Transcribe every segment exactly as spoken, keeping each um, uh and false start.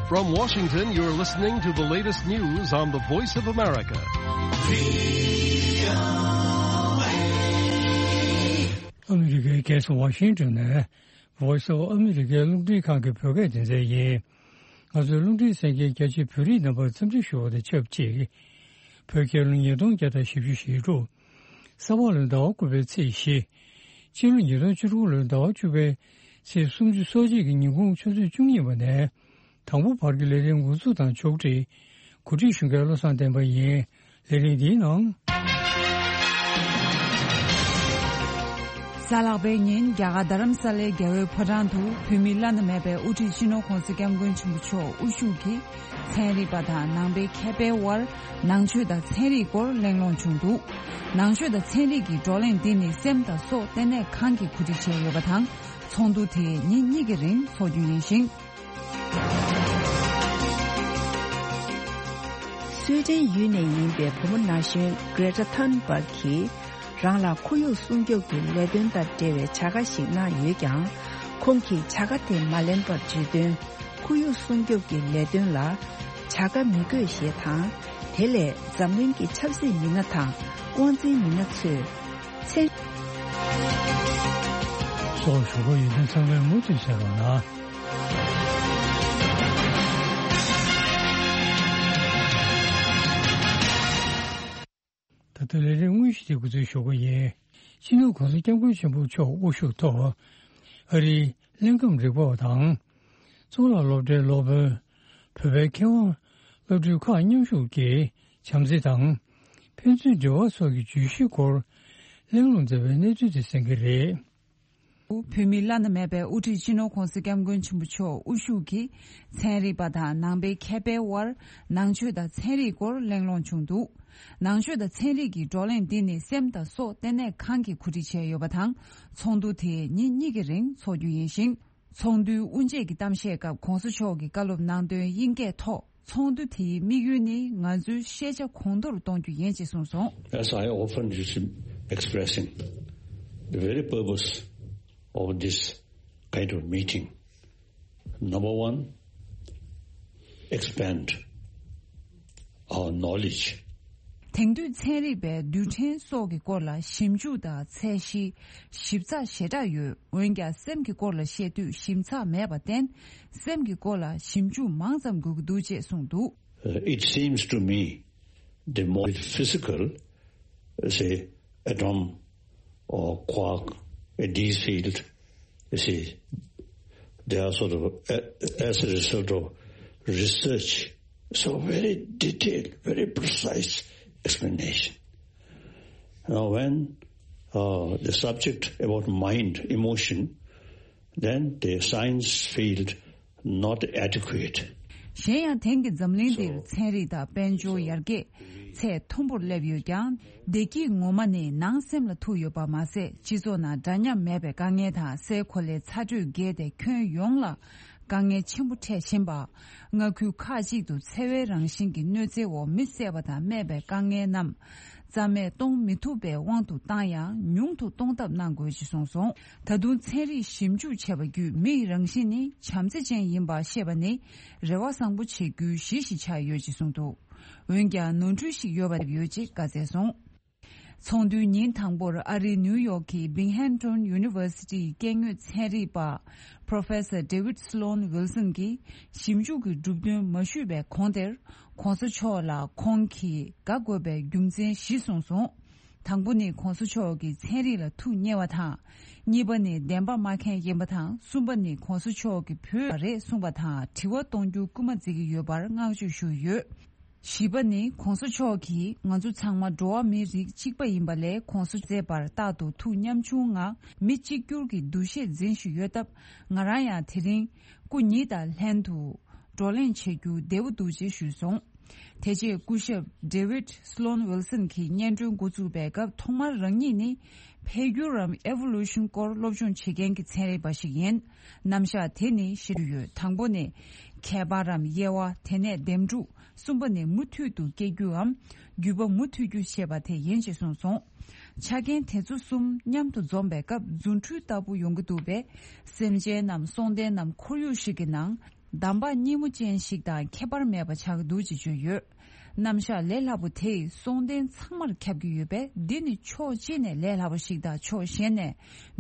From Washington, you're listening to the latest news on the Voice of America. ཨ་མི་རི་ཀའི་རྒྱལ་ས་ཝ་ཤིང་ཏོན་ནས་Voice of America རླུང་འཕྲིན་ཁང་གི་བོད་སྐད་སྡེ་ཚན་ཡིན། ང་ཚོའི་རླུང་འཕྲིན་གསན་མཁན་རྒྱ་ཆེའི་བོད་རིགས་རྣམ་པར་འཚམས་འདྲི་ཞུ་བ་དང་ཆབས་ཅིག་བོད་རྒྱལ་ལོ་ཉིས་སྟོང་བརྒྱ་དང་བཞི་བཅུ་ཞེ་དྲུག་ས་ཕག་ལོའི་ཟླ་བ་དགུ་པའི་ཚེས་བཞི། སྤྱི་ལོ་ཉིས་སྟོང་བཅུ་དྲུག་ལོའི་ཟླ་བ་བཅུ་པའི་ཚེས་སུམ་ཅུ་སོ་གཅིག་གི་ཉིན་གུང་ཆུ་ཚོད་བཅུ་གཉིས་པ་ནས་དང་པོ་བར་གྱི་ལས་རིམ་འགོ་འཛུགས་དང་ཕྱོགས་སྒྲིག་གོ་སྒྲིག་ཞུ་མཁན་བློ་བཟང་བསྟན་པ་ཡིན། ལས་རིམ་འདིའི་ནང་། གཟའ་ལྷག་པའི་ཉིན་རྒྱ་གར་རྡ་རམ་ས་ལའི་རྒྱལ་བའི་ཕོ་བྲང་དུ་བོད་མི་བླ་ན་མེད་པའི་དབུ་ཁྲིད་སྤྱི་ནོར་༧གོང་ས་༧སྐྱབས་མགོན་ཆེན་པོ་མཆོག་དབུ་བཞུགས་ཀྱིས་ཚན་རིག་པ་དང་ནང་པའི་མཁས་པའི་དབར་ནང་ཆོས་དང་ཚན་རིག་སྐོར་གླེང་སློང་བྱུང་འདུག་ནང་ཆོས་དང་ཚན་རིག་གི་བགྲོ་གླེང་འདི་ནི་སེམས་དང་སྲོག་ལྟེ་གནས་ཁང་གིས་གོ་སྒྲིག་བྱས་ཡོད་པ་དང་། ཚོགས་འདུ་དེ་ཉིན་གཉིས་ཀྱི་རིང་འཚོགས་རྒྱུ་ཡིན་ཞིང་། སུའེ་ཏེན་ཡུལ་ནས་ཡིན་པའི་བུ་མོ་ན་གཞོན་Greta Thunberg གིས་རང་ལ་ཁོར་ཡུག་སྲུང་སྐྱོབ་ཀྱི་ལས་དོན་དང་འབྲེལ་བའི་བྱ་དགའ་ཞིག་གནང་ཡོད་ཀྱང་། ཁོང་གིས་བྱ་དགའ་དེ་མ་ལེན་པར་བརྗོད་དོན། ཁོར་ཡུག་སྲུང་སྐྱོབ་ཀྱི་ལས་དོན་ལ་བྱ་དགའ་མི་དགོས་ཞེས་དང་། དེ་ལས་འཛམ་གླིང་གི་ཆབ་སྲིད་མི་སྣ་དང་དབང་འཛིན་མི་སྣ་ཚོས་མཚན། སོགས་ཞུ་སྒོ་ཡོད་མཁན་ཚང་མས་མུ་མཐུད་གསན་རོགས་གནང་། ད་ལྟ་ལས་རིམ་དངོས་གཞི་དེ་འགོ་འཛུགས་ཞུ་སྒོ་ཡིན། སྤྱི་ནོར་༧གོང་ས་༧སྐྱབས་མགོན་ཆེན་པོ་མཆོག་དབུ་བཞུགས་ཐོག་ཨ་རིའི་ཀླད་ཁམས་རིག་པ་བ་དང་། གཙུག་ལག་སློབ་གྲྭའི་སློབ་དཔོན། བོད་པའི་མཁས་དབང་། སློབ་ཕྲུག་ཁག་མཉམ་ཞུགས་ཀྱིས་བྱམས་བརྩེ་དང་། ཕན་ཚུན་འབྲེལ་བ་སོགས་ཀྱི་བརྗོད་གཞིའི་སྐོར་གླེང་སློང་མཛད་པའི་གནས་ཚུལ་དེ་གསན་གྱི་རེད། བོད་མི་བླ་ན་མེད་པའི་དབུ་ཁྲིད་སྤྱི་ནོར་༧གོང་ས་༧སྐྱབས་མགོན་ཆེན་པོ་མཆོག་དབུ་བཞུགས་ཀྱིས་ཚན་རིག་པ་དང་ནང་པའི་མཁས་པའི་དབར་ནང་ཆོས་དང་ཚན་རིག་སྐོར་གླེང་སློང་བྱུང་འདུག་ནང་ཆོས་དང་ཚན་རིག་གི་བགྲོ་གླེང་འདི་ནི་སེམས་དང་སྲོག་ལྟེ་གནས་ཁང་གིས་གོ་སྒྲིག་བྱས་ཡོད་པ་དང་། ཚོགས་འདུ་དེ་ཉིན་གཉིས་ཀྱི་རིང་འཚོགས་རྒྱུ་ཡིན་ཞིང་། ཚོགས་འདུའི་དབུ་འབྱེད་ཀྱི་གཏམ་བཤད་སྐབས་༧གོང་ས་མཆོག་གིས་བཀའ་སློབ་གནང་དོན་དབྱིན་སྐད་ཐོག་ཚོགས་འདུ་དེའི་དམིགས་ཡུལ་ནི་ང་ཚོའི་ཤེས་བྱ་གོང་མཐོར་གཏོང་རྒྱུ་ཡིན་ཅེས་གསུངས་སོང་། As I often used to expressing, the very purpose of this kind of meeting, number one, expand our knowledge. དེང་དུས་ཚན་རིག་པས་རྡུལ་ཕྲན་སོགས་ཀྱི་སྐོར་ལ་ཞིབ་འཇུག་དང་ཚད་གཞི་ཞིབ་ཚགས་ཞེ་དྲག་ཡོད། འོན་ཀྱང་སེམས་ཀྱི་སྐོར་ལ་བཤད་དུས་ཞིབ་ཚགས་མེད་པར་བརྟེན། སེམས་ཀྱི་སྐོར་ལ་ཞིབ་འཇུག་མང་ཙམ་དགོས་ཀྱི་འདུག་ཅེས་གསུངས་འདུག Uh, it seems to me the more physical, say, atom or quark, a D field, you see, they are sort of, uh, as a result of research, so very detailed, very precise explanation. Now, when uh, the subject about mind, emotion, then the science field not adequate. གཞན་ཡང་དེང་གི་འཛམ་གླིང་འདིར་ཚན་རིག་དང་དཔལ་འབྱོར་ཡར་རྒྱས་ཚད་མཐོན་པོར་སླེབས་ཡོད་ཀྱང་། བདེ་སྐྱིད་ངོ་མ་ནི་ནང་སེམས་ལ་ཐུག་ཡོད་པ་མ་ཟད། སྤྱི་ཚོགས་ནང་འདྲ་མཉམ་མེད་པའི་དཀའ་ངལ་དང་སའི་གོ་ལའི་ཚ་དྲོད་རྒྱས་ཏེ་ཁྱོན་ཡོངས་ལ་དཀའ་ངལ་ཆེན་པོ་འཕྲད་བཞིན་པ། མངའ་ཁུལ་ཁག་ཅིག་ཏུ་འཚེ་བའི་རང་བཞིན་གྱི་གནོད་འཚེའི་འོག་མི་བསད་པ་དང་རྨས་པའི་དཀའ་ངལ་རྣམས་རྩ་མེད་གཏོང་མི་ཐུབ་པའི་དབང་དུ་བཏང་ཡང་ཉུང་དུ་གཏོང་ཐབས་གནང་དགོས་ཞེས་གསུངས་སོང་། ད་དུང་ཚན་རིག་ཞིབ་འཇུག་བྱས་པ་བརྒྱུད་མིའི་རང་བཞིན་ནི་བྱམས་བརྩེ་ཅན་ཡིན་པ་ཤེས་པ་ནི་རེ་བ་བཟང་པོ་བྱེད་རྒྱུའི་གཞི་ཞིག་ཆགས་ཡོད་ཅེས་གསུངས་འདུག་འོན་ཀྱང་ནོར་འཁྲུལ་ཞིག་ཡོད་པ་ཡོད་ཅེས་བཀའ་སྩལ་སོང་། ཚོགས་འདུའི་ཉིན་དང་པོར་ཨ་རིའི་ནིའུ་ཡོག་གི་Binghamton University ཡི་སྐྱེས་དངོས་ཚན་རིག་པ་Professor David Sloan Wilson གྱིས་ཞིབ་འཇུག་གི་གྲུབ་དོན་མ་ཞུས་པའི་གོང་དེར། ༸གོང་ས་མཆོག་ལ་ཁོང་གིས་དགའ་དགོས་པའི་རྒྱུ་མཚན་བཞི་གསུངས་སོང་། དང་པོ་ནི་༸གོང་ས་མཆོག་གིས་ཚན་རིག་ལ་ཐུགས་མཉེས་པ་དང་། གཉིས་པ་ནི་བདེན་པ་སྨྲ་མཁན་ཡིན་པ་དང་། གསུམ་པ་ནི་༸གོང་ས་མཆོག་གིས་བོད་རེད་གསུངས་པ་དང་དྲི་བ་གཏོང་རྒྱུ་སྐུལ་མ་བརྩི་གི་ཡོད་པར་བསྔགས་བརྗོད་ཞུས་ཡོད། བཞི་པ་ནི་༸གོང་ས་མཆོག་གིས་ང་ཚོ་ཚང་མ་འགྲོ་བ་མིའི་རིགས་གཅིག་པ་ཡིན་པ་ལས་༸གོང་ས་མཛད་པར་རྟག་ཏུ་ཐུགས་ཉམ་ཆུང་ངང་མི་གཅིག་གྱུར་གྱི་འདུ་ཤེས་འཛིན་བཞིན་ཡོད་སྟབས། ང་རང་ཡང་དེ་རིང་སྐུ་ཉིད་དང་ལྷན་དུ་བགྲོ་གླེང་བྱེད་རྒྱུ་བདེ་པོ་འདུག་ཅེས་ཞུས་སོང་། དེ་རྗེས་སྐུ་ཞབས་David Sloan Wilson གྱིས་སྙན་སྒྲོན་འགོ་བཙུགས་པའི་སྐབས་ཐོག་མར་རང་ཉིད་ནི་འཕེལ་འགྱུར་རམ་Evolution སྐོར་སློབ་སྦྱོང་བྱེད་མཁན་གྱི་ཚན་རིག་པ་ཞིག་ཡིན། རྣམ་གཞག་དེ་ནི་ཞེས་ཡོད། དང་པོ་ནི་ཁྱད་པར་རམ་དབྱེ་བ། དེ་ནས་འདེམས་སྒྲུག་གསུམ་པ་ནི་མུ་མཐུད་དུ་སྐྱེ་རྒྱུའམ་རྒྱུད་པ་མུ་མཐུད་རྒྱུ་ཞེས་པ་དེ་ཡིན་ཞེས་གསུངས་སོང་། ཆ་རྐྱེན་དེ་ཚོ་གསུམ་མཉམ་དུ་འཛོམས་པའི་སྐབས་རྫུ་འཕྲུལ་ལྟ་བུ་ཡོང་གི་འདུག་པས། སེམས་ཅན་ནམ་སྲོང་ལྡན་ནམ་ཁོར་ཡུག་ཞིག་གི་ནང་ གདམས་པ་སྙན་མོ་ཅན་ཞིག་དང་ཁྱད་པར་མེད་པ་ཆགས་འདུག་ཅེས་བརྗོད་ཡོད། རྣམ་གཞག་ལས་སླ་པོ་དེས་གསུང་རྟེན་ཚང་མར་ཁྱབ་ཀྱི་ཡོད་པས། འདི་ནི་ཕྱོགས་གཅིག་ནས་ལས་སླ་པོ་ཞིག་དང་ཕྱོགས་གཞན་ནས་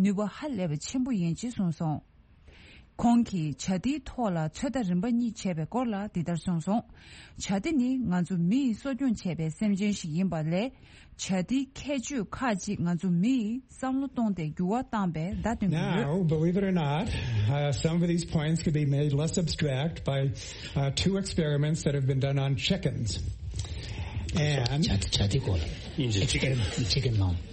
ནུས་པ་ཧ་ལས་པ་ཆེན་པོ་ཡིན་ཅེས་གསུངས་སོང་། ཁོང་གིས་བྱ་དེའི་ཐོག་ལ་ཚོད་ལྟ་རིམ་པ་གཉིས་བྱས་པའི་སྐོར་ལ་འདི་ལྟར་གསུངས་སོང་། བྱ་དེ་ནི་ང་ཚོ་མི་ཡིས་གསོ་སྐྱོང་བྱས་པའི་སེམས་ཅན་ཞིག་ཡིན་པ་ལས། བྱ་དེའི་ཁྱད་ཆོས་ཁག་ཅིག་ང་ཚོ་མི་ཡིས་བསམ་བློ་གཏོང་སྟེ་འགྱུར་བ་བཏང་པའི་བརྡ་སྟོན་གྱི་ཡོད། Now, believe it or not, uh, some of these points could be made less abstract by uh, two experiments that have been done on chickens. And བྱ་བྱ་དེ་སྐོར་ལ་ཨིན་ཇི་ཅི་ཀེན་ཅི་ཀེན་ནང་།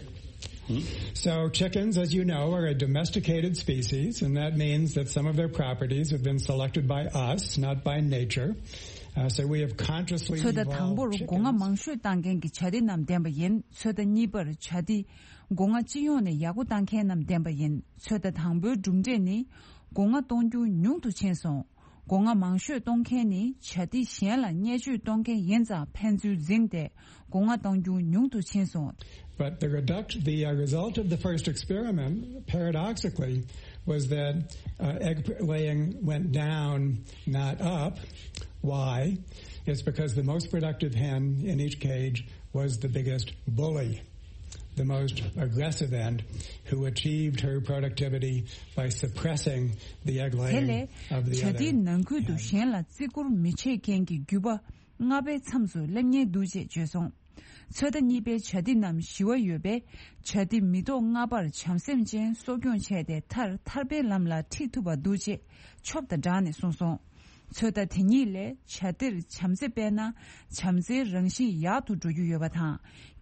So chickens, as you know, are a domesticated species, and that means that some of their properties have been selected by us, not by nature. Uh, so we have consciously ཚོད་ལྟ་དང་པོར་སྒོ་ང་མང་ཤོས་བཏང་མཁན་གྱི་བྱ་དེ་རྣམས་ལྡན་པ་ཡིན། ཚོད་ལྟ་གཉིས་པར་བྱ་དེ་སྒོ་ང་སྤྱི་ཡོངས་ནས་ཡག་པོ་བཏང་མཁན་རྣམས་ལྡན་པ་ཡིན། ཚོད་ལྟ་དང་པོའི་གྲུབ་འབྲས་ནི། སྒོ་ང་གཏོང་རྒྱུ་ཉུང་དུ་ཕྱིན་སོང་། སྒོ་ང་མང་ཤོས་གཏོང་མཁན་ནི་བྱ་དེ་གཞན་ལ་བརྙས་བཅོས་གཏོང་མཁན་ཡིན་ཙང་ཕན་ཚུན་འཛིངས་ཏེ་སྒོ་ང་གཏོང་རྒྱུ་ཉུང་དུ་ཕྱིན་སོང་། But the reduct the uh, result of the first experiment, paradoxically, was that uh, egg laying went down, not up. Why? It's because the most productive hen in each cage was the biggest bully, the most aggressive end, who achieved her productivity by suppressing the egg laying of the other. དེ་ལས་བྱ་དེའི་ནང་ཁུལ་དུ་གཞན་ལ་བརྩི་བཀུར་མི་བྱེད་མཁན་གྱི་རྒྱུད་པ་ལྔ་པའི་མཚམས་སུ་སླེབས་ཉེན་འདུག་ཅེས་བརྗོད་སོང་། ཚོད་ལྟ་གཉིས་པའི་བྱ་དེ་རྣམས་ཞི་བ་ཡོད་པས། བྱ་དེ་མི་ཐོག་ལྔ་པར་བྱམས་སེམས་ཅན་གསོ་སྐྱོང་བྱས་ཏེ་མཐར་ཐར་པའི་ལམ་ལ་ཁྲིད་ཐུབ་པ་འདུག་ཅེས་ཆོབ་དང་སྦྲགས་ནས་གསུངས་སོང་། ཚོད་ལྟ་དེ་གཉིས་ལས་བྱ་དེར་བྱམས་བརྩེ་སྤེལ་ན་བྱམས་བརྩེའི་རང་བཞིན་ཡག་ཏུ་འགྲོ་རྒྱུ་ཡོད་པ་དང་།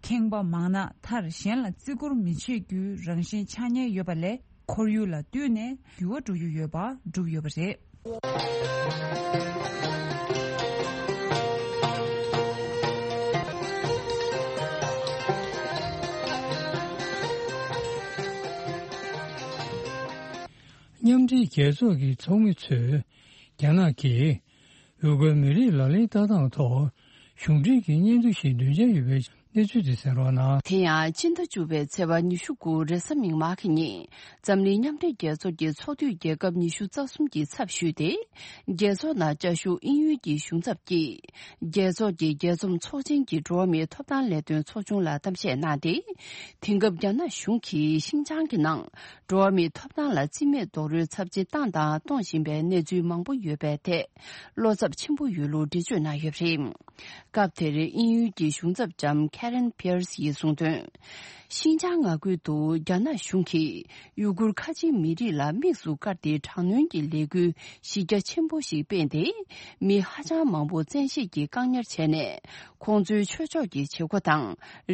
ཁེངས་པ་མང་ན་མཐར་གཞན་ལ་བརྩི་བཀུར་མི་བྱེད་རྒྱུའི་རང་བཞིན་ཆགས་ཉེན་ཡོད་པ་ལས། ཁོར་ཡུག་ལ་བསྟུན་ནས་འགྱུར་བ་འགྲོ་རྒྱུ་ཡོད་པ་བསྒྲུབས་ཡོད་པ་རེད། མཉམ་འབྲེལ་རྒྱལ་ཚོགས་ཀྱི་ཚོགས་མི་ཚོས་རྒྱ་ནག་གིས་ཡུ་གུར་མི་རིགས་ལག་ལེན་ལྟ་སྟངས་ཐོག་གཞུང་འབྲེལ་གྱི་སྙན་ཐོ་ཞིག་འདོན་འཆར་ཡོད་པའི་གནས་ཚུལ་དེ་གསན་རོགས་གནང་། དེ་ཡང་སྤྱི་ཟླ་བཅུ་པའི་ཚེས་པ་ཉི་ཤུ་དགུ་རེས་གཟའ་མིག་དམར་གྱི་ཉིན་འཛམ་གླིང་མཉམ་འབྲེལ་རྒྱལ་ཚོགས་ཀྱི་ཚོགས་འདུས་རྒྱལ་ཁབ་ཉི་ཤུ་རྩ་གསུམ་གྱི་ཚབ་ཞུས་ཏེ། རྒྱལ་ཚོགས་ནང་བཅའ་བཞུགས་དབྱིན་ཡུལ་གྱི་གཞུང་ཚབ་ཀྱིས་རྒྱལ་ཚོགས་ཀྱི་རྒྱལ་འཛོམས་ཚོགས་ཆེན་གྱི་འགྲོ་བ་མིའི་ཐོབ་ཐང་ལས་དོན་ཚོགས་ཆུང་ལ་གཏམ་བཤད་གནང་སྟེ། དེང་སྐབས་རྒྱ་ནག་གཞུང་གིས་ཤིན་ཅང་གི་ནང་འགྲོ་བ་མིའི་ཐོབ་ཐང་ལ་རྩིས་མེད་རྡོག་རོལ་ཚབས་ཆེ་བཏང་དང་གཏོང་བཞིན་པའི་གནས་ཚུལ་མང་པོ་ཡོད་པའི་ཐད་བློ་འཚབ་ཆེན་པོ་ཡོད་ལུགས་འགྲེལ་བརྗོད་གནང་ཡོད་པ་རེད། སྐབས་དེར་དབྱིན་ཡུལ་གྱི་གཞུང་ཚབ་ལྕམ་Karen Pierce ཡིས་གསུངས་དོན། ཤིན་ཅང་མངའ་ཁུལ་དུ་རྒྱ་ནག་གཞུང་གིས་ཡུ་གུར་ཁ་ཆེའི་མི་རིགས་ལ་དམིགས་སུ་བཀར་ཏེ་དྲག་གནོན་གྱི་ལས་འགུལ་གཞི་རྒྱ་ཆེན་པོ་ཞིག་སྤེལ་ཏེ། མི་ཧ་ཅང་མང་པོ་བཙན་ཤེད་ཀྱིས་བཀག་ཉར་བྱས་ནས། ཁོང་ཚོའི་ཆོས་ཕྱོགས་ཀྱི་བྱེད་སྒོ་དང་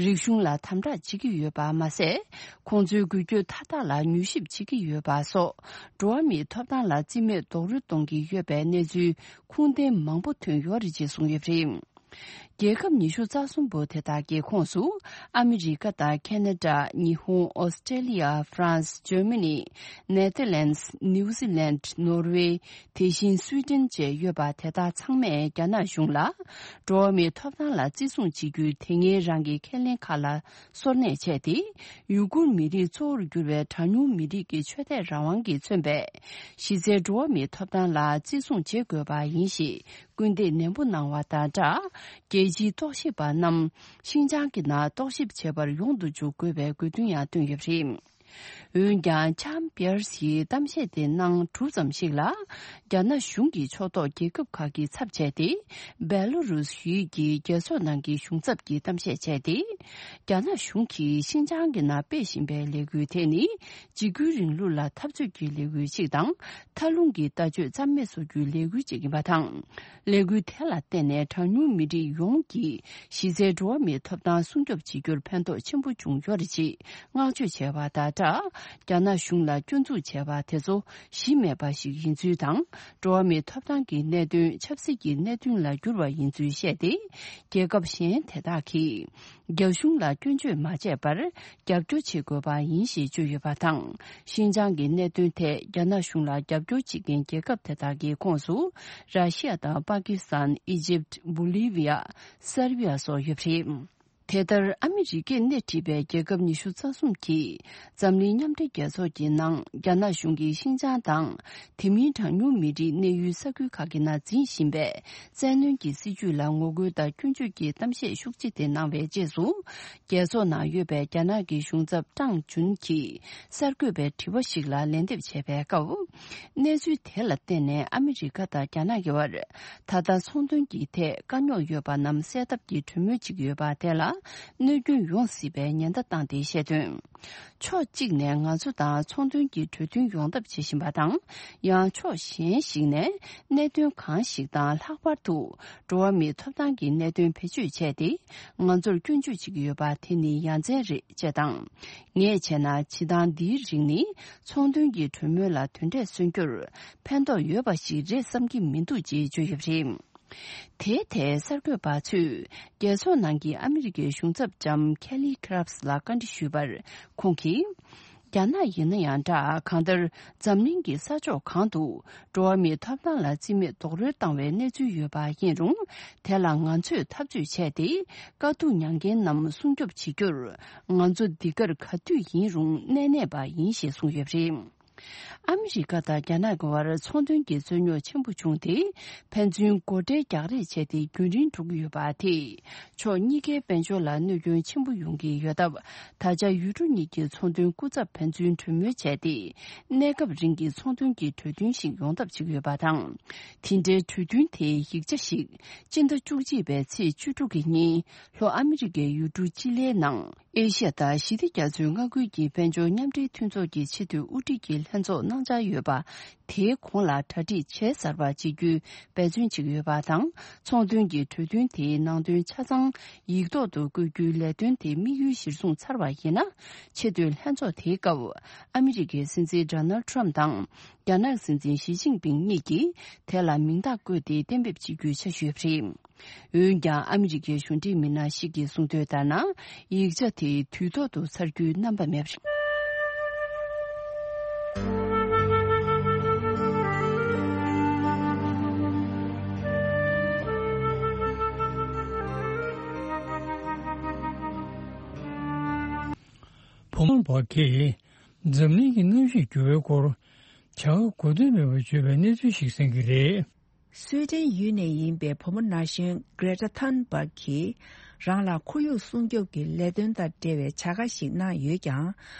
རིག་གཞུང་ལ་དམ་དྲག་བྱེད་ཀྱི་ཡོད་པ་མ་ཟད། ཁོང་ཚོའི་འགུལ་སྐྱོད་མཐའ་དག་ལ་མྱུལ་ཞིབ་བྱེད་ཀྱི་ཡོད་པ་སོགས། འགྲོ་བ་མིའི་ཐོབ་ཐང་ལ་རྩིས་མེད་རྡོག་རོལ་གཏོང་གི་ཡོད་པའི་གནས་ཚུལ་ཁུངས་ལྡན་མང་པོ་ཐོན་ཡོད་རེད་ཅེས་གསུངས་ཡོད་པ་རེད། རྒྱལ་ཁབ་ཉི་ཤུ་རྩ་གསུམ་པོ་དེ་དག་གི་ཁོངས་སུ། ཨ་མི་རི་ཀ་དང་ཁེ་ན་ཌ། ཉི་ཧོང་། ཨོ་སི་ཀྲེ་ལི་ཡ། ཧྥ་རན་སི། ཇར་མ་ནི། ནེ་ཐར་ལན་སི། ནིའུ་ཛི་ལན། ནོར་ཝེ། དེ་བཞིན་སུའི་ཏན་བཅས་ཡོད་པ་དེ་དག་ཚང་མས་རྒྱ་ནག་གཞུང་ལ། འགྲོ་བ་མིའི་ཐོབ་ཐང་ལ་བརྩི་སྲུང་བྱེད་རྒྱུའི་དེ་སྔའི་རང་གི་ཁས་ལེན་ཁག་ལ་སོར་གནས་བྱས་ཏེ། ཡུ་གུར་མི་རིགས་གཙོ་བོར་གྱུར་བའི་གྲངས་ཉུང་མི་རིགས་ཀྱི་ཆོས་དད་རང་དབང་གིས་མཚོན་པའི་གཞི་རྩའི་འགྲོ་བ་མིའི་ཐོབ་ཐང་ལ་བརྩི་སྲུང་བྱེད་དགོས་པ་ཡིན་ཞེས་སྐུལ་འདེད་ནན་པོ་གནང་བ་དང་སྦྲགས། རྒྱལ་སྤྱིའི་རྟོག་ཞིབ་པ་རྣམས་ཤིན་ཅང་གི་ནང་རྟོག་ཞིབ་བྱེད་པར་ཡོང་དུ་འཇུག་དགོས་པའི་དགོས་འདུན་ཡང་བཏོན་ཡོད་པ་རེད། འོན་ཀྱང་། ལྕམ་པེར་སིའི་གཏམ་བཤད་དེ་གནང་གྲུབ་ཙམ་ཞིག་ལ། རྒྱ་ནག་གཞུང་གི་ཕྱོགས་གཏོགས་རྒྱལ་ཁབ་ཁག་གི་ཚབ་བྱས་ཏེ། སྦེ་ལོ་རུས་ཡུལ་གྱི་རྒྱལ་ཚོགས་ནང་གི་གཞུང་ཚབ་ཀྱིས་གཏམ་བཤད་བྱས་ཏེ། རྒྱ་ནག་གཞུང་གིས་ཤིན་ཅང་གི་ནང་སྤེལ་བཞིན་པའི་ལས་འགུལ་དེ་ནི། འཇིགས་སྐུལ་རིང་ལུགས་ལ་འཐབ་རྩོད་ཀྱི་ལས་འགུལ་ཞིག་དང་། མཐའ་ལྷུང་གི་ལྟ་སྤྱོད་རྩ་མེད་བཟོ་རྒྱུའི་ལས་འགུལ་ཞིག་ཡིན་པ་དང་། ལས་འགུལ་དེ་ལ་བརྟེན་ནས་གྲངས་ཉུང་མི་རིགས་ཡོངས་ཀྱི་གཞི་རྩའི་འགྲོ་བ་མིའི་ཐོབ་ཐང་སྲུང་སྐྱོབ་བྱེད་རྒྱུར་ཕན་ཐོགས་ཆེན་པོ་བྱུང་ཡོད་རེད་ཅེས་བསྔགས་བརྗོད་བྱས་པ་དང་སྦྲགས། རྒྱ་ནག་གཞུང་ལ་སྐྱོན་འཛུགས་བྱས་པ་དེ་ཚོ་གཞི་མེད་པ་ཞིག་ཡིན་ཚུལ་དང་། འགྲོ་བ་མིའི་ཐོབ་ཐང་གི་གནད་དོན་ཆབ་སྲིད་ཀྱི་གནད་དོན་ལ་བསྒྱུར་བ་ཡིན་ཚུལ་བཤད་དེ། རྒྱལ་ཁབ་གཞན་དེ་དག་གིས། རྒྱ་གཞུང་ལ་སྐྱོན་བརྗོད་མ་བྱས་པར་རྒྱབ་སྐྱོར་བྱེད་དགོས་པ་ཡིན་ཞེས་བརྗོད་ཡོད་པ་དང་། ཤིན་ཅང་གི་གནད་དོན་ཐད་རྒྱ་ནག་གཞུང་ལ་རྒྱབ་སྐྱོར་བྱེད་མཁན་རྒྱལ་ཁབ་དེ་དག་གི་ཁོངས་སུ། ར་ཤི་ཡ་དང་པ་ཀི་སི་ཐན། ཨི་ཇིབ། བོ་ལི་བི་ཡ། སར་བི་ཡ་སོགས་ཡོད་པ་རེད། དེ་ལྟར། ཨ་མི་རི་ཀས་སྣེ་ཁྲིད་པའི་རྒྱལ་ཁབ་ཉི་ཤུ་རྩ་གསུམ་གྱིས་འཛམ་གླིང་མཉམ་འབྲེལ་རྒྱལ་ཚོགས་ཀྱི་ནང་རྒྱ་ནག་གཞུང་གིས་ཤིན་ཅང་དང་། དེ་མིན་གྲངས་ཉུང་མི་རིགས་གནས་ཡུལ་ས་ཁུལ་ཁག་གི་ནང་འཛིན་བཞིན་པའི་བཙན་གནོན་གྱི་སྲིད་བྱུས་ལ་ངོ་རྒོལ་དང་སྐྱོན་བརྗོད་ཀྱི་གཏམ་བཤད་ཤུགས་ཆེ་དེ་གནང་བའི་རྗེས་སུ། རྒྱལ་ཚོགས་ནང་ཡོད་པའི་རྒྱ་ནག་གི་གཞུང་ཚབ་ཀྲང་ཅུན་གྱིས་གསར་འགོད་པའི་དྲི་བ་ཞིག་ལ་ལན་འདེབས་བྱས་པའི་སྐབས། གནས་ཚུལ་དེ་ལ་བརྟེན་ནས་ཨ་མི་རི་ཀ་དང་རྒྱ་ནག་གི་བར་ད་ལྟ་ཚོང་དོན་གྱི་ཐད་དཀའ་རྙོག་ཡོད་པ་རྣམས་སེལ་ཐབས་ཀྱི་གྲོས་མོལ་བྱེད་ཀྱི་ཡོད་པ་དེ་ལ་གནོད་སྐྱོན་ཡོང་སྲིད་པའི་ཉེན་བརྡ་བཏང་སྟེ་བཤད་དོན། ཕྱོགས་གཅིག་ནས་ང་ཚོ་དང་ཚོང་དོན་གྱི་གྲོས་མཐུན་ཡོང་ཐབས་བྱེད་བཞིན་པ་དང་། ཡང་ཕྱོགས་གཞན་ཞིག་ནས་གནད་དོན་གང་ཞིག་དང་ལྷག་པར་དུ་འགྲོ་བ་མིའི་ཐོབ་ཐང་གི་གནད་དོན་བེད་སྤྱོད་བྱས་ཏེ་ང་ཚོར་སྐྱོན་བརྗོད་བྱེད་ཀྱི་ཡོད་པ་དེ་ནི་ཡ་མཚན་རེད་ཅེས་དང་། ངས་བྱས་ན་བྱེད་སྟངས་འདིའི་རིགས་ནི་ཚོང་དོན་གྱི་གྲོས་མོལ་ལ་དོན་འབྲས་སོན་རྒྱུར་ཕན་ཐོགས་ཡོད་པ་ཞིག་རེད་བསམ་གྱི་མི་འདུག་ཅེས་བརྗོད་ཡོད་པ་རེད། དེའི་ཐད་གསར་འགོད་པ་ཚོས་རྒྱལ་ཚོགས་ནང་གི་ཨ་མི་རི་ཀའི་གཞུང་ཚབ་ལྕམ་ཁེ་ལི་ཁི་རབ་སི་ལ་བཀའ་འདྲི་ཞུས་པར། ཁོང་གིས། རྒྱ་ནག་ཡིན་ན་ཡང་འདྲ། གང་ལྟར་འཛམ་གླིང་གི་ས་ཕྱོགས་གང་དུ་འགྲོ་བ་མིའི་ཐོབ་ཐང་ལ་རྩིས་མེད་རྡོག་རོལ་བཏང་བའི་གནས་ཚུལ་ཡོད་པ་ཡིན་རུང་། དེ་ལ་ང་ཚོས་འཐབ་རྩོད་བྱས་ཏེ། དཀའ་སྡུག་མྱངས་མཁན་རྣམས་སྲུང་སྐྱོབ་བྱེད་རྒྱུར། ང་ཚོ་འདི་གར་ག་དུས་ཡིན་རུང་གནས་གནས་པ་ཡིན་ཞེས་གསུངས་ཡོད་པ་རེད། ཨ་མི་རི་ཀ་དང་རྒྱ་ནག་གི་བར་ཚོང་དོན་གྱི་རྩོད་རྙོག་ཆེན་པོ་བྱུང་སྟེ། ཕན་ཚུན་སྒོ་ཁྲལ་རྒྱག་རེས་བྱས་ཏེ་རྒྱུན་རིང་འགྲོ་གི་ཡོད་པ་དེས། ཕྱོགས་གཉིས་ཀའི་དཔལ་འབྱོར་ལ་གནོད་སྐྱོན་ཆེན་པོ་ཡོང་གི་ཡོད་སྟབས། ད་ཆ་ཡུལ་གྲུ་གཉིས་ཀྱི་ཚོང་དོན་སྐུ་ཚབ་ཕན་ཚུན་གྲོས་མོལ་བྱས་ཏེ། གནས་སྐབས་རིང་གི་ཚོང་དོན་གྱི་གྲོས་མཐུན་ཞིག་ཡོང་ཐབས་བྱེད་ཀྱི་ཡོད་པ་དང་། དེ་འབྲེལ་གྲོས་མཐུན་དེའི་ཡིག་ཆ་ཞིག་སྤྱི་ཟླ་བཅུ་གཅིག་པའི་ཚེས་བཅུ་དྲུག་གི་ཉིན་ལྷོ་ཨ་མི་རི་ཀའི་ཡུལ་གྲུ་ཅི་ལིའི་ནང་། ཨེ་ཤ་ཡ་དང་ཞི་བདེ་རྒྱ་མཚོའི་མངའ་ཁུལ་གྱི་དཔལ་འབྱོར་མཉམ་འབྲེལ་མཐུན་ཚོགས་ཀྱི་ཆེས་མཐོའི་དབུ་ཁྲིད་ཀྱི་ལྷན་ཚོགས་གནང་འཆར་ཡོད་པ། དེའི་གོང་ལ་གྲ་སྒྲིག་བྱས་ཚར་བ་བྱེད་རྒྱུའི་འབད་བརྩོན་བྱེད་ཀྱི་ཡོད་པ་དང་། ཚོང་དོན་གྱི་གྲོས་མཐུན་དེའི་ནང་དོན་ཆ་ཚང་ཡིག་ཐོག་ཏུ་བཀོད་རྒྱུའི་ལས་དོན་དེ་དམིགས་ཡུལ་གཞིར་བཟུང་ཚར་བ་ཡིན་ན། ཆེས་མཐོའི་ལྷན་ཚོགས་དེའི་སྐབས། ཨ་མི་རི་ཀའི་སྲིད་འཛིན་ཌོ་ནལ་ཊམ་དང་། རྒྱ་ནག་སྲིད་འཛིན་ཞི་ཅིན་ཕིང་གཉིས་ཀྱིས་དེ་ལ་མིང་རྟགས་བཀོད་དེ་གཏན་འབེབས་བྱེད་རྒྱུའི་འཆར་གཞི་ཡོད་པ་རེད། འོན་ཀྱང་ཨ་མི་རི་ཀའི་གཞུང་འབྲེལ་མི་སྣ་ཞིག་གིས་གསུངས་དོན་ལྟར་ན། ཡིག་ཆ་དེ་དུས་ཐོག་ཏུ་ཚར་རྒྱུའི་རྣམ་པ་མེད་པ་རེད། བུ་མོ་བ་གིས་འཛམ་གླིང་གི་གནམ་གཤིས་འགྱུར་བའི་སྐོར་བྱ་དགའ་དགོས་འདུན་མེད་པར་བརྗོད་པའི་གནས་ཚུལ་ཞིག་གསན་གྱི་རེད། སུའེ་ཏེན་ཡུལ་ནས་ཡིན་པའི་བུ་མོ་ན་གཞོན་Greta Thunberg་གིས་རང་ལ་ཁོར་ཡུག་སྲུང་སྐྱོབ་ཀྱི་ལས་དོན་དང་འབྲེལ་བའི་བྱ་དགའ་ཞིག་གནང་ཡོད་ཀྱང་།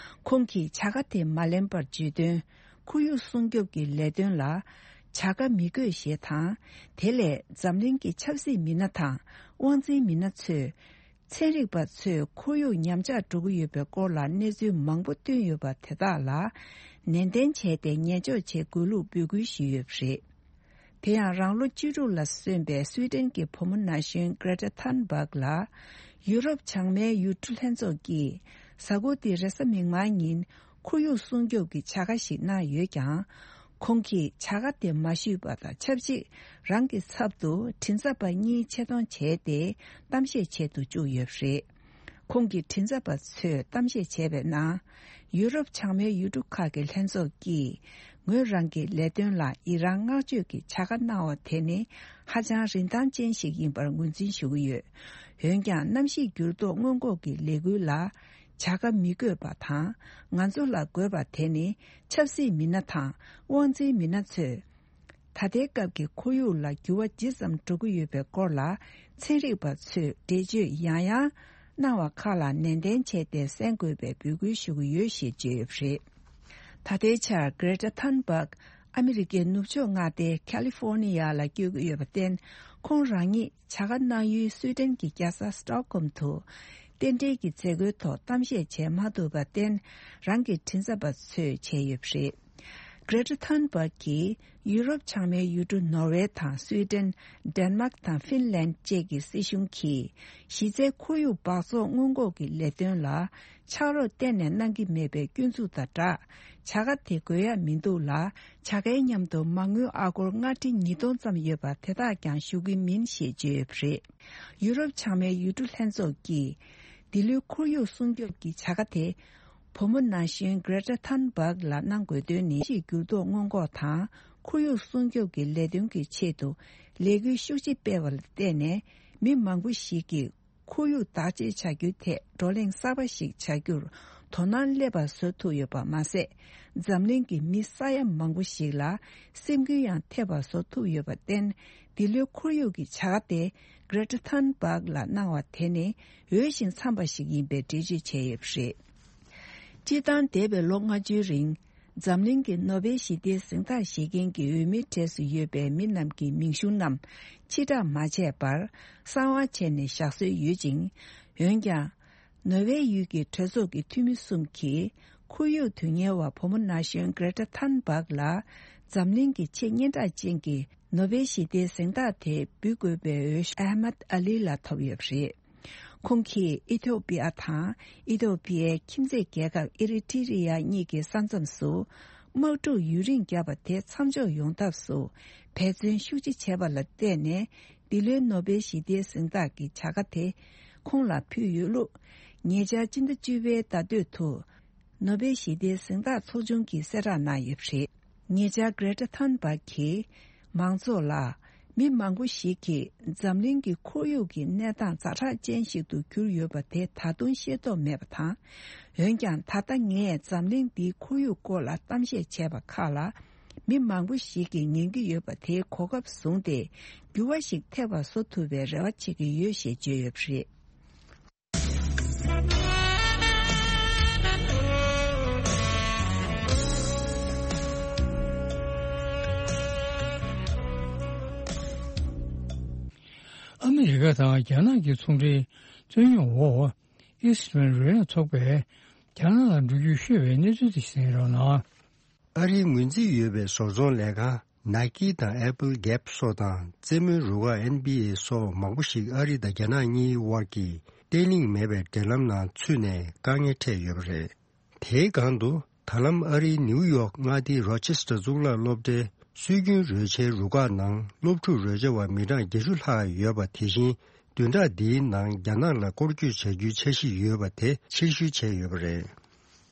ཁོང་གིས་བྱ་དགའ་དེ་མ་ལེན་པར་བརྗོད་དོན། ཁོར་ཡུག་སྲུང་སྐྱོབ་ཀྱི་ལས་དོན་ལ་བྱ་དགའ་མི་དགོས་ཞེས་དང་། དེ་ལས་འཛམ་གླིང་གི་ཆབ་སྲིད་མི་སྣ་དང་དབང་འཛིན་མི་སྣ་ཚོས། ཚན་རིག་པ་ཚོས་ཁོར་ཡུག་ཉམས་ཆག་འགྲོ་གི་ཡོད་པའི་སྐོར་ལ་གནས་ཚུལ་མང་པོ་བཏོན་ཡོད་པ་དེ་དག་ལ་ནན་ཏན་བྱས་ཏེ་ཉན་འཇོག་བྱེད་དགོས་ལུགས་འབོད་སྐུལ་ཞུས་ཡོད་པ་རེད། དེ་ཡང་རང་ལོ་བཅུ་དྲུག་ལ་སོན་པའི་སུའེ་ཏེན་གྱི་བུ་མོ་ན་གཞོན་Greta Thunberg་ལ་ཡུ་རོབ་བྱང་མའི་ཡུལ་གྲུ་ལྷན་ཚོགས་ཀྱིས་གཟའ་འཁོར་འདིའི་རེས་གཟའ་མིག་དམར་ཉིན་ཁོར་ཡུག་སྲུང་སྐྱོབ་ཀྱི་བྱ་དགའ་ཞིག་གནང་ཡོད་ཀྱང་། ཁོང་གིས་བྱ་དགའ་དེ་མ་ཞུས་པ་དང་ཆབས་ཅིག་རང་གི་ཚབ་ཏུ་མགྲིན་ཚབ་པ་གཉིས་ཆེད་གཏོང་བྱས་ཏེ་གཏམ་བཤད་བྱེད་དུ་བཅུག་ཡོད་པ་རེད། ཁོང་གི་མགྲིན་ཚབ་པ་ཚོས་གཏམ་བཤད་བྱས་པའི་ནང་། ཡུ་རོབ་བྱང་མའི་ཡུལ་གྲུ་ཁག་གི་ལྷན་ཚོགས་ཀྱིས་ངོས་རང་གི་ལས་དོན་ལ་ཡི་རང་བསྔགས་བརྗོད་ཀྱི་བྱ་དགའ་གནང་བ་དེ་ནི་ཧ་ཅང་རིན་ཐང་ཅན་ཞིག་ཡིན་པར་ངོས་འཛིན་ཞུ་གི་ཡོད། འོན་ཀྱང་གནམ་གཤིས་འགྱུར་ལྡོག་སྔོན་འགོག་གི་ལས་འགུལ་ལ། བྱ་དགའ་མི་དགོས་པ་དང་། ང་ཚོ་ལ་དགོས་པ་དེ་ནི་ཆབ་སྲིད་མི་སྣ་དང་དབང་འཛིན་མི་སྣ་ཚོས། ད་ལྟའི་སྐབས་ཀྱི་ཁོར་ཡུག་ལ་འགྱུར་བ་ཇི་ཙམ་འགྲོ་གི་ཡོད་པའི་སྐོར་ལ་ཚན་རིག་པ་ཚོས་འགྲེལ་བརྗོད་ཡང་ཡང་གནང་བ་ཁག་ལ་ནན་ཏན་བྱས་ཏེ་གསན་དགོས་པའི་འབོད་སྐུལ་ཞུ་གི་ཡོད་ཞེས་བརྗོད་ཡོད་པ་རེད། ད་ལྟའི་ཆར་Greta Thunberg་ཨ་མི་རི་ཀའི་ནུབ་ཕྱོགས་མངའ་སྡེ་California་ལ་བསྐྱོད་ཀྱི་ཡོད་པར་བརྟེན། ཁོང་རང་ཉིད་བྱ་དགའ་གནང་ཡུལ་སུའེ་ཏེན་གྱི་རྒྱལ་ས་Stockholm་དུ་རྟེན་འབྲེལ་གྱི་མཛད་སྒོའི་ཐོག་གཏམ་བཤད་བྱས་མ་ཐུབ་པར་བརྟེན། རང་གི་མགྲིན་ཚབ་པ་ཚོས་བྱས་ཡོད་པ་རེད། Greta Thunberg་གིས་ཡུ་རོབ་བྱང་མའི་ཡུལ་གྲུ་ནོར་ཝེ་དང་སུའེ་ཏེན། ཌེན་མཱག་དང་ཧྥིན་ལན་བཅས་ཀྱི་སྲིད་གཞུང་གིས་གཞི་རྩའི་ཁོར་ཡུག་སྦགས་བཙོག་སྔོན་འགོག་གི་ལས་དོན་ལ་ཕྱག་རོགས་གཏན་ནས་གནང་གི་མེད་པའི་སྐྱོན་འཛུགས་དང་སྦྲགས། བྱ་དགའ་དེ་དགོས་ཡ་མི་འདུག་ལ། བྱ་དགའི་མཉམ་དུ་མ་དངུལ་ཨ་སྒོར་མངའ་ཁྲི་ཉིས་སྟོང་ཙམ་ཡོད་པ་དེ་དག་ཀྱང་ཞུ་གི་མིན་ཞེས་བརྗོད་ཡོད་པ་རེད། ཡུ་རོབ་བྱང་མའི་ཡུལ་གྲུ་ལྷན་ཚོགས་ཀྱིས་འདི་ལོའི་ཁོར་ཡུག་སྲུང་སྐྱོབ་ཀྱི་བྱ་དགའ་དེ། བུ་མོ་ན་གཞོན་Greta Thunberg་ལ་གནང་དགོས་དོན་ནི། གནམ་གཤིས་འགྱུར་ལྡོག་སྔོན་འགོག་དང་ཁོར་ཡུག་སྲུང་སྐྱོབ་ཀྱི་ལས་དོན་གྱི་ཆེད་དུ་ལས་འགུལ་ཤུགས་ཆེ་སྤེལ་བ་ལ་བརྟེན་ནས། མི་མང་པོ་ཞིག་གིས་ ཁོར་ཡུག་བདག་གཅེས་བྱ་རྒྱུའི་ཐད་བགྲོ་གླེང་གསར་པ་ཞིག་བྱ་རྒྱུར་དོ་སྣང་སླེབས་པ་བཟོ་ཐུབ་ཡོད་པ་མ་ཟད། འཛམ་གླིང་གི་མི་ས་ཡ་མང་པོ་ཞིག་ལ་སེམས་འགུལ་ཡང་ཐེབས་པ་བཟོ་ཐུབ་ཡོད་པར་བརྟེན། འདི་ལོའི་ཁོར་ཡུག་གི་བྱ་དགའ་དེ་Greta Thunberg ལ་གནང་བ་དེ་ནི་འོས་ཤིང་འཚམས་པ་ཞིག་ཡིན་པའི་འགྲེལ་བརྗོད་བྱས་ཡོད་པ་རེད། སྤྱིར་བཏང་འདས་པའི་ལོ་ལྔ་བཅུའི་རིང་། འཛམ་གླིང་གི་ནོ་བེལ་ཞི་བདེའི་གཟེངས་རྟགས་བཞེས་མཁན་གྱི་འོས་མིའི་གྲས་སུ་ཡོད་པའི་མི་རྣམས་ཀྱི་མིང་གཞུང་རྣམས་ཕྱིར་བསྒྲགས་མ་བྱས་པར་གསང་བ་བྱས་ནས་བཞག་སྲོལ་ཡོད་ཅིང་། འོན་ཀྱང་། ནོ་བེལ་ཡུལ་གྱི་གྲོས་ཚོགས་ཀྱི་འཐུས་མི་གསུམ་གྱིས་ཁོར་ཡུག་དོན་གཉེར་བ་བུ་མོ་ན་གཞོན་Greta Thunberg ལ་འཛམ་གླིང་གི་ཆེས་སྙན་གྲགས་ཅན་གྱི་ནོ་བེལ་ཞི་བདེའི་གཟེངས་རྟགས་དེ་འབུལ་དགོས་པའི་འོས་ཤོག་ཨ་མད་ཨ་ལི་ལ་ཐོབ་ཡོད་པ་རེད། ཁོང་གིས་ཨི་ཐོ་པི་ཡ་དང་ཨི་ཐོ་པི་ཡའི་ཁྱིམ་མཚེས་རྒྱལ་ཁབ་ཨི་རི་ཊི་རི་ཡ་གཉིས་ཀྱི་ས་མཚམས་སུ་དམག་འཁྲུག་ཡུན་རིང་བརྒྱབ་པ་དེ་མཚམས་འཇོག་ཡོང་ཐབས་སུ་འབད་བརྩོན་ཤུགས་ཆེ་བྱས་པ་ལ་བརྟེན་ནས། འདི་ལོའི་ནོ་བེལ་ཞི་བདེའི་གཟེངས་རྟགས་ཀྱི་བྱ་དགའ་དེ་ཁོང་ལ་ཕུལ་ཡོད་ལུགས། ཉེ་ཆར་སྤྱི་ཟླ་བཅུ་པའི་ཟླ་སྟོད་དུ། ནོ་བེལ་ཞི་བདེའི་གཟེངས་རྟགས་ཚོགས་ཆུང་གིས་གསལ་བསྒྲགས་གནང་ཡོད་པ་རེད། ཉེ་ཆར་Greta Thunberg གིས་མང་ཚོགས་ལ། མི་མང་པོ་ཞིག་གིས་འཛམ་གླིང་གི་ཁོར་ཡུག་གི་གནས་སྟངས་ཛ་དྲག་ཅན་ཞིག་ཏུ་གྱུར་ཡོད་པ་དེ་ད་དུང་ཤེས་རྟོགས་མེད་པ་དང་། འོན་ཀྱང་ད་ལྟ་ངས་འཛམ་གླིང་འདིའི་ཁོར་ཡུག་སྐོར་ལ་གཏམ་བཤད་བྱས་པ་ཁག་ལ། མི་མང་པོ་ཞིག་གིས་ཉན་གྱི་ཡོད་པ་དེའི་གོ་སྐབས་བཟུང་སྟེ། འགྱུར་བ་ཞིག་ཐེབས་པ་བཟོ་ཐུབ་པའི་རེ་བ་བྱེད་ཀྱི་ཡོད་ཞེས་བརྗོད་ཡོད་པ་རེད། ཨ་མི་རི་ཀ་དང་རྒྱ་ནག་གི་ཚོང་འབྲེལ་རྩོད་རྙོག་འོག་ཨིས་ཊི་མན་རོལ་དབྱངས་ཚོགས་པས་རྒྱ་ནག་ལ་འགྲོ་རྒྱུ་ཤོད་པའི་གནས་ཚུལ་དེ་གསན་རོགས་གནང་། ཨ་རིའི་ངོས་འཛིན་ཡོད་པའི་བཟོ་ཚོང་ལས་ཁང་Nike དང་Apple Gap སོགས་དང་རྩེད་མོའི་རུ་ཁག་ཨེན་བྷི་ཨེ་སོགས་མང་པོ་ཞིག་ཨ་རི་དང་རྒྱ་ནག་གཉིས་དབར་གྱི་བརྟན་ལྷིང་མེད་པའི་འབྲེལ་ལམ་ནང་ཚུད་ནས་དཀའ་ངལ་འཕྲད་ཡོད་པ་རེད། དེའི་སྒང་དུ་ད་ལམ་ཨ་རིའི་ནིའུ་ཡོག་མངའ་སྡེའི་རོ་ཆེ་སི་ཊར་གཙུག་ལག་སློབ་གྲྭའི་སྲོལ་རྒྱུན་རོལ་ཆའི་རུ་ཁག་ནང་སློབ་ཕྲུག་རོལ་ཆ་བ་མི་གྲངས་བརྒྱད་ཅུ་ལྷག་ཡོད་པ། དེ་བཞིན་བདུན་ཕྲག་འདིའི་ནང་རྒྱ་ནག་ལ་སྐོར་སྐྱོད་བྱ་རྒྱུའི་འཆར་གཞི་ཡོད་པ་དེ་ཕྱིར་བཤོལ་བྱས་ཡོད་པ་རེད།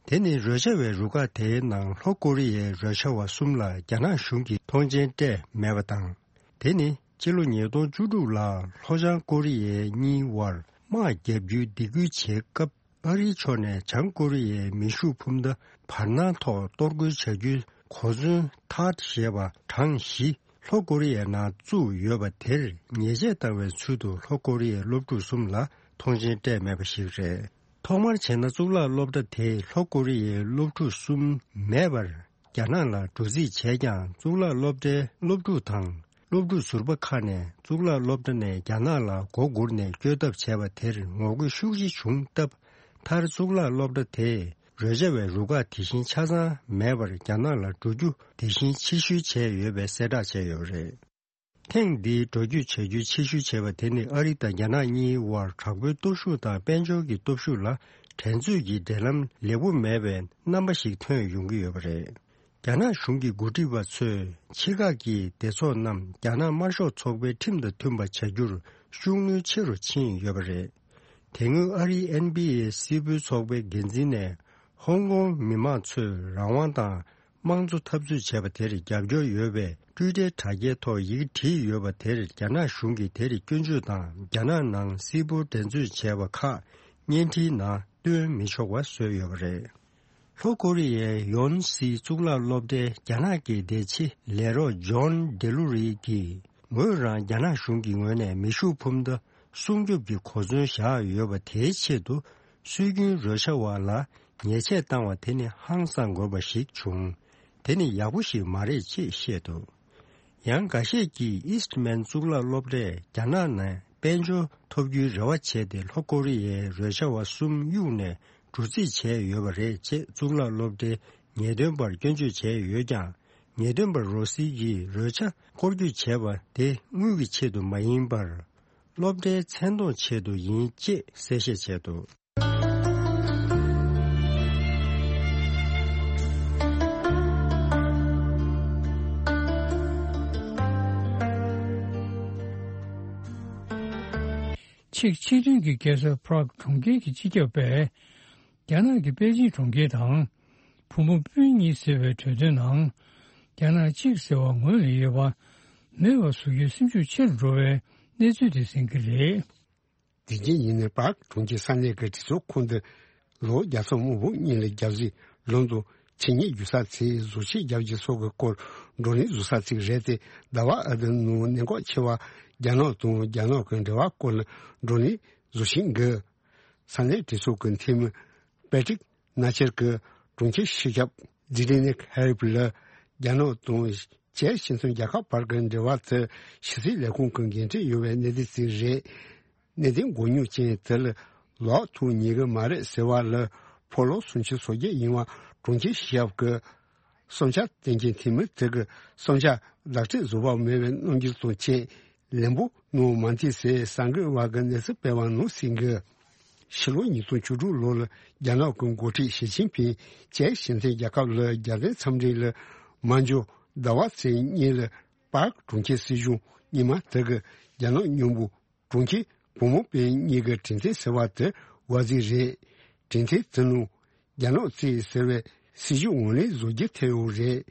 དེ་ནི་རོལ་ཆ་བའི་རུ་ཁག་དེའི་ནང་ལྷོ་ཀོ་རི་ཡའི་རོལ་ཆ་བ་གསུམ་ལ་རྒྱ་ནག་གཞུང་གིས་མཐོང་མཆན་སྤྲད་མེད་པ་དང་། དེ་ནི་ཕྱི་ལོ་ཉིས་སྟོང་བཅུ་དྲུག་ལ་ལྷོ་བྱང་ཀོ་རི་ཡའི་གཉིས་དབར་དམག་བརྒྱབ་རྒྱུའི་སྡིགས་སྐུལ་བྱེད་སྐབས། ཨ་རིའི་ཕྱོགས་ནས་བྱང་ཀོ་རི་ཡའི་མེ་ཤུགས་འཕུར་མདའ་བར་སྣང་ཐོག་གཏོར་རྒོལ་བྱ་རྒྱུའི་གོ་མཚོན་ཐཱད་ཞེས་པ་གྲངས་བཞི་ལྷོ་ཀོ་རི་ཡའི་ནང་བཙུགས་ཡོད་པ་དེར་ཉེས་ཆད་བཏང་བའི་ཚུལ་དུ་ལྷོ་ཀོ་རི་ཡའི་སློབ་ཕྲུག་གསུམ་ལ་མཐོང་མཆན་སྤྲད་མེད་པ་ཞིག་རེད། ཐོག་མར་བྱས་ན་གཙུག་ལག་སློབ་གྲྭ་དེས་ལྷོ་ཀོ་རི་ཡའི་སློབ་ཕྲུག་གསུམ་མེད་པར། རྒྱ་ནག་ལ་འགྲོ་རྩིས་བྱས་ཀྱང་གཙུག་ལག་སློབ་གྲྭའི་སློབ་ཕྲུག་དང་སློབ་ཕྲུག་ཟུར་པ་ཁག་ནས་གཙུག་ལག་སློབ་གྲྭ་ནས་རྒྱ་ནག་ལ་མགོ་སྒུར་ནས་བསྐྱོད་ཐབས་བྱས་པ་དེར་ངོ་རྒོལ་ཤུགས་ཆེ་བྱུང་སྟབས། མཐར་གཙུག་ལག་སློབ་གྲྭ་དེས་རོལ་ཆ་བའི་རུ་ཁག་དེ་བཞིན་ཆ་ཚང་མེད་པར་རྒྱ་ནག་ལ་འགྲོ་རྒྱུ་དེ་བཞིན་ཕྱིར་བཤོལ་བྱས་ཡོད་པའི་གསལ་བསྒྲགས་བྱས་ཡོད་པ་རེད། ཐེངས་འདིའི་འགྲོ་སྐྱོད་བྱ་རྒྱུའི་ཕྱིར་བཤོལ་བྱས་པ་དེ་ནི་ཨ་རི་དང་རྒྱ་ནག་གཉིས་དབར་དྲག་པོའི་སྟོབས་ཤུགས་དང་དཔལ་འབྱོར་གྱི་སྟོབས་ཤུགས་ལ་འགྲན་རྩོད་ཀྱི་འབྲེལ་ལམ་ལེགས་པོ་མེད་པའི་རྣམ་པ་ཞིག་ཐོན་ཡོང་གི་ཡོད་པ་རེད། རྒྱ་ནག་གཞུང་གི་འགོ་ཁྲིད་པ་ཚོས་ཕྱི་ཁག་གི་སྡེ་ཚོགས་རྣམས་རྒྱ་ནག་དམར་ཤོག་ཚོགས་པའི་ཁྲིམས་དང་མཐུན་པ་བྱ་རྒྱུར་ཤུགས་སྣོན་ཆེ་རུ་ཕྱིན་ཡོད་པ་རེད། དེ་སྔོན་ཨ་རིའི་ཨེན་བྷི་ཨེ་སིལ་སྤོལ་ཚོགས་པའི་འགན་འཛིན་ནས་ཧོང་ཀོང་མི་མང་ཚོས་རང་དབང་དང་། དམངས་གཙོ་འཐབ་རྩོད་བྱས་པ་དེར་རྒྱབ་སྐྱོར་ཡོད་པའི་ཊུའི་ཊར་དྲ་རྒྱའི་ཐོག་ཡི་གེ་བྲིས་ཡོད་པ་དེར་རྒྱ་ནག་གཞུང་གིས་དེར་སྐྱོན་བརྗོད་དང་རྒྱ་ནག་ནང་སིལ་སྤོལ་འགྲན་རྩོད་བྱས་པ་ཁག་བརྙན་འཕྲིན་ནང་སྟོན་མི་ཆོག་པ་བཟོས་ཡོད་པ་རེད། ལྷོ་ཀོ་རི་ཡའི་ཡོན་སི་གཙུག་ལག་སློབ་གྲྭའི་རྒྱ་ནག་གི་བདེ་ཆེ་ལས་རོགས་ཇོན་ཌེ་ལུ་རི་གིས་ངོས་རང་རྒྱ་ནག་གཞུང་གི་ངོས་ནས་མེ་ཤུགས་འཕུར་མདའ་སྲུང་སྐྱོབ་ཀྱི་གོ་མཚོན་བཞག་ཡོད་པ་དེའི་ཆེད་དུ་སྲོལ་རྒྱུན་རོལ་ཆ་བ་ལ། ཉེས་ཆད་བཏང་བ་དེ་ནི་ཧང་སང་དགོས་པ་ཞིག་བྱུང་། དེ་ནི་ཡག་པོ་ཞིག་མ་རེད་ཅེས་བཤད་འདུག་ཡང་འགའ་ཤས་ཀྱིས་ཨིས་ཊི་མན་གཙུག་ལག་སློབ་གྲྭས་རྒྱ་ནག་ནས་དཔལ་འབྱོར་ཐོབ་རྒྱུའི་རེ་བ་བྱས་ཏེ་ལྷོ་ཀོ་རི་ཡའི་རོལ་ཆ་བ་གསུམ་གཡུགས་ནས་འགྲོ་རྩིས་བྱས་ཡོད་པ་རེད་ཅེས་གཙུག་ལག་སློབ་གྲྭའི་ངེས་སྟོན་པར་སྐྱོན་བརྗོད་བྱས་ཡོད་ཀྱང་། ངེས་སྟོན་པ་རོ་སི་ཡིས་རོལ་ཆ་སྐོར་སྐྱོད་བྱས་པ་དེ་དངུལ་གྱི་ཆེད་དུ་མ་ཡིན་པར། སློབ་གྲྭའི་མཚན་མཐོང་ཆེད་དུ་ཡིན་ཅེས་གསལ་བཤད་བྱས་འདུག་ཆེག་སྤྱི་མཐུན་གྱི་རྒྱལ་ས་Prague གྲོང་ཁྱེར་གྱི་སྤྱི་ཁྱབ་པས། རྒྱ་ནག་གི་པེ་ཅིན་གྲོང་ཁྱེར་དང་། བུ་མོ་སྤུན་གཉིས་ཟེར་བའི་གྲོས་མཐུན་ནང་། རྒྱ་ནག་གཅིག་ཟེར་བ་ངོས་ལ་ཡོད་པ་མེད་པ་བཟོ་རྒྱུའི་སེམས་ཤུགས་ཆེ་རུ་འགྲོ་བའི་གནས་ཚུལ་དེ་གསན་གྱི་རེད། དེ་རྗེས་ཡིན་ནའི་པཱརྐ་གྲོང་ཁྱེར་ས་གནས་ཀྱི་གྲོས་ཚོགས་ཁང་དུ་ལོ་བརྒྱ་ཚོ་མང་པོ་སྔོན་ལ་རྒྱལ་སྲིད་ལོན་དང་ཆེད་གཉེར་བརྒྱུད་ས་ཚོས་བཟོ་བཅོས་རྒྱག་རྒྱུ་སོགས་ཀྱི་སྐོར་བགྲོ་གླེང་བཟོ་ས་ཅིག་རེད་དེ། ཟླ་བ་ཨ་བདུན་ནང་གནད་འགག་ཆེ་བ་རྒྱ་ནག་དང་རྒྱ་ནག་གི་འབྲེལ་བ་སྐོར་ལ་བགྲོ་གླེང་བཟོ་བཞིན་འདུག་ས་གནས་གྲོས་ཚོགས་ཀྱི་འཐུས་མི་པེ་ཀྲིག་ནཱ་ཆེར་གྱིས་གྲོང་ཁྱེར་སྤྱི་ཁྱབ་ཛི་ཏི་ནིག་ཧ་རིབ་ལ་རྒྱ་ནག་དང་ཅེག་སྤྱི་མཐུན་རྒྱལ་ཁབ་བར་གྱི་འབྲེལ་བ་དེ་ཕྱི་སྲིད་ལས་ཁུངས་ཀྱི་འགན་འཁྲི་ཡོད་པའི་གནད་དོན་ཞིག་རེད། གནད་དོན་མགོ་རྙོག་ཅན་དེ་ལ་ལོག་ཐུག་ཉེན་གྱི་མ་རེད་ཟེར་བ་ལ་ཕོ་ལོ་སུམ་ཅུ་སོ་བརྒྱད་ཡིན་པ་གྲོང་ཁྱེར་སྤྱི་ཁྱབ་ཀྱི་བསམ་འཆར་བསྟན་མཁན་འཐུས་མི་དེ་གི་བསམ་འཆར་ལག་བྲིས་བཟོ་བ་མེད་པའི་རྣམ་འགྱུར་དང་བཅས་ལན་པོ་གནང་མ་མཐུན་ཟེར་གསར་འགོད་པ་གི་གནས་ཚུལ་སྤེལ་བ་ནང་གསུངས་འདུག་ཕྱི་ལོ་ཉིས་སྟོང་བཅུ་དྲུག་ལོ་ལ་རྒྱ་ནག་གི་འགོ་ཁྲིད་ཞི་ཅིན་ཕིང་ཅེག་སྤྱི་མཐུན་རྒྱལ་ཁབ་ལ་རྒྱལ་དོན་འཚམས་འདྲི་ལ་མ་འབྱོར་ཟླ་བ་ཚེས་གཉིས་ལ་པཱརྐ་གྲོང་ཁྱེར་སྲིད་གཞུང་རྙིང་མ་དེ་གི་རྒྱ་ནག་མཉམ་པོ་གྲོང་ཁྱེར་བུ་མོ་པེ་གཉིས་ཀྱི་གྲོས་མཐུན་ཟེར་བ་དེ་བར་ཟིག་རེད། གྲོས་མཐུན་དེ་ནང་རྒྱ་ནག་གཙོས་ཟེར་བའི་སྲིད་ཇུས་ངོས་ལེན་བཟོ་རྒྱུ་ཐེ་ཡོད་རེད།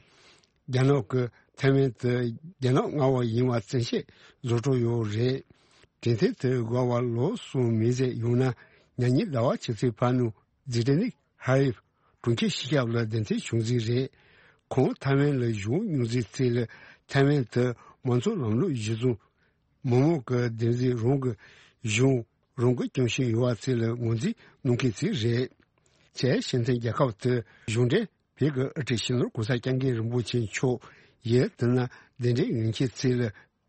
རྒྱ་ནག་གི་ཐའེ་ཝན་དུ་རྒྱ་ནག་མངའ་འོག་ཡིན་པ་བཙན་ཤེད་བཟོ་འགྲོ་ཡོད་རེད། གྲོས་མཐུན་དེ་འགོར་བ་ལོ་གསུམ་མིན་ཟེར་ཡོང་ན་ཉ་ཉིན་ཟླ་བ་ཕྱི་ཚེས་ཕར་ནུ་ཛི་ཏི་ནིག་ཧ་རིབ་གྲོང་ཁྱེར་སྤྱི་ཁྱབ་ལ་གདན་འདྲེན་བྱུང་ཟིག་རེད། ཁོང་ཐའེ་ཝན་ལ་བཞུགས་མྱོང་ཟིག་ཚེ་ལ་ཐའེ་ཝན་དུ་མང་གཙོ་ལམ་ལུགས་གཞི་བཟུང་མི་མང་གི་བདེན་འཛིན་རང་གི་གཞུང་རང་གི་སྐྱོང་བཞིན་ཡོད་པ་ཚོ་ལ་ངོས་འཛིན་གནང་མཁན་ཚོ་རེད། ཅེག་སྤྱི་མཐུན་རྒྱལ་ཁབ་དེ་གཞུང་འབྲེལ་བོད་ཀྱི་དབུ་ཁྲིད་སྤྱི་ནོར་གོང་ས་སྐྱབས་མགོན་རིན་པོ་ཆེ་མཆོག་ཡིན་དེ་ན་གདན་འདྲེན་ཡོང་མཁན་ཚོ་ལ་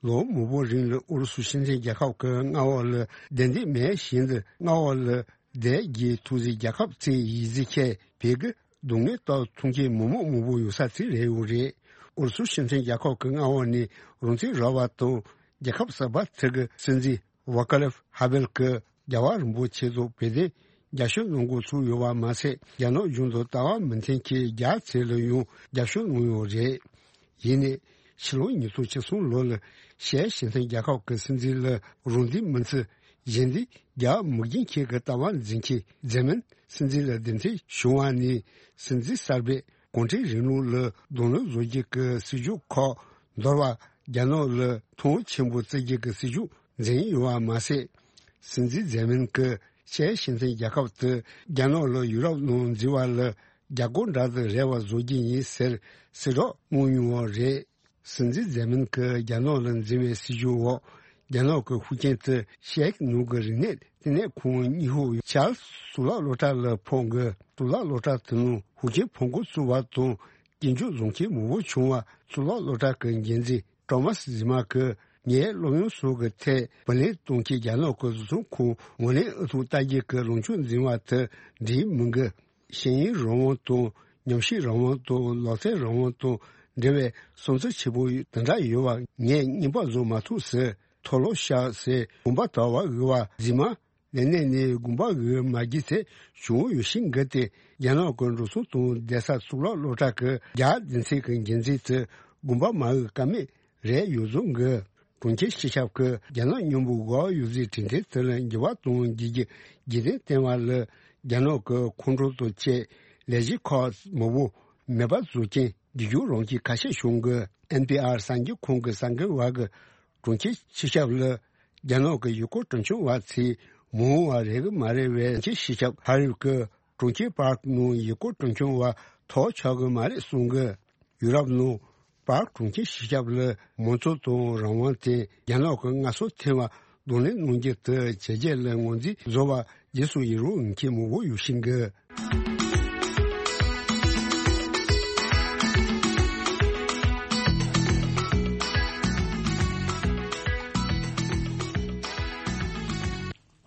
ལོ་མང་པོ་རིང་ལ་ཨུ་རུ་སུ་སྤྱི་མཐུན་རྒྱལ་ཁབ་ཀྱི་མངའ་འོག་ལ་བསྡད་འདོད་མེད་བཞིན་དུ་མངའ་འོག་ལ་བསྡད་རྒྱུའི་ཐུགས་བཞེད་རྒྱལ་ཁབ་ཚོ་ཡིན་ཟེར་མཁན་བོད་ཀྱི་སྡུག་བསྔལ་ལྟ་མཐོང་མཁན་མི་མང་མང་པོ་ཡོད་ས་ཚོ་རེད་ཡོད་རེད། ཨུ་རུ་སུ་སྤྱི་མཐུན་རྒྱལ་ཁབ་ཀྱི་མངའ་འོག་ནས་རང་བཙན་རག་པ་དང་རྒྱལ་ཁབ་གསར་པ་དེ་གི་སྲིད་འཛིན་ཝ་ཀ་ལེབ་ཧ་བེལ་གྱིས་རྒྱལ་བ་རིན་པོ་ཆེ་ཚོ་བོད་དོན་རྒྱབ་སྐྱོར་གནང་འགོ་ཚུགས་ཡོད་པ་མ་ཟད། རྒྱ་ནག་གཞུང་དང་ལྟ་བ་མི་མཐུན་མཁན་རྒྱ་ཆེ་ལ་ཡང་རྒྱབ་སྐྱོར་གནང་ཡོད་རེད། ཡིན་ནའི་ཕྱི་ལོ་ཉིས་སྟོང་བཅུ་གསུམ་ལོ་ལ་ཤར་སྤྱི་མཐུན་རྒྱལ་ཁབ་ཀྱི་སྲིད་འཛིན་ལ་རང་འདོད་མི་འཚོལ་གཞན་འདོད་རྒྱག་མི་དགོས་མཁན་གྱི་ལྟ་བ་འཛིན་མཁན་ཛེ་མིན་སྲིད་འཛིན་ལ་གདན་འདྲེན་བྱུང་བ་ནས་སྲིད་འཛིན་གསར་པས་གུང་ཁྲན་རིང་ལུགས་ལ་གདོང་ལེན་བཟོ་རྒྱུ་གི་སྲིད་ཇུས་ཁག་འདོར་བ། རྒྱ་ནག་ལ་མཐོང་ཆེན་པོ་བརྩི་རྒྱུ་གི་སྲིད་ཇུས་འཛིན་ཡོད་པ་མ་ཟད། སྲིད་འཛིན་ཛེ་མིན་གྱིས་ཤར་སྤྱི་མཐུན་རྒྱལ་ཁབ་དེ་རྒྱ་ནག་ལ་ཡུ་རོབ་ནང་འཛུལ་བ་ལ་རྒྱ་སྒོར་འདྲ་དང་རེ་བ་བཟོ་རྒྱུ་ཡིན་ཟེར་གསལ་བསྒྲགས་གནང་མྱོང་བ་རེད། སྲིད་འཛིན་ཛེ་མིན་གྱིས་རྒྱ་ནག་ལ་འཛིན་པའི་སྲིད་ཇུས་འོག་རྒྱ་ནག་གི་ཤུགས་རྐྱེན་དེ་ཤར་ནུབ་ཀྱི་རིག་གནས་བསྟི་གནས་ཁང་གཉིས་ཤོག་ཆར་གཙུག་ལག་སློབ་གྲྭ་ལ་ཕོག་གི། གཙུག་ལག་སློབ་གྲྭ་དེ་ནང་ཤུགས་རྐྱེན་ཕོག་འགོ་ཚུགས་པ་དང་སྐྱོན་བརྗོད་བཟོ་མཁན་མང་པོ་བྱུང་བ། གཙུག་ལག་སློབ་གྲྭ་གི་འགན་འཛིན་ཀྲོ་མཱས་ཟི་མ་གིས་ངའི་སློབ་ཡོན་སོགས་ཀྱི་ཐད་བུ་ལོན་གཏོང་མཁན་རྒྱ་ནག་གི་བཟོ་ཚོང་ཁང་ངོས་ལེན་ཨུ་ཐུག་ལྟ་རྒྱུ་གི་ལངས་ཕྱོགས་འཛིན་པ་དེ་འགྲིག་མི་འདུག་ཤེས་ཡོན་རང་དབང་དང་ཉམས་ཞིབ་རང་དབང་དང་ལག་རྩལ་རང་དབང་དང་འབྲེལ་བའི་བསམ་ཚུལ་ཆེ་པོ་དེ་འདྲ་ཡོད་པ་ངས་རྙིང་པ་བཟོ་མ་ཐུབ་ཟེར། མཐོལ་ལོ་བཤགས་ཟེར་དགོངས་པ་དག་པ་དབུལ་བ་ཟི་མ་ལས་གནས་ནས་དགོངས་པ་དབུལ་མ་རྒྱུ་དེ་བྱུང་ཡོད་ཤིང་འགི་སྟེ་རྒྱ་ནག་གི་འགྲོ་སོང་དང་བསྡད་ས་གཙུག་ལག་སློབ་གྲྭ་གི་རྒྱ་སྡེ་ཚན་གྱི་འགན་འཛིན་དེ་དགོངས་པ་མ་དབུལ་ཀ་མེད་རེད་ཡོད་བཟོ་འགི། གྲོང་ཁྱེར་སྤྱི་ཁྱབ་ཀྱིས་རྒྱ་ནག་མཉམ་པོ་འགོ་ཡོད་ཟིག་གྲོས་མཐུན་དེ་ལ་འགྱུར་བ་གཏོང་རྒྱུ་གི་རྒྱུ་རྐྱེན་བསྟན་པ་ལ་རྒྱ་ནག་གི་ཁོང་ཁྲོ་དང་བཅས་ལས་གཞི་ཁག་མང་པོ་མེད་པ་བཟོ་རྐྱེན་རྒྱུ་རྐྱེན་རང་བཞིན་ཁ་ཤས་བྱུང་གི། ཨེན་པི་ཨར་གསར་འགྱུར་ཁང་གི་གསར་འགོད་པ་གིས་གྲོང་ཁྱེར་སྤྱི་ཁྱབ་ལ་རྒྱ་ནག་གི་ཡུལ་སྐོར་སྤྲོ་འཆམ་པ་ཚོས་མ་འོངས་པ་རེད་གི་མ་རེད་པས། གྲོང་ཁྱེར་སྤྱི་ཁྱབ་ཧ་རིབ་ཀྱི་གྲོང་ཁྱེར་པཱརྐ་ནང་ཡུལ་སྐོར་སྤྲོ་འཆམ་པ་ཐོབ་ཆོག་གི་མ་རེད་གསུངས་གི། ཡུ་རོབ་ནང་པཱརྐ་གྲོང་ཁྱེར་སྤྱི་ཁྱབ་ལ་མང་གཙོ་དང་རང་དབང་དེ་རྒྱ་ནག་གི་མངའ་གསོལ་ཐེབས་པ་གདོང་ལེན་གནང་རྒྱུ་དེ་བྱས་རྗེས་ལ་ངོས་འཛིན་བཟོ་བ་རྗེས་སུ་ཡི་རང་ཡོད་མཁན་མང་པོ་ཡོད་ཤིང་གི།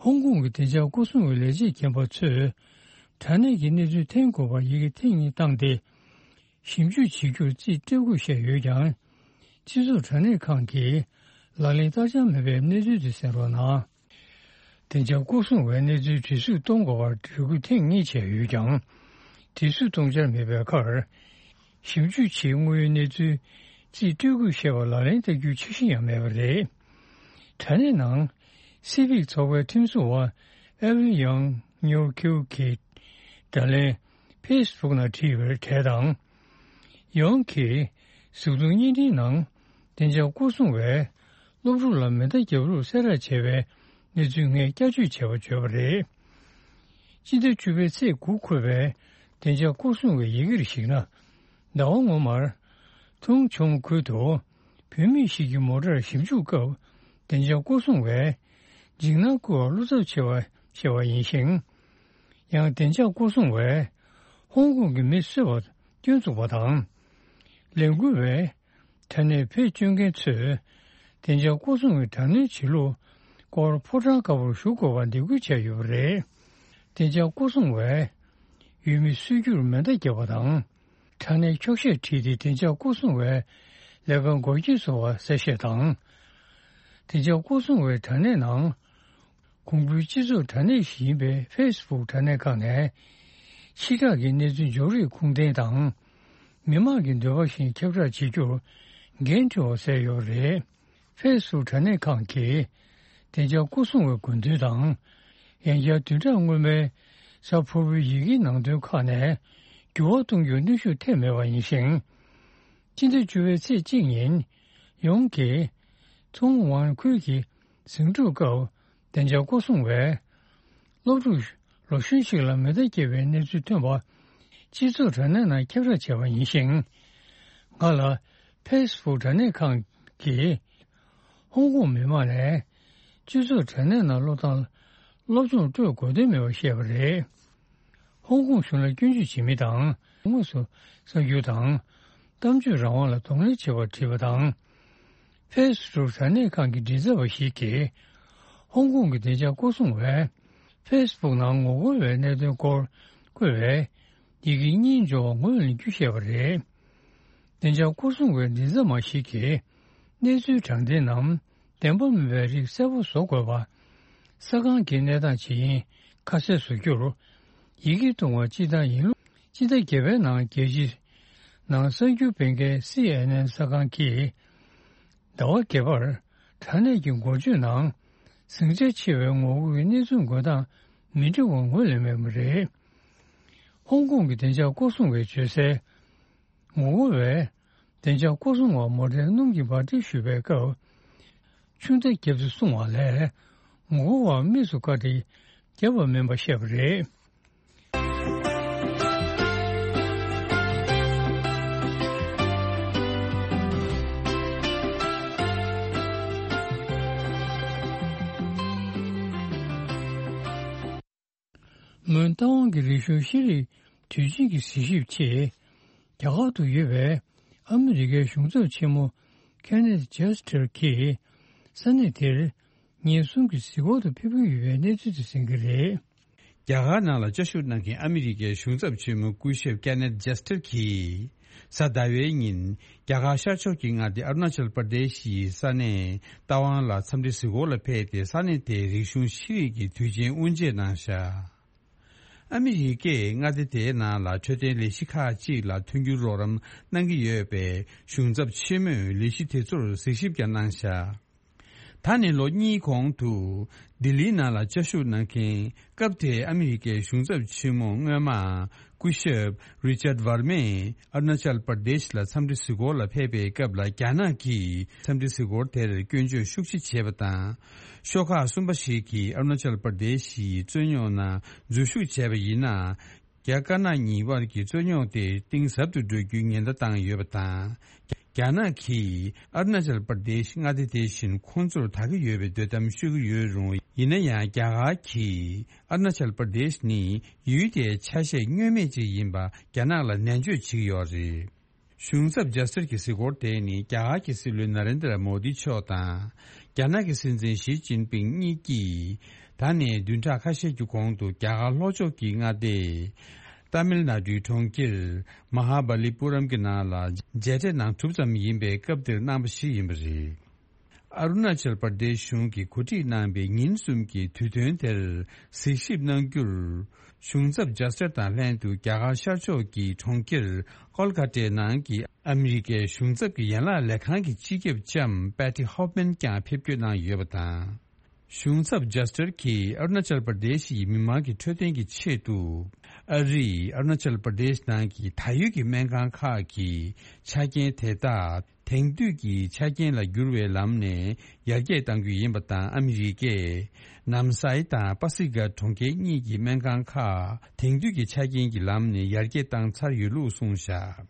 ཧོང་ཀོང་གི་བདེ་འཇགས་སྐོར་སྲུང་བའི་ལས་བྱེད་རྒན་པ་ཚོས་དྲ་གནས་ཀྱི་གནས་ཚུལ་འཐེན་དགོས་པར་ཡི་གེ་ཐེངས་གཉིས་བཏང་སྟེ། ཞིབ་འཇུག་བྱེད་རྒྱུར་རྩིས་སྤྲད་དགོས་བཤད་ཡོད་ཀྱང་། སྤྱི་ཚོགས་དྲ་གནས་ཁང་གིས་ལག་ལེན་བསྟར་འཆར་མེད་པའི་གནས་ཚུལ་དེ་གསན་རོགས་གནང་། བདེ་འཇགས་སྐོར་སྲུང་བས་གནས་ཚུལ་དྲི་གཟུགས་གཏོང་དགོས་པར་འབོད་སྐུལ་ཐེངས་གཉིས་བྱས་ཡོད་ཀྱང་། དྲི་གཟུགས་གཏོང་འཆར་མེད་པའི་ཁར། ཞིབ་འཇུག་བྱེད་དངུལ་གནས་ཚུལ་རྩིས་སྤྲོད་དགོས་བཤད་པ་ལག་ལེན་བསྟར་རྒྱུའི་འཆར་གཞི་ཡང་མེད་པ་རེད། དྲ་གནས་ནང་སི་ཕིག་ཚོགས་པའི་ཁྲིམས་སྲུང་བ་ཨེ་ཝིན་ཡང་ཉོར་ཁིའུ་གིས་དྲ་ལན་ཕེ་སི་བུག་ནང་བྲིས་པར་གྲས་དང་། ཡང་གིས་གཟུགས་མཐོང་བརྙན་འཕྲིན་ནང་བདེ་འཇགས་སྐོར་སྲུང་བས་སློབ་ཕྲུག་ལ་མེ་མདའ་རྒྱབ་རོགས་གསལ་བསྒྲགས་བྱས་པའི་ གནས་ཚུལ་སྔས་བསྐྱར་བཅོས་བྱས་པ་བརྗོད་པ་རེད། སྤྱི་ཟླ་བཅུ་པའི་ཚེས་དགུ་འཁོད་པའི་བདེ་འཇགས་སྐོར་སྲུང་བའི་ཡི་གེར་གཞིགས་ན། ཟླ་བ་སྔོན་མར། ཐུང་ཆོང་ཁུལ་དུ། བུད་མེད་ཞིག་གི་མོ་ཊར་ཞིབ་འཇུག་སྐབས། བདེ་འཇགས་སྐོར་སྲུང་བས། འཇིགས་སྣང་སྐུལ་བར་བློ་འཚབ་ཆེ་བ་བཤད་པ་ཡིན་ཞིང་། ཡང་བདེ་འཇགས་སྐོར་སྲུང་བས། ཧོང་ཀོང་གི་མི་གསོད་པ་སྐྱོན་འཛུགས་པ་དང་། ལས་འགུལ་བས། དྲ་གནས་བེད་སྤྱོད་མཁན་ཚོས། བདེ་འཇགས་སྐོར་སྲུང་བའི་དྲ་གནས་བྱེད་ལུགས་སྐོར་ཕོ་བྲང་དཀར་པོར་ཞུ་དགོས་པར་འདེད་སྐུལ་བྱས་ཡོད་པ་རེད། བདེ་འཇགས་སྐོར་སྲུང་བས། ཡུལ་མི་གསོད་རྒྱུར་མེ་མདའ་བརྒྱབ་པ་དང་། དྲ་གནས་འཁྱོག་བཤད་བྲིས་ཏེ་བདེ་འཇགས་སྐོར་སྲུང་བས་ལས་ཀ་འགོག་རྐྱེན་བཟོ་བ་གསལ་བཤད་དང་། བདེ་འཇགས་སྐོར་སྲུང་བའི་དྲ་གནས་ནང་། གོང་བུའི་སྤྱི་ཚོགས་དྲ་གནས་ཤིག་ཡིན་པའི་ཕེ་སི་བུག་དྲ་གནས་ཁག་ནས། ཕྱི་བསྒྲགས་ཀྱི་གནས་ཚུལ་འབྱོར་རིགས་ཁུངས་ལྡན་དང་། མི་མང་གི་འདོད་པ་བཞིན་ཁྱབ་བསྒྲགས་བྱེད་རྒྱུར་འགན་འཁྲི་བ་བསྩལ་ཡོད་པ་རེད། ཕེ་སི་བུག་དྲ་གནས་ཁག་གིས། བདེ་འཇགས་སྐོར་སྲུང་བའི་དགོས་འདུན་དང་། ཡང་བསྐྱར་བདུན་ཕྲག་སྔོན་མའི་གཟའ་ཕུར་བུའི་ཡི་གེའི་ནང་དོན་ཁག་ནས་འགྱུར་བ་གཏོང་རྒྱུར་གནོན་ཤུགས་ཐེབས་མེད་པ་ཡིན་ཞིང་། སྤྱི་ཟླ་བཅུ་པའི་ཚེས་གཅིག་ཉིན། ཡོངས་ཀྱིས། ཐུང་ཝན་ཁུལ་གྱི་ཟིང་འཁྲུག་སྐབས། བདེ་འཇགས་སྐོར་སྲུང་བས། སློབ་ཕྲུག་ལོ་གཞོན་ཞིག་ལ་མེ་མདའ་བརྒྱབ་པའི་གནས་ཚུལ་ཐོན་པ། སྤྱི་ཚོགས་དྲ་གནས་ནང་ཁྱབ་བསྒྲགས་བྱས་པ་ཡིན་ཞིང་། ང་ལ་ཕེ་སི་བུག་དྲ་གནས་ཁང་གིས། ཧོང་ཀོང་མི་མང་ནས་སྤྱི་ཚོགས་དྲ་གནས་ནང་སློབ་སྟངས་སློབ་སྦྱོང་སྤྲོད་དགོས་དོན་མེད་པར་བཤད་པ་རེད། ཧོང་ཀོང་གཞུང་ལ་སྐྱོན་བརྗོད་བྱེད་མི་དང་། དངོས་སུ་གསར་འགྱུར་དང་། གཏམ་བརྗོད་རང་དབང་ལ་གདོང་ལེན་བྱེད་པར་བྲིས་པ་དང་། ཕེ་སི་བུག་དྲ་གནས་ཁང་གི་མགྲིན་ཚབ་པ་ཞིག་གིས། ཧོང་ཀོང་གི་བདེ་འཇགས་སྐོར་སྲུང་བས། ཕེ་སི་བུག་ནང་ངོ་རྒོལ་བའི་གནད་དོན་སྐོར་བཀོད་པའི་ཡི་གེ་གཉིས་འབྱོར་བ་ངོས་ལེན་རྒྱུ་བཤད་པ་རེད། བདེ་འཇགས་སྐོར་སྲུང་བའི་མགྲིན་ཚབ་མ་ཞིག་གིས། གནས་ཚུལ་དྲང་བདེན་ནམ། བདེན་པ་མིན་པའི་རིགས་གསལ་པོ་བཟོ་དགོས་པ། ས་ཁང་གི་གནས་སྟངས་ཇི་ཡིན་ཁ་གསལ་བཟོ་རྒྱུར། ཡི་གེ་བཏང་བ་སྤྱི་བཏང་ཡིན་ལུགས། སྤྱི་ཟླ་བརྒྱད་པའི་ནང་རྒྱལ་སྤྱིའི་ནང་གསར་འགྱུར་སྤེལ་མཁན་སི་ཨེན་ཨེན་གསར་ཁང་གིས། ཟླ་བ་བརྒྱད་པར་དྲ་གནས་ཀྱི་འགོ་བརྗོད་ནང་། ཟིང་ཆ་ཆེ་བའི་ངོ་རྒོལ་གྱི་གནས་ཚུལ་འགོད་སྟངས་མི་འདྲ་བ་ངོས་ལེན་མེད་པ་རེད། ཧོང་ཀོང་གི་བདེ་འཇགས་སྐོར་སྲུང་བས་བརྗོད་གསལ། ངོ་རྒོལ་བས་བདེ་འཇགས་སྐོར་སྲུང་བར་མོ་ཊའི་སྣུམ་གྱི་འབར་མདེལ་གཞུས་པའི་སྐབས། ཆུ་མདའ་བརྒྱབ་སྟེ་བསྲུང་བ་ལས། ངོ་རྒོལ་བར་དམིགས་སུ་བཀར་ཏེ་བརྒྱབ་པ་མིན་པ་བཤད་པ་རེད། མོན་རྟ་དབང་གི་རིག་གཞུང་ཤེས་རིག་དུས་ཆེན་གྱི་གཟིགས་ཞིབ་ཆེད། རྒྱ་གར་དུ་ཡོད་པའི་ཨ་མི་རི་ཀའི་གཞུང་ཚབ་ཆེན་མོ་ཁེ་ནེད་ཇེ་སི་ཊར་གྱིས་ས་གནས་དེར་ཉིན་གསུམ་གྱི་གཟིགས་སྐོར་དུ་ཕེབས་ཀྱི་ཡོད་པའི་གནས་ཚུལ་དེ་གསན་གྱི་རེད། རྒྱ་གར་ནང་ལ་བཅའ་བཞུགས་གནང་མཁན་ཨ་མི་རི་ཀའི་གཞུང་ཚབ་ཆེན་མོ་སྐུ་ཞབས་ཀེ་ནེད་ཇེ་སི་ཊར་གྱིས། གཟའ་ཟླ་བའི་ཉིན། རྒྱ་གར་ཤར་ཕྱོགས་ཀྱི་མངའ་སྡེ་ཨ་རུ་ན་ཅལ་པར་དེ་ཤི་ཡི་ས་གནས་རྟ་དབང་ལ་འཚམས་འདྲི་གཟིགས་སྐོར་ལ་ཕེབས་ཏེ་ས་གནས་དེའི་རིག་གཞུང་ཤེས་རིག་གི་དུས་ཆེན་དབུ་འབྱེད་གནང་བཞག་ཨ་མི་རི་ཀས་མངའ་སྡེ་དེའི་ནང་ལ་འཕྲོད་བསྟེན་ལས་གཞི་ཁག་ཅིག་ལ་མཐུན་འགྱུར་རོགས་རམ་གནང་གི་ཡོད་པས་གཞུང་ཚབ་ཆེན་མོས་ལས་གཞི་དེ་ཚོར་གཟིགས་ཞིབ་ཀྱང་གནང་བཞག་ད་ནི་ལོ་གཉིས་གོང་དུ། ལྡི་ལིའི་ནང་ལ་བཅའ་བཞུགས་གནང་མཁན། སྐབས་དེའི་ཨ་མི་རི་ཀའི་གཞུང་ཚབ་ཆེན་མོ་སྔོན་མ། སྐུ་ཞབས་རི་ཅར་ཝར་མས་ཨ་རུ་ན་ཅལ་པར་དེཤ་ལ་འཚམས་འདྲི་གཟིགས་སྐོར་ལ་ཕེབས་པའི་སྐབས་ལ། རྒྱ་ནག་གིས་འཚམས་འདྲི་གཟིགས་སྐོར་དེར་སྐྱོན་བརྗོད་ཤུགས་ཆེ་བྱས་པ་དང་། ཤོག་ཁག་གསུམ་པ་ཞིག་གིས་ཨ་རུ་ན་ཅལ་པར་དེཤ་ཡི་རྩོད་རྙོག་ནང་འཛུལ་ཞུགས་བྱས་པ་ཡིན་ན། རྒྱ་དཀར་ནག་གཉིས་དབར་གྱི་རྩོད་རྙོག་དེ་གཏིང་ཟབ་ཏུ་འགྲོ་རྒྱུའི་ཉེན་བརྡ་བཏང་ཡོད་པ་དང་། རྒྱ་ནག་གིས་ཨ་རུ་ན་ཅལ་པར་དེཤ་མངའ་སྡེ་དེ་བཞིན་ཁོང་ཚོར་བདག་གི་ཡོད་པའི་འདོད་གཏམ་ཤོད་ཀྱི་ཡོད་རུང་། ཡིན་ན་ཡང་རྒྱ་གར་གྱིས་ཨ་རུ་ན་ཅལ་པར་དེཤ་ནི་ཡུལ་དེའི་ཆ་ཤས་བསྙོན་མེད་ཅིག་ཡིན་པ་རྒྱ་ནག་ལ་ནན་བརྗོད་བྱེད་ཀྱི་ཡོད་རེད། གཞུང་ཚབ་ཇ་སི་ཊར་གྱི་གཟིགས་སྐོར་དེ་ནི་རྒྱ་གར་གྱི་སྲིད་བློན་ན་རེན་དྲ་མོ་དི་མཆོག་དང་། རྒྱ་ནག་གི་སྲིད་འཛིན་ཞི་ཅིན་ཕིང་གཉིས་ཀྱིས། ད་ནས་བདུན་ཕྲག་ཁ་ཤས་ཀྱི་གོང་དུ་རྒྱ་གར་ལྷོ་ཕྱོགས་ཀྱི་མངའ་སྡེ། ཏཱ་མིལ་ནཱ་ཌུའི་གྲོང་ཁྱེར། མ་ཧཱ་བ་ལི་པུ་རམ་གྱི་ནང་ལ་མཇལ་འཕྲད་གནང་གྲུབ་ཙམ་ཡིན་པའི་སྐབས་དེར་གནང་པ་ཞིག་ཡིན་པ་རེད། ཨ་རུ་ན་ཅལ་པར་དེཤ་གཞུང་གིས་གོ་སྒྲིག་གནང་པའི་ཉིན་གསུམ་གྱི་དུས་སྟོན་དེར་གཟིགས་ཞིབ་གནང་རྒྱུར། གཞུང་ཚབ་ཇ་སི་ཊར་དང་ལྷན་དུ་རྒྱ་གར་ཤར་ཕྱོགས་ཀྱི་གྲོང་ཁྱེར་ཀོལ་ཀ་ཏའི་ནང་གི་ཨ་མི་རི་ཀའི་གཞུང་ཚབ་ཀྱི་ཡན་ལག་ལས་ཁང་གི་སྤྱི་ཁྱབ་ལྕམ་པེ་ཏི་ཧོབ་མན་ཀྱང་ཕེབས་སྐྱོད་གནང་ཡོད་པ་དང་། གཞུང་ཚབ་ཇ་སི་ཊར་གྱིས་ཨ་རུ་ན་ཅལ་པར་དེཤ་ཡི་མི་མང་གི་འཕྲོད་བསྟེན་གྱི་ཆེད་དུ། ཨ་རིས་ཨ་རུ་ན་ཅལ་པར་དེཤ་ནང་གི་ད་ཡོད་ཀྱི་སྨན་ཁང་ཁག་གི་ཆ་རྐྱེན་དེ་དག་ དེང་དུས་ཀྱི་ཆ་རྐྱེན་ལ་བསྒྱུར་བའི་ལམ་ནས་ཡར་རྒྱས་གཏང་རྒྱུ་ཡིན་པ་དང་། ཨ་མི་རི་ཀས་ནམ་སའི་དང་པ་སི་ཀ་གྲོང་ཁྱེར་གཉིས་ཀྱི་སྨན་ཁང་ཁག་དེང་དུས་ཀྱི་ཆ་རྐྱེན་གྱི་ལམ་ནས་ཡར་རྒྱས་བཏང་ཚར་ཡོད་ལུགས་གསུངས་བཞག་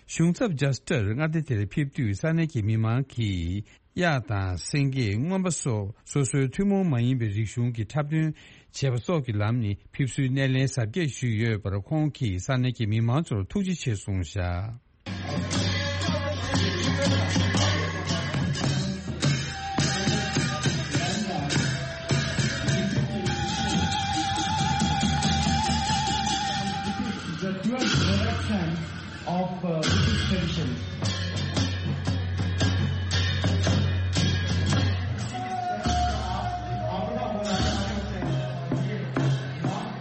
གཞུང་ཚབ་ཇཱ་སི་ཊར་མངའ་སྡེ་དེར་ཕེབས་དུས་ས་གནས་ཀྱི་མི་མང་གིས་གཡག་དང་སེང་གེ། རྔོན་པ་སོགས་སོ་སོའི་ཐུན་མོང་མ་ཡིན་པའི་རིག་གཞུང་གི་འཁྲབ་སྟོན་བྱས་པ་སོགས་ཀྱི་ལམ་ནས་ཕེབས་བསུའི་སྣེ་ལེན་གཟབ་རྒྱས་ཞུས་ཡོད་པར། ཁོང་གིས་ས་གནས་ཀྱི་མི་མང་ཚོར་ཐུགས་རྗེ་ཆེ་གསུངས་བཞག The pure production of, uh, Buddhist traditions.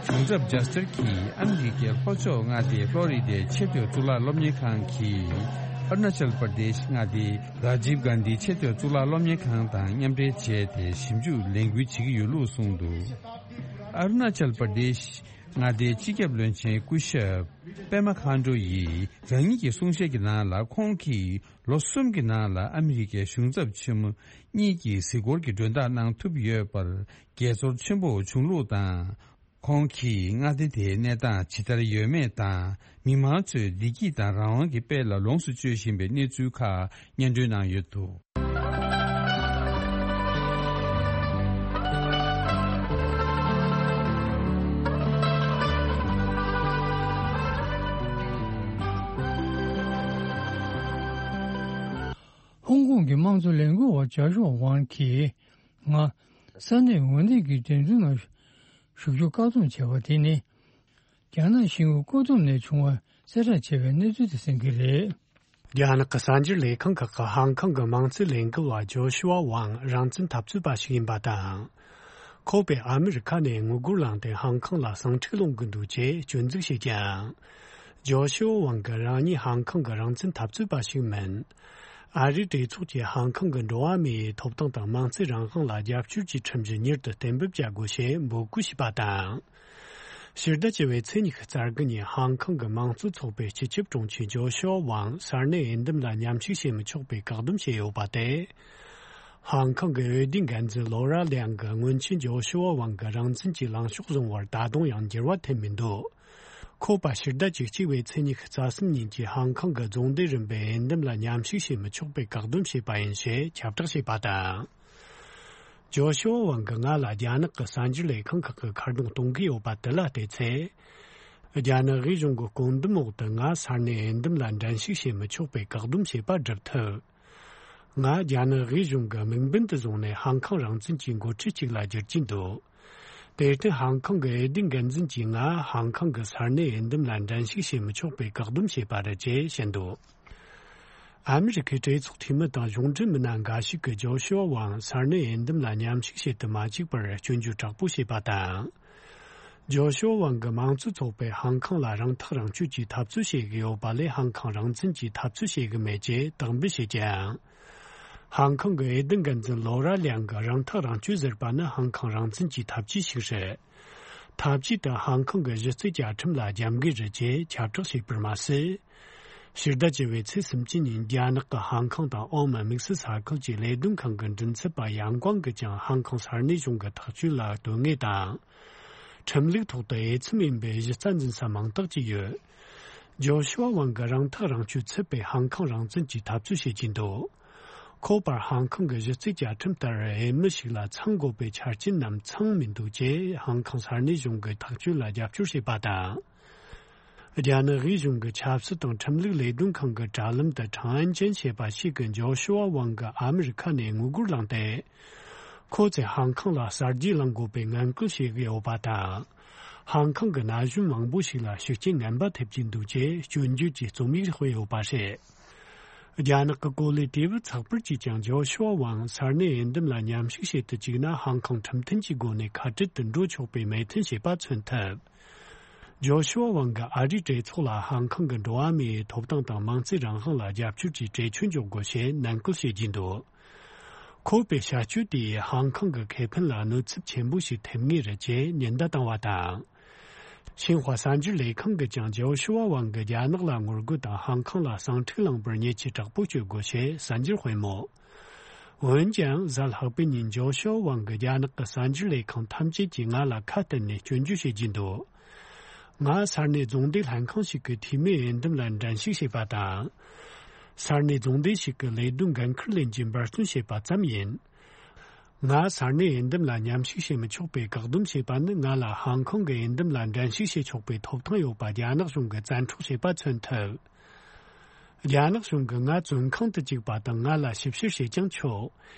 གཞུང་ཚབ་ཇཱ་སི་ཊར་གྱིས་ཨ་མི་རི་ཀའི་ལྷོ་ཕྱོགས་མངའ་སྡེ་ཕློ་རི་ཌའི་ཆེས་མཐོའི་གཙུག་ལག་སློབ་གཉེར་ཁང་གིས་ཨ་རུ་ན་ཅལ་པར་དེཤ་མངའ་སྡེའི་རཱ་ཇིབ་གྷན་དྷི་ཆེས་མཐོའི་གཙུག་ལག་སློབ་གཉེར་ཁང་དང་མཉམ་འབྲེལ་བྱས་ཏེ་ཞིབ་འཇུག་ལས་འགུལ་བྱེད་ཀྱི་ཡོད་ལུགས་གསུངས་འདུག་ཨ་རུ་ན་ཅལ་པར་དེཤ་མངའ་སྡེའི་སྤྱི་ཁྱབ་བློན་ཆེན་སྐུ་ཞབས་པེ་མ་ཁཱན་ཌོ་ཡིས་རང་ཉིད་ཀྱི་གསུང་བཤད་ཀྱི་ནང་ལ། ཁོང་གིས་ལོ་གསུམ་གྱི་ནང་ལ་ཨ་མི་རི་ཀའི་གཞུང་ཚབ་ཆེན་མོ་གཉིས་ཀྱི་གཟིགས་སྐོར་གྱི་མགྲོན་བདག་གནང་ཐུབ་ཡོད་པར་དགྱེས་ཚོར་ཆེན་པོ་བྱུང་ལུགས་དང་། ཁོང་གིས་མངའ་སྡེ་དེའི་གནས་སྟངས་ཇི་ལྟར་ཡོད་མེད་དང་། མི་མང་ཚོས་བདེ་སྐྱིད་དང་རང་དབང་གི་དཔལ་ལ་ལོངས་སུ་སྤྱོད་བཞིན་པའི་གནས་ཚུལ་ཁག་སྙན་སྒྲོན་གནང་ཡོད་འདུག་ཧོང་ཀོང་གི་དམངས་གཙོ་ལས་འགུལ་བ་ཇཱ་ཤུ་ཝང་གིས། ང་ས་གནས་འོས་བསྡུ་གི་འགྲན་བསྡུར་ནང་ཞུགས་རྒྱུ་བཀག་སྡོམ་བྱས་པ་དེ་ནི། རྒྱ་ནག་ཤིན་ཧྭ་ཀོ་ཏུང་ནས་བྱུང་བ་གསལ་བསྒྲགས་བྱས་པའི་གནས་ཚུལ་དེ་གསན་གྱི་རེད། རྒྱ་ནག་གི་གསར་འགྱུར་ལས་ཁང་ཁག་གིས་ཧང་ཀང་གི་དམངས་གཙོའི་ལས་འགུལ་བ་ཇོ་ཤུ་ཝ་ཝང་རང་བཙན་འཐབ་རྩོད་པ་ཞིག་ཡིན་པ་དང་། ཁོ་པས་ཨ་མི་རི་ཁ་ནས་དངུལ་སྒོར་བླངས་ཏེ་ཧང་ཀང་ལ་ཟིང་འཁྲུག་སློང་གི་འདུག་ཅེས་སྐྱོན་འཛུགས་བྱས་ཀྱང་། ཇོ་ཤུ་ཝ་ཝང་གིས་རང་ཉིད་ཧང་ཀང་གི་རང་བཙན་འཐབ་རྩོད་པ་ཞིག་མིན། ཨ་རིའི་གྲོས་ཚོགས་ཀྱིས་ཧང་ཀང་གི་འགྲོ་བ་མིའི་ཐོབ་ཐང་དང་དམངས་གཙོའི་རང་དབང་ལ་རྒྱབ་སྐྱོར་གྱི་ཁྲིམས་གཞི་མྱུར་དུ་གཏན་འབེབས་བྱ་དགོས་ཞེས་འབོད་སྐུལ་བྱས་པ་དང་། ཕྱི་ཟླ་བཅུ་པའི་ཚེས་ཉི་ཤུ་རྩ་དགུ་ཉིན་ཧང་ཀང་གི་དམངས་གཙོ་ཚོགས་པའི་སྤྱི་ཁྱབ་དྲུང་ཆེ་ཇོ་ཤུ་ཝ་ཝང་ས་གནས་འོས་འདེམས་ལ་མཉམ་ཞུགས་བྱེད་མི་ཆོག་པའི་བཀག་སྡོམ་བྱས་ཡོད་པ་དེ། ཧང་ཀང་གི་འོས་བསྡུའི་འགན་འཛིན་ལོ་ར་ལིའང་གིས་སྔོན་ཆད་ཇོ་ཤུ་ཝ་ཝང་གི་རང་བཙན་གྱི་ལངས་ཕྱོགས་བཟུང་བར་ད་དུང་ཡང་འགྱུར་བ་ཐེབས་མི་འདུག་ཁོ་པ་ཕྱི་ཟླ་བཅུ་གཅིག་པའི་ཚེས་ཉི་ཤུ་རྩ་གསུམ་ཉིན་གྱི་ཧང་ཀང་གི་རྫོང་སྡེ་རིམ་པའི་འོས་འདེམས་ལ་མཉམ་ཞུགས་བྱེད་མི་ཆོག་པའི་བཀག་སྡོམ་བྱས་པ་ཡིན་ཞེས་ཁྱབ་བསྒྲགས་བྱས་པ་དང་། ཇོ་ཤུ་ཝ་ཝང་གིས་ང་ལ་རྒྱ་ནག་གི་གསར་འགྱུར་ལས་ཁང་ཁག་གིས་ཁ་རྡུང་གཏོང་གི་ཡོད་པ་དེ་ལ་བལྟས་ཚེ། རྒྱ་ནག་དབུས་གཞུང་གི་བཀོད་འདོམས་འོག་ཏུ་ང་ས་གནས་འོས་འདེམས་ལ་འགྲན་ཞུགས་བྱེད་མི་ཆོག་པའི་བཀག་སྡོམ་བྱས་པ་སྒྲུབ་ཐུབ། ང་རྒྱ་ནག་དབུས་གཞུང་གི་དམིགས་འབེན་དུ་བཟུང་ནས་ཧང་ཀང་རང་བཙན་གྱི་འགོ་ཁྲིད་ཅིག་ལ་འགྱུར་གྱིན་འདུག་དེར་བརྟེན་ཧང་ཀང་གི་འོས་བསྡུའི་འགན་འཛིན་གྱིས་ང་ཧང་ཀང་གི་ས་གནས་འོས་འདེམས་ལ་འགྲན་ཞུགས་བྱེད་མི་ཆོག་པའི་བཀག་སྡོམ་བྱས་པ་རེད་ཅེས་བཤད་འདུག་ཨ་མི་རི་ཁའི་གྲོས་ཚོགས་འཐུས་མི་དང་གཞུང་འབྲེལ་མི་སྣ་འགའ་ཞིག་གིས་ཇོ་ཤུ་ཝ་ཝང་ས་གནས་འོས་འདེམས་ལ་མཉམ་ཞུགས་བྱེད་དུ་མ་བཅུག་པར་སྐྱོན་བརྗོད་དྲག་པོ་བྱས་པ་དང་། ཇོ་ཤུ་ཝ་ཝང་གི་དམངས་གཙོ་ཚོགས་པས་ཧང་ཀང་ལ་རང་ཐག་རང་གཅོད་ཀྱི་འཐབ་རྩོད་བྱེད་ཀྱི་ཡོད་པ་ལས་ཧང་ཀང་རང་བཙན་གྱི་འཐབ་རྩོད་བྱེད་ཀྱི་མེད་ཅེས་དག་འབུད་བྱས་ཀྱང་། ཧང་ཀང་གི་འོས་བསྡུ་འགན་འཛིན་ལོ་ར་ལིའང་གིས་རང་ཐག་རང་གཅོད་ཟེར་བ་ནི་ཧང་ཀང་རང་བཙན་གྱི་འཐབ་ཇུས་ཤིག་རེད། འཐབ་ཇུས་དེ་ཧང་ཀང་གི་གཞི་རྩའི་བཅའ་ཁྲིམས་ལ་རྒྱབ་འགལ་རེད་ཅེས་ཁྱབ་བསྒྲགས་བྱས་པར་མ་ཟད། ཕྱི་ཟླ་བཅུ་པའི་ཚེས་སུམ་ཅུ་ཉིན་རྒྱ་ནག་གི་ཧང་ཀང་དང་ཨོ་མན་དམིགས་བསལ་ས་ཁུལ་གྱི་ལས་དོན་ཁང་གི་མགྲིན་ཚབ་པ་ཡང་ཀོང་གིས་ཀྱང་ཧང་ཀང་ས་གནས་གཞུང་གི་ཐག་གཅོད་ལ་དོན་དངོས་དང་། ཁྲིམས་ལུགས་ཐོག་ཏུ་འོས་འཚམ་ཡིན་པའི་གཞི་རྩ་འཛིན་ས་མང་དག་ཅིག་ཡོད། ཇོ་ཤུ་ཝ་ཝང་གིས་རང་ཐག་རང་གཅོད་ཚུད་པའི་ཧང་ཀང་རང་བཙན་གྱི་འཐབ་རྩོད་བྱེད་ཀྱིན་འདུག་ཁོ་པར་ཧང་ཀང་གི་གཞི་རྩའི་བཅའ་ཁྲིམས་ལྟར་འོས་མི་ཞིག་ལ་ཚང་དགོས་པའི་ཆ་རྐྱེན་རྣམས་ཚང་མི་འདུག་ཅེས་ཧང་ཀང་ས་གནས་གཞུང་གི་ཐག་གཅོད་ལ་རྒྱབ་སྐྱོར་བྱས་པ་དང་། རྒྱ་ནག་དབུས་གཞུང་གི་ཆབ་སྲིད་དང་ཁྲིམས་ལུགས་ལས་དོན་ཁང་གི་དྲ་ལམ་དུ་ཁྲང་ཨན་ཅན་ཞེས་པ་ཞིག་གིས་ཇོ་ཤུ་ཝ་ཝང་གིས་ཨ་མི་རི་ཁ་ནས་དངུལ་སྒོར་བླངས་ཏེ། ཁོ་ཚོས་ཧང་ཀང་ལ་གསར་བརྗེ་བསླང་དགོས་པའི་ངན་སྐུལ་བྱེད་ཀྱི་ཡོད་པ་དང་། ཧང་ཀང་གི་ན་གཞོན་མང་པོ་ཞིག་ལ་ཤུགས་རྐྱེན་ངན་པ་ཐེབས་ཀྱི་འདུག་ཅེས་སྐྱོན་བརྗོད་ཀྱི་རྩོམ་ཡིག་སྤེལ་ཡོད་པ་རེད། རྒྱ་ནག་གི་གོ་ལའི་དུས་བབ་ཚགས་པར་གྱིས་ཀྱང་ཇོ་ཤུ་ཝ་ཝང་ས་གནས་འོས་འདེམས་ལ་མཉམ་ཞུགས་བྱེད་དུ་བཅུག་ན་ཧང་ཀང་ཁྲིམས་མཐུན་གྱི་སྒོ་ནས་ཁ་བྲལ་དུ་འགྲོ་ཆོག་པའི་མོས་མཐུན་བྱས་པ་མཚོན་ཐུབ། ཇོ་ཤུ་ཝ་ཝང་གིས་ཨ་རིའི་གྲོས་ཚོགས་ལ་ཧང་ཀང་གི་འགྲོ་བ་མིའི་ཐོབ་ཐང་དང་དམངས་གཙོའི་རང་དབང་ལ་རྒྱབ་སྐྱོར་གྱི་གྲོས་ཆོད་འཇོག་དགོས་ཞེས་ནན་སྐུལ་བྱེད་ཀྱིན་འདུག་ཁོ་པའི་བྱ་སྤྱོད་དེས་ཧང་ཀང་གི་ཁེ་ཕན་ལ་གནོད་ཚབས་ཆེན་པོ་ཞིག་ཐེབས་ངེས་རེད་ཅེས་ཉེན་བརྡ་བཏང་བ་དང་། ཤིན་ཧྭ་གསར་འགྱུར་ལས་ཁང་གིས་ཀྱང་ཇོ་ཤུ་ཝ་ཝང་གིས་རྒྱ་ནག་ལ་ངོ་རྒོལ་དང་ཧང་ཁང་ལ་ཟིང་འཁྲུག་བསླངས་པར་ཉེས་ཆད་དྲག་པོ་གཅོད་དགོས་ཞེས་གསར་འགྱུར་སྤེལ་མོད། འོན་ཀྱང་གཟའ་ལྷག་པའི་ཉིན་ཇོ་ཤུ་ཝ་ཝང་གིས་རྒྱ་ནག་གི་གསར་འགྱུར་ལས་ཁང་ཐམས་ཅད་ཀྱིས་ང་ལ་ཁ་གཏད་ནས་སྐྱོན་བརྗོད་བྱེད་ཀྱིན་འདུག་ང་ས་གནས་རྫོང་སྡེ་ལྷན་ཁང་ཞིག་གི་འཐུས་མིའི་འོས་འདེམས་ལ་འགྲན་ཞུགས་བྱས་པ་དང་། ས་གནས་རྫོང་སྡེ་ཞིག་གི་ལས་དོན་འགན་འཁུར་ལེན་རྒྱུའི་འབད་བརྩོན་བྱས་པ་ཙམ་ཡིན། ང་ས་གནས་འོས་འདེམས་ལ་མཉམ་ཞུགས་བྱེད་མི་ཆོག་པའི་བཀག་སྡོམ་བྱས་པ་ནི་ང་ལ་ཧང་ཁང་གི་འོས་འདེམས་ལ་འགྲན་ཞུགས་བྱེད་ཆོག་པའི་ཐོབ་ཐང་ཡོད་པ་རྒྱ་ནག་གཞུང་གིས་བཙན་འཕྲོག་བྱས་པ་མཚོན་ཐུབ། རྒྱ་ནག་གཞུང་གིས་ང་བཙོན་ཁང་དུ་བཅུག་པ་དང་ང་ལ་ཞིབ་བཤེར་བྱེད་ཀྱང་ཆོག་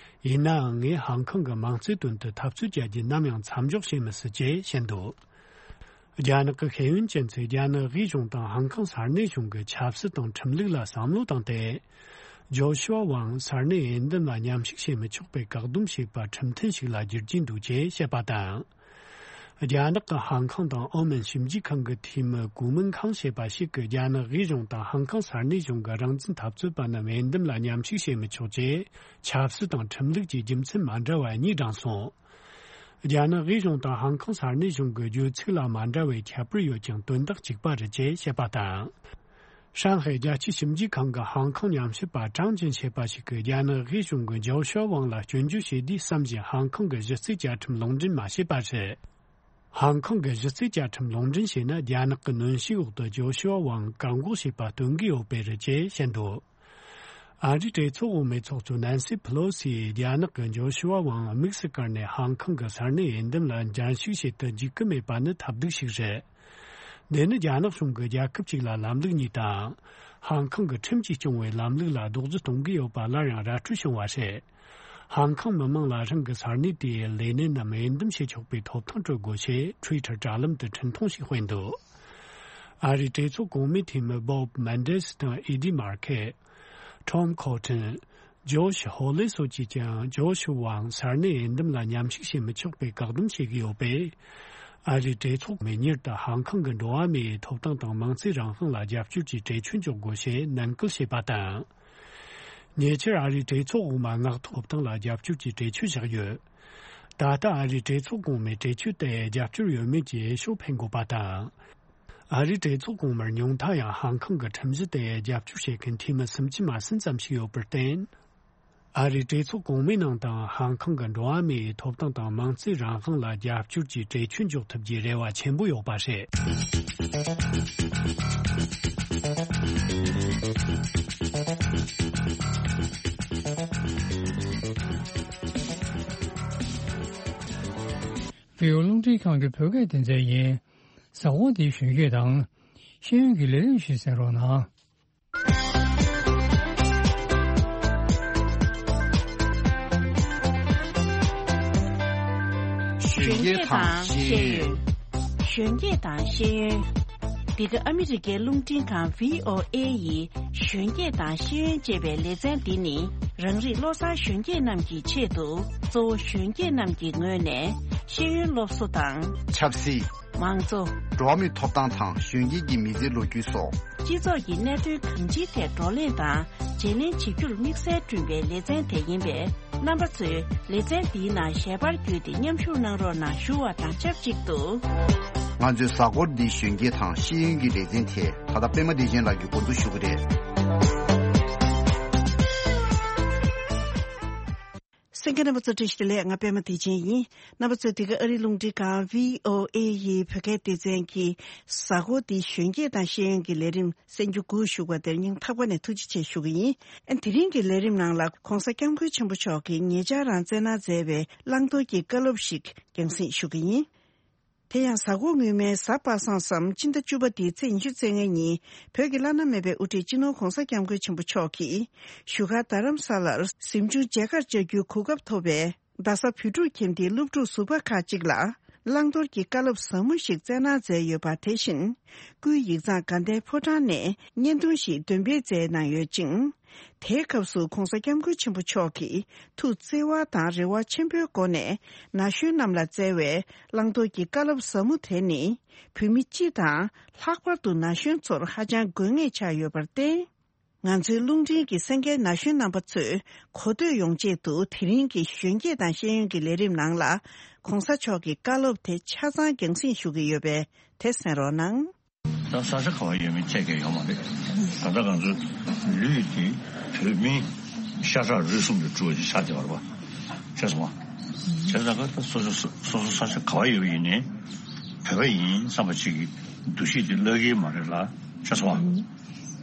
ཡིན་ནའང་ངས་ཧང་ཁང་གི་མིང་རྩའི་དོན་དུ་འཐབ་རྩོད་བྱ་རྒྱུ་ནམ་ཡང་མཚམས་འཇོག་བྱེད་མི་སྲིད་ཅེས་བཤད་འདུག་རྒྱ་ནག་གི་ཤེས་ཡོན་ཅན་ཚོས་རྒྱ་ནག་དབུས་གཞུང་དང་ཧང་ཁང་ས་གནས་གཞུང་གིས་ཆབ་སྲིད་དང་ཁྲིམས་ལུགས་ལ་བསམ་བློ་བཏང་སྟེ། ཇོ་ཤུ་ཝ་ཝང་ས་གནས་འོས་འདེམས་ལ་མཉམ་ཞུགས་བྱེད་མི་ཆོག་པའི་བཀག་སྡོམ་བྱས་པ་ཁྲིམས་མཐུན་ཞིག་ལ་བསྒྱུར་གྱི་འདུག་ཅེས་བཤད་པ་དང་། རྒྱ་ནག་གི་ཧང་ཁང་དང་ཨོ་མན་ཞིབ་འཇུག་ཁང་གི་འཐུས་མི་གུ་མིན་ཁང་ཞེས་པ་ཞིག་གིས་རྒྱ་ནག་དབུས་གཞུང་དང་ཧང་ཁང་ས་གནས་གཞུང་གི་རང་བཙན་འཐབ་རྩོད་པ་རྣམས་འོས་འདེམས་ལ་མཉམ་ཞུགས་བྱེད་མི་ཆོག་ཅེས་ཆབ་སྲིད་དང་ཁྲིམས་ལུགས་ཀྱི་རྒྱུ་མཚན་མ་འདྲ་བ་གཉིས་བགྲངས་སོང་། རྒྱ་ནག་དབུས་གཞུང་དང་ཧང་ཁང་ས་གནས་གཞུང་གི་བརྗོད་ཚིག་ལ་མ་འདྲ་བའི་ཁྱད་པར་ཡོད་ཀྱང་དོན་དག་གཅིག་པ་རེད་ཅེས་བཤད་པ་དང་། ཧྲང་ཧའེ་རྒྱལ་སྤྱིའི་ཞིབ་འཇུག་ཁང་གི་ཧང་ཁང་ཉམས་ཞིབ་པ་ཀྲང་ཅིན་ཞེས་པ་ཞིག་གིས་རྒྱ་ནག་དབུས་གཞུང་གིས་ཇོ་ཤུ་ཝ་ཝང་ལ་སྐྱོན་བརྗོད་བྱས་དུས་བསམ་བཞིན་ཧང་ཁང་གི་གཞི་རྩའི་བཅའ་ཁྲིམས་ལུང་འདྲེན་མ་བྱས་པ་རེད། ཧང་ཁང་གི་གཞི་རྩའི་བཅའ་ཁྲིམས་ལུང་འདྲེན་བྱས་ན་རྒྱ་ནག་གི་གནོན་ཤུགས་འོག་ཏུ་ཇོ་ཤུ་ཝ་ཝང་བཀག་འགོག་བྱས་པ་སྟོན་གྱི་ཡོད་པས་རེད་ཅེས་བཤད་འདུག་ཨ་རིའི་གྲོས་ཚོགས་འོག་མའི་ཚོགས་གཙོ་ནན་སི་ཕེ་ལོ་སིས་རྒྱ་ནག་གིས་ཇོ་ཤུ་ཝ་ཝང་དམིགས་སུ་བཀར་ནས་ཧང་ཁང་གི་ས་གནས་འོས་འདེམས་ལ་འགྲན་ཞུགས་བྱེད་དུ་འཇུག་གི་མེད་པ་ནི་ཐབས་སྡུག་ཞིག་རེད། འདི་ནི་རྒྱ་ནག་གཞུང་གིས་རྒྱལ་ཁབ་ཅིག་ལ་ལམ་ལུགས་གཉིས་དང་། ཧང་ཁང་གི་ཁྲིམས་ཀྱིས་སྐྱོང་བའི་ལམ་ལུགས་ལ་རྡོག་རྫིས་གཏོང་གི་ཡོད་པ་སླར་ཡང་ར་སྤྲོད་བྱུང་བ་རེད། ཧང་ཁང་མི་མང་ལ་རང་གི་ས་གནས་དེའི་ལས་སྣེ་རྣམས་འོས་འདེམས་བྱེད་ཆོག་པའི་ཐོབ་ཐང་སྤྲོད་དགོས་ཞེས་ཊུའི་ཊར་དྲ་ལམ་དུ་འཕྲིན་ཐུང་ཞིག་སྤེལ་འདུག་ཨ་རིའི་གྲོས་ཚོགས་གོང་མའི་འཐུས་མི་བོབ་མན་ཌེ་སི་དང་ཨེ་ཌི་མར་ཁེ། ཊོམ་ཁོ་ཊན། ཇོ་ཤི་ཧོ་ལེ་སོགས་ཀྱིས་ཀྱང་ཇོ་ཤི་ཝང་ས་གནས་འོས་འདེམས་ལ་མཉམ་ཞུགས་བྱེད་མི་ཆོག་པའི་བཀག་སྡོམ་བྱེད་ཀྱི་ཡོད་པས། ཨ་རིའི་གྲོས་ཚོགས་མི་མྱུར་དུ་ཧང་ཁང་གི་འགྲོ་བ་མིའི་ཐོབ་ཐང་དང་མིང་ཚིག་རང་དབང་ལ་རྒྱབ་སྐྱོར་གྱི་གྲོས་ཆོད་འཇོག་དགོས་ཞེས་ནན་སྐུལ་བྱས་པ་དང་། ཉེ་ཆར་ཨ་རིའི་གྲོས་ཚོགས་འོག་མ་མངགས་ཐོབ་ཐང་ལ་རྒྱབ་སྐྱོར་གྱི་གྲོས་ཆོད་བཞག་ཡོད། ད་ལྟ་ཨ་རིའི་གྲོས་ཚོགས་གོང་མའི་གྲོས་ཆོད་དེ་རྒྱབ་སྐྱོར་ཡོད་མེད་ཀྱི་འོས་ཤོག་འཕེན་དགོས་པ་དང་། ཨ་རིའི་གྲོས་ཚོགས་གོང་མར་ཉུང་མཐའ་ཡང་ཧང་ཁང་གི་ཁྲིམས་གཞི་དེ་རྒྱབ་སྐྱོར་བྱེད་མཁན་འཐུས་མི་སུམ་ཅུ་མ་ཟིན་ཙམ་ཞིག་ཡོད་པར་བརྟེན། ཨ་རིའི་གྲོས་ཚོགས་གོང་མའི་ནང་དང་ཧང་ཁང་གི་འགྲོ་བ་མིའི་ཐོབ་ཐང་དང་མིང་ཚིག་རང་དབང་ལ་རྒྱབ་སྐྱོར་གྱི་གྲོས་ཆོད་འཇོག་ཐུབ་རྒྱུའི་རེ་བ་ཆེན་པོ་ཡོད་པ་རེད། བོད་རླུང་འཕྲིན་ཁང་གི་བོད་སྐད་སྡེ་ཚན་ཡིན། གཟའ་འཁོར་འདིའི་གཞོན་སྐྱེས་དང་། ཤེས་ཡོན་གྱི་ལས་རིམ་ཞིག་གསན་རོགས་གནང་། གཞོན་སྐྱེས་དང་ཤེས་ཡོན། གཞོན་སྐྱེས་དང་ཤེས་ཡོན། འདི་ག་ཨ་མི་རི་ཀའི་རླུང་འཕྲིན་ཁང་བྷི་ཨོ་ཨེ་ཡི་གཞོན་སྐྱེས་དང་ཤེས་ཡོན་ཅེས་པའི་ལེ་ཚན་འདི་ནི། རང་རིགས་བློ་བཟང་གཞོན་སྐྱེས་རྣམས་ཀྱི་ཆེད་དུ། གཙོ་བོ་གཞོན་སྐྱེས་རྣམས་ཀྱི་ངོས་ནས་ཤེས་ཡོན་སློབ་གསོ་དང་། ཆབ་སྲིད། མང་གཙོ། འགྲོ་བ་མིའི་ཐོབ་ཐང་དང་གཞོན་སྐྱེས་ཀྱི་མི་ཚེའི་ལོ་རྒྱུས་སོགས། སྤྱི་ཚོགས་ཀྱི་གནད་དོན་གང་ཅིའི་ཐད་བགྲོ་གླེང་དང་བརྗེ་ལེན་བྱེད་རྒྱུར་དམིགས་བསལ་བསྐྲུན་པའི་ལེ་ཚན་དེ་ཡིན་པས། རྣམ་པ་ཚོས་ལེ་ཚན་འདིའི་ནང་ཞལ་པར་བརྒྱུད་དེ་མཉམ་ཞུགས་གནང་རོགས་གནང་ཞུ་བ་དང་ཆབས་ཅིག་ཏུ། ང་ཚོའི་གཟའ་འཁོར་འདིའི་གཞོན་སྐྱེས་དང་ཤེས་ཡོན་གྱི་ལེ་ཚན་དེ་ད་ལྟ་པད་མ་བདེ་ཆེན་ལགས་ཀྱིས་འགོ་འཛུགས་ཞུ་གི་རེད། གསན་མཁན་རྣམ་པ་ཚོ་བཀྲ་ཤིས་བདེ་ལེགས། ང་པད་མ་བདེ་ཆེན་ཡིན། རྣམ་པ་ཚོས་འདི་ག་ཨ་རིའི་རླུང་འཕྲིན་ཁང་བྷི་ཨོ་ཨེ་ཡི་བོད་སྐད་སྡེ་ཚན་གྱི་གཟའ་འཁོར་འདིའི་གཞོན་སྐྱེས་དང་ཤེས་ཡོན་གྱི་ལས་རིམ་གསན་རྒྱུ་སྒུག་བཞུགས་པ་དེར་སྙིང་ཐག་པ་ནས་ཐུགས་རྗེ་ཆེ་ཞུ་གི་ཡིན། ཨ། དེ་རིང་གི་ལས་རིམ་ནང་ལ་༧གོང་ས་༧སྐྱབས་མགོན་ཆེན་པོ་མཆོག་གིས་ཉེ་ཆར་རང་བཙན་གནང་མཛད་པའི་བླང་དོར་གྱི་བཀའ་སློབ་ཞིག་རྒྱང་སྲིང་ཞུ་གི་ཡིན། དེ་ཡང་གཟའ་འཁོར་སྔོན་མའི་གཟའ་པ་སངས་སམ་སྤྱི་ཟླ་བཅུ་པ་འདིའི་ཚེས་ཉི་ཤུ་རྩ་ལྔའི་ཉིན། བོད་ཀྱི་བླ་ན་མེད་པའི་དབུ་ཁྲིད་སྤྱི་ནོར་༧གོང་ས་༧སྐྱབས་མགོན་ཆེན་པོ་མཆོག་གིས་བཞུགས་སྒར་རྡ་རམ་ས་ལར་གཟིམ་ཆུང་མཇལ་ཁར་བཅར་རྒྱུའི་གོ་སྐབས་ཐོབ་པའི་རྡ་ས་བོད་ཕྲུག་ཁྱིམ་སྡེའི་སློབ་ཕྲུག་ཟུར་པ་ཁག་ཅིག་ལ་བླང་དོར་གྱི་བཀའ་སློབ་ཟབ་མོ་ཞིག་སྩལ་གནང་མཛད་ཡོད་པ། དེ་བཞིན་སྐུའི་ཡིག་ཚང་དགའ་ལྡན་ཕོ་བྲང་ནས་བརྙན་ཐུང་ཞིག་འདོན་སྤེལ་མཛད་གནང་ཡོད་ཅིང་། དེའི་སྐབས་སུ་༧གོང་ས་༧སྐྱབས་མགོན་ཆེན་པོ་མཆོག་གིས་ཐུགས་བརྩེ་བ་དང་རེ་བ་ཆེན་པོའི་སྒོ་ནས་ན་གཞོན་རྣམས་ལ་སྩལ་བའི་བླང་དོར་གྱི་བཀའ་སློབ་ཟབ་མོ་དེ་ནི་བོད་མི་སྤྱི་དང་ལྷག་པར་དུ་ན་གཞོན་ཚོར་ཧ་ཅང་དགོས་ངེས་ཆགས་ཡོད་པར་བརྟེན། ང་ཚོའི་རླུང་འཕྲིན་གྱི་གསན་མཁན་ན་གཞོན་རྣམ་པ་ཚོས་གོ་ཐོས་ཡོང་ཆེད་དུ་དེ་རིང་གི་གཞོན་སྐྱེས་དང་ཤེས་ཡོན་གྱི་ལས་རིམ་ནང་ལ་༧གོང་ས་མཆོག་གི་བཀའ་སློབ་དེ་ཆ་ཚང་རྒྱང་སྲིང་ཞུ་གི་ཡོད་པས། དེ་གསན་རོགས་གནང་། ད་ས་ཆ་ག་བ་ཡོད་མེད་ཁྱད་ཀྱང་ཡོད་མ་རེད། ད་ལྟ་ང་ཚོའི་ལུས་དེ་བོད་མིའི་ཤ་ཁྲག་རུས་གསུམ་དུ་གྲུབ་པ་ཞིག་ཆགས་བསྡད་པ་རེད་པ། བྱས་ཙང་ད་སོ་སོ་སོ་སོ་ས་ཆ་ག་བ་ཡོད་པ་ཡིན་ནའི་བོད་པ་ཡིན་བསམ་པ་ཅིག་གི་འདུ་ཤེས་དེ་བརླག་གི་མ་རེད་ལ། བྱས་སོང་བ།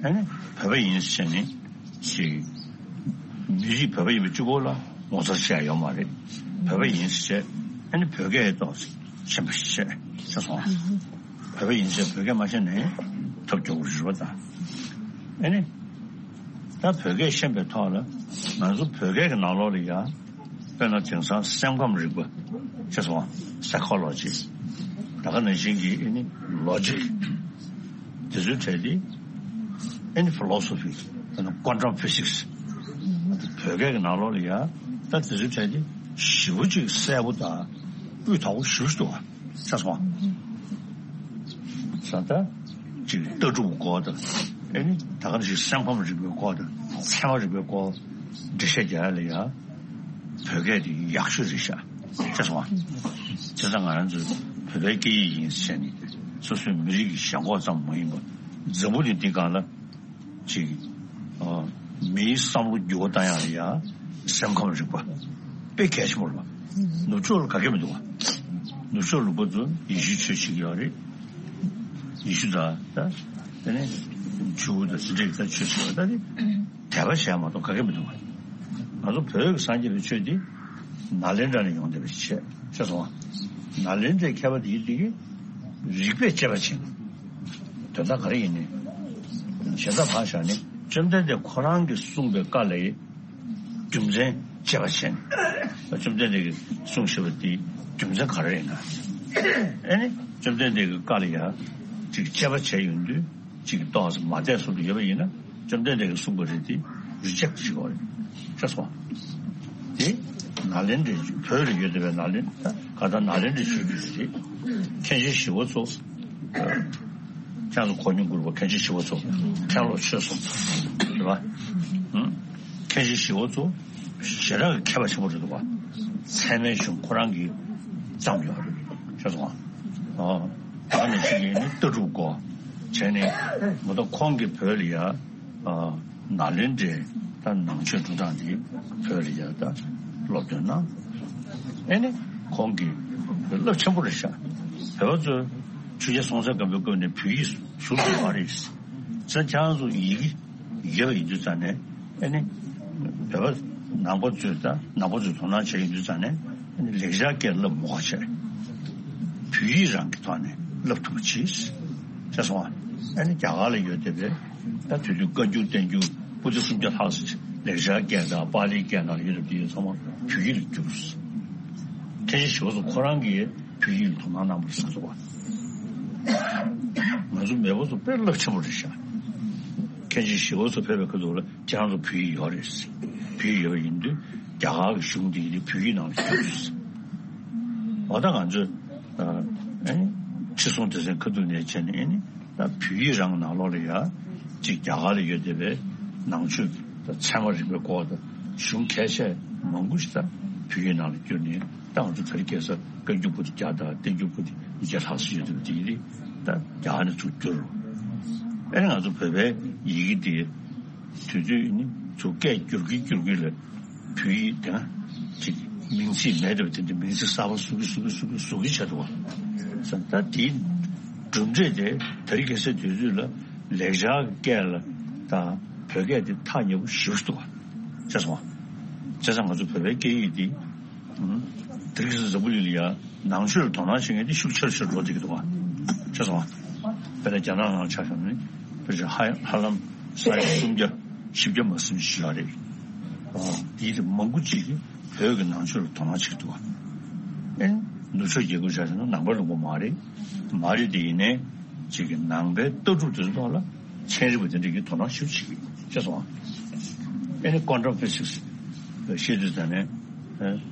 ཨ་ནི་བོད་པ་ཡིན་ཟེར་ནས་ཅིག་མི་རིགས་བོད་པ་ཡིན་པ་གཅིག་པོ་ལ་ངོ་མཚར་ཆེ་ཡ་ཡོད་མ་རེད། བོད་པ་ཡིན་ཟེར་བྱས་ཨ་ནི་བོད་སྐད་ཏོག་ཙམ་ཤེས་པ་ཞིག་བྱས་བྱས་སོང་། བོད་པ་ཡིན་ཟེར་བོད་སྐད་མ་ཤེས་ནའི་ཐབས་སྐྱོ་པོ་རེད་པ། ད་ཨ་ནི་ད་བོད་སྐད་ཤེས་པའི་ཐོག་ལ་ང་ཚོ་བོད་སྐད་ཀྱི་ནང་ལོགས་ལ་ཡ། དཔེར་ན་དེང་སང་སེམས་ཁམས་རིག་པ་ཅེས་སོང་བ། Psychology། ད་ག་ནང་བཞིན་གྱི་ཨ་ནི་Logic། དེ་ཚོའི་གྲས་དེ་ཨ་ནི་Philosophy། དཔེར་ན་Quantum Physics། བོད་སྐད་ཀྱི་ནང་ལོགས་ལ་ཡ་ད་དེ་ཚོའི་གྲས་དེ་ཞེ་པོ་ཅིག་གསལ་པོ་དང་སྤུས་དག་པོ་ཞེ་པོ་ཅིག་འདུག་བ། ཅེས་སོང་བ། ས་ད་ཅིག་ལྟ་གྲུབ་སྐོར་དང་ཨ་ནི་ད་ག་ནང་བཞིན་སེམས་ཁམས་རིག་པའི་སྐོར་དང་ཚད་མ་རིག་པའི་སྐོར་འགྲེལ་བཤད་རྒྱག་ཡ་ལ་ཡ། བོད་སྐད་དེ་ཡག་ཤོས་རེད་ཤག་ཅེས་སོང་བ། བྱས་ཙང་ང་རང་ཚོ་བོད་པའི་སྐད་ཡིག་ཡིན་ཟེར་ནས་སོ་སོའི་མི་རིགས་ཀྱི་ཞེན་ཁོག་ཙམ་མ་ཡིན་པར་འཛམ་བུ་གླིང་འདིའི་སྒང་ལ་ཅིག་ཨ་མིའི་བསམ་བློ་འགྱུར་བ་བཏང་ཡག་ལ་ཡ་སེམས་ཁམས་རིག་པ་དཔེ་གལ་ཆེན་པོ་རེད་པ། ནུབ་ཕྱོགས་ལ་ག་གེ་མི་འདུག་བ། ནུབ་ཕྱོགས་ལུང་པ་ཚོ་ཡེ་ཤུའི་ཆོས་བྱེད་ཀྱི་ཡོད་རེད། ཡེ་ཤུ་དང་ད་དེ་ནས་ཇུའུ་དང་ཟིན་བྲིས་ཀྱི་ད་ཆོས་བྱེད་པ་ད་དེ། དད་པ་བྱས་མ་གཏོགས་ག་གེ་མི་འདུག་ང་ཚོ་བོད་ཀྱི་སངས་རྒྱས་པའི་ཆོས་འདི་ནཱ་ལེནྡྲ་ནས་ཡོང་བསྡད་པ་ཞིག་བྱས་བྱས་སོང་བ། ནཱ་ལེནྡྲའི་མཁས་པ་འདིའི་འདི་གིས་རིགས་པས་དཔྱད་པ་བྱས་ནས། དོན་དག་ག་རེ་ཡིན་ནའི། གཞན་དག་ཕར་བཞག་ནས་བཅོམ་ལྡན་འདས་ཁོ་རང་གིས་གསུངས་པའི་བཀའ་ལ་རྒྱུ་མཚན་དཔྱད་པ་བྱས་ནས། བཅོམ་ལྡན་འདས་ཀྱིས་གསུངས་བཞག་པ་འདི་རྒྱུ་མཚན་ག་རེ་ཡིན་ན། ཨ་ནི་བཅོམ་ལྡན་འདས་ཀྱི་བཀའ་ལ་ཡང་ཅིག་དཔྱད་པ་བྱས་ཡོང་དུས། གཅིག་ཏོག་ཙམ་མ་བདེ་སོང་དུ་ཡོད་པ་ཡིན་ན་བཅོམ་ལྡན་འདས་ཀྱིས་གསུངས་པ་རེད་དེ་རི་ཇེག་བྱེད་དགོས་རེད། ཤེས་སོང་། དེ་ནཱ་ལེནྡྲའི་བོད་ལ་ཡོད་བསྡད་པའི་ནཱ་ལེན་ད་ག་ད་ནཱ་ལེནྡྲའི་ཆོས་བརྒྱུད་རེད། མཁན་ཆེན་ཞི་བ་འཚོ། ཁྱེད་ཚོ་གོ་མྱོང་དགོས་པ་མཁན་ཆེན་ཞི་བ་འཚོ་མཁན་སློབ་ཆོས་གསུམ་རེད་པ། མཁན་ཆེན་ཞི་བ་འཚོ་ཞེ་དྲག་གི་མཁས་པ་ཆེན་པོ་རེད་འདུག་པ། ཚད་མའི་གཞུང་ཁོ་རང་གིས་བརྩམས་ཡོད་རེད། ཤེས་སོང་། ཨ་ད་ནི་ཞིག་ཡིན་ནི་ལྟ་གྲུབ་སྐོར་བྱས་ནས་མ་གཏོགས་ཁོང་གིས་བོད་ལ་ཡ་ནཱ་ལེནྡྲའི་ད་ནང་ཆོས་འགྲོ་སྟངས་འདི་བོད་ལ་ཡ་ད་སློབ་སྟོན་གནང་། ཨེ་ནི་ཁོང་གིས་རླབས་ཆེན་པོ་རེད་ཤག་བོད་པ་ཚོས་ཆོས་རྒྱལ་སྲོང་བཙན་སྒམ་པོའི་སྐབས་ནས་བོད་ཡིག་ཟུར་དུ་མ་རེད། ཙན་ཁྱང་ཚོ་ཡི་གེ་ཡོད་པ་ཡིན་དུས་ཙང་ནས་ཨེ་ནི་བོད་པ་ནང་པ་ཚོས་ད་ནང་པ་ཚོས་དོ་སྣང་བྱས་ཡོད་དུས་ཙང་ནས་ཨེ་ནི་ལེགས་སྦྱར་སྐད་བསླབ་མ་དགོས་བྱས། བོད་ཡིག་རང་གི་ཐོག་ནས་བསླབ་ཐུབ་པ་བྱས། ཤེས་སོང་ཨ། ཨེ་ནི་རྒྱ་གར་ལ་ཡོད་བསྡད་པའི་ད་དུས་དུས་བཀའ་འགྱུར་བསྟན་འགྱུར་པོ་ཏི་སུམ་བརྒྱ་ལྷག་ཙམ་ལེགས་སྦྱར་སྐད་དང་པཱ་ལིའི་སྐད་ནང་ལ་ཡོད་བསྡད་པ་དེ་ཚང་མ་བོད་ཡིག་ལ་བསྒྱུར། མཁན་ཆེན་ཞི་བ་འཚོ་ཁོ་རང་གིས་བོད་ཡིག་ལ་དོ་སྣང་གནང་བ་རེད་བསམ་སོང་བ། ང་ཚོ་མེས་པོ་ཚོ་དཔེ་རླབས་ཆེན་པོ་རེད་ཤག་མཁན་ཆེན་ཞི་བ་འཚོ་ཕེབས་པའི་ཁ་ཐུག་ལ་ཁྱེད་རང་ཚོ་བོད་ཡིག་ཡོད་རེད། བོད་ཡིག་ཡོད་པ་ཡིན་དུས་རྒྱ་གར་གྱི་གཞུང་འདི་ཡིན་དུས་བོད་ཡིག་ནང་ལ་བསྒྱུར་རེད། འོ་ད་ང་ཚོས་ཨ་ཨེ་ཁྲི་སྲོང་ལྡེ་བཙན་ཁ་ཐུག་ནས་བྱས་ནས་ཨེ་ནི་ད་བོད་ཡིག་རང་ནང་ལོགས་ལ་ཡ་གཅིག་རྒྱ་གར་ལ་ཡོད་བསྡད་པའི་ནང་ཆོས་ཀྱི་ད་ཚད་མ་རིག་པའི་སྐོར་དང་གཞུང་གལ་ཆེ་མང་པོ་ཞིག་ད་བོད་ཡིག་ནང་ལ་བསྒྱུར་ནས། ད་ང་ཚོ་དེ་རིང་ཁ་སང་བཀའ་འགྱུར་པོ་ཏི་བརྒྱ་དང་བསྟན་འགྱུར་པོ་ཏི་ཉིས་བརྒྱ་ལྷག་ཙམ་ཡོད་འདུག་དེ་ཡིན་དུས་ད་རྒྱ་གར་ནས་ཚུར་བསྒྱུར་རོ། ཨེ་ང་ཚོ་བོད་པའི་ཡི་གེ་དེ་དུས་ཚོད་ནི་ཚུར་སྐད་བསྒྱུར་གྱིན་བསྒྱུར་གྱིན་ལ་བོད་ཡིག་དེ་ན་ཅིག་མིང་ཚིག་མེད་འདྲ་བ་དེ་འདྲ་མིང་ཚིག་གསར་པ་བཟོ་གི་བཟོ་གི་བཟོ་གི་བཟོ་གི་བྱས་འདུག་བ། ད་དེའི་གྲུབ་འབྲས་དེ་དེ་རིང་ཁ་སང་དུས་ཚོད་ལ་ལེགས་སྦྱར་སྐད་ལ་དང་བོད་སྐད་དེ་ཐག་ཉེ་པོ་ཞེ་པོ་ཞིག་འདུག་བ། བྱས་སོང་བ། བྱས་ཙང་ང་ཚོ་བོད་པའི་སྐད་ཡིག་འདི། དེ་རིང་ཁ་སང་འཛམ་བུ་གླིང་ལ་ཡ་ནང་ཆོས་ལ་དོ་སྣང་བྱེད་མཁན་དེ་ཤུགས་ཆེ་རུ་ཆེ་རུ་འགྲོ་བསྡད་ཀྱི་འདུག་ག་བྱས་སོང་ང་། དཔེར་ན་རྒྱ་ནག་ནང་ཆ་བཞག་ན་ནི་དཔེར་བྱས་ཧ་ཧ་ལམ་ས་ཡ་སུམ་བརྒྱ་བཞི་བརྒྱ་མ་ཟིན་ཞིག་ཡོད་རེད། དེའི་དེ་མང་པོ་ཅིག་གིས་བོད་ཀྱི་ནང་ཆོས་ལ་དོ་སྣང་བྱེད་ཀྱི་འདུག་ག་ཨེ་ནུབ་ཕྱོགས་རྒྱལ་ཁབ་ཆ་བཞག་ན་ནང་པ་ལུང་པ་མ་རེད། མ་རེད་དེ་ཡིན་ནའི་ཅིག་གི་ནང་པའི་ལྟ་གྲུབ་དེ་ཚོ་ཐོག་ལ་ཚན་རིག་པ་དེ་འདྲ་གིས་དོ་སྣང་ཞེ་པོ་བྱེད་ཀྱི་ཡོད། ཤེས་སོང་ང་། ཨེ་ནི་Quantum Physics་བཤད་དུས་ཙང་ནས་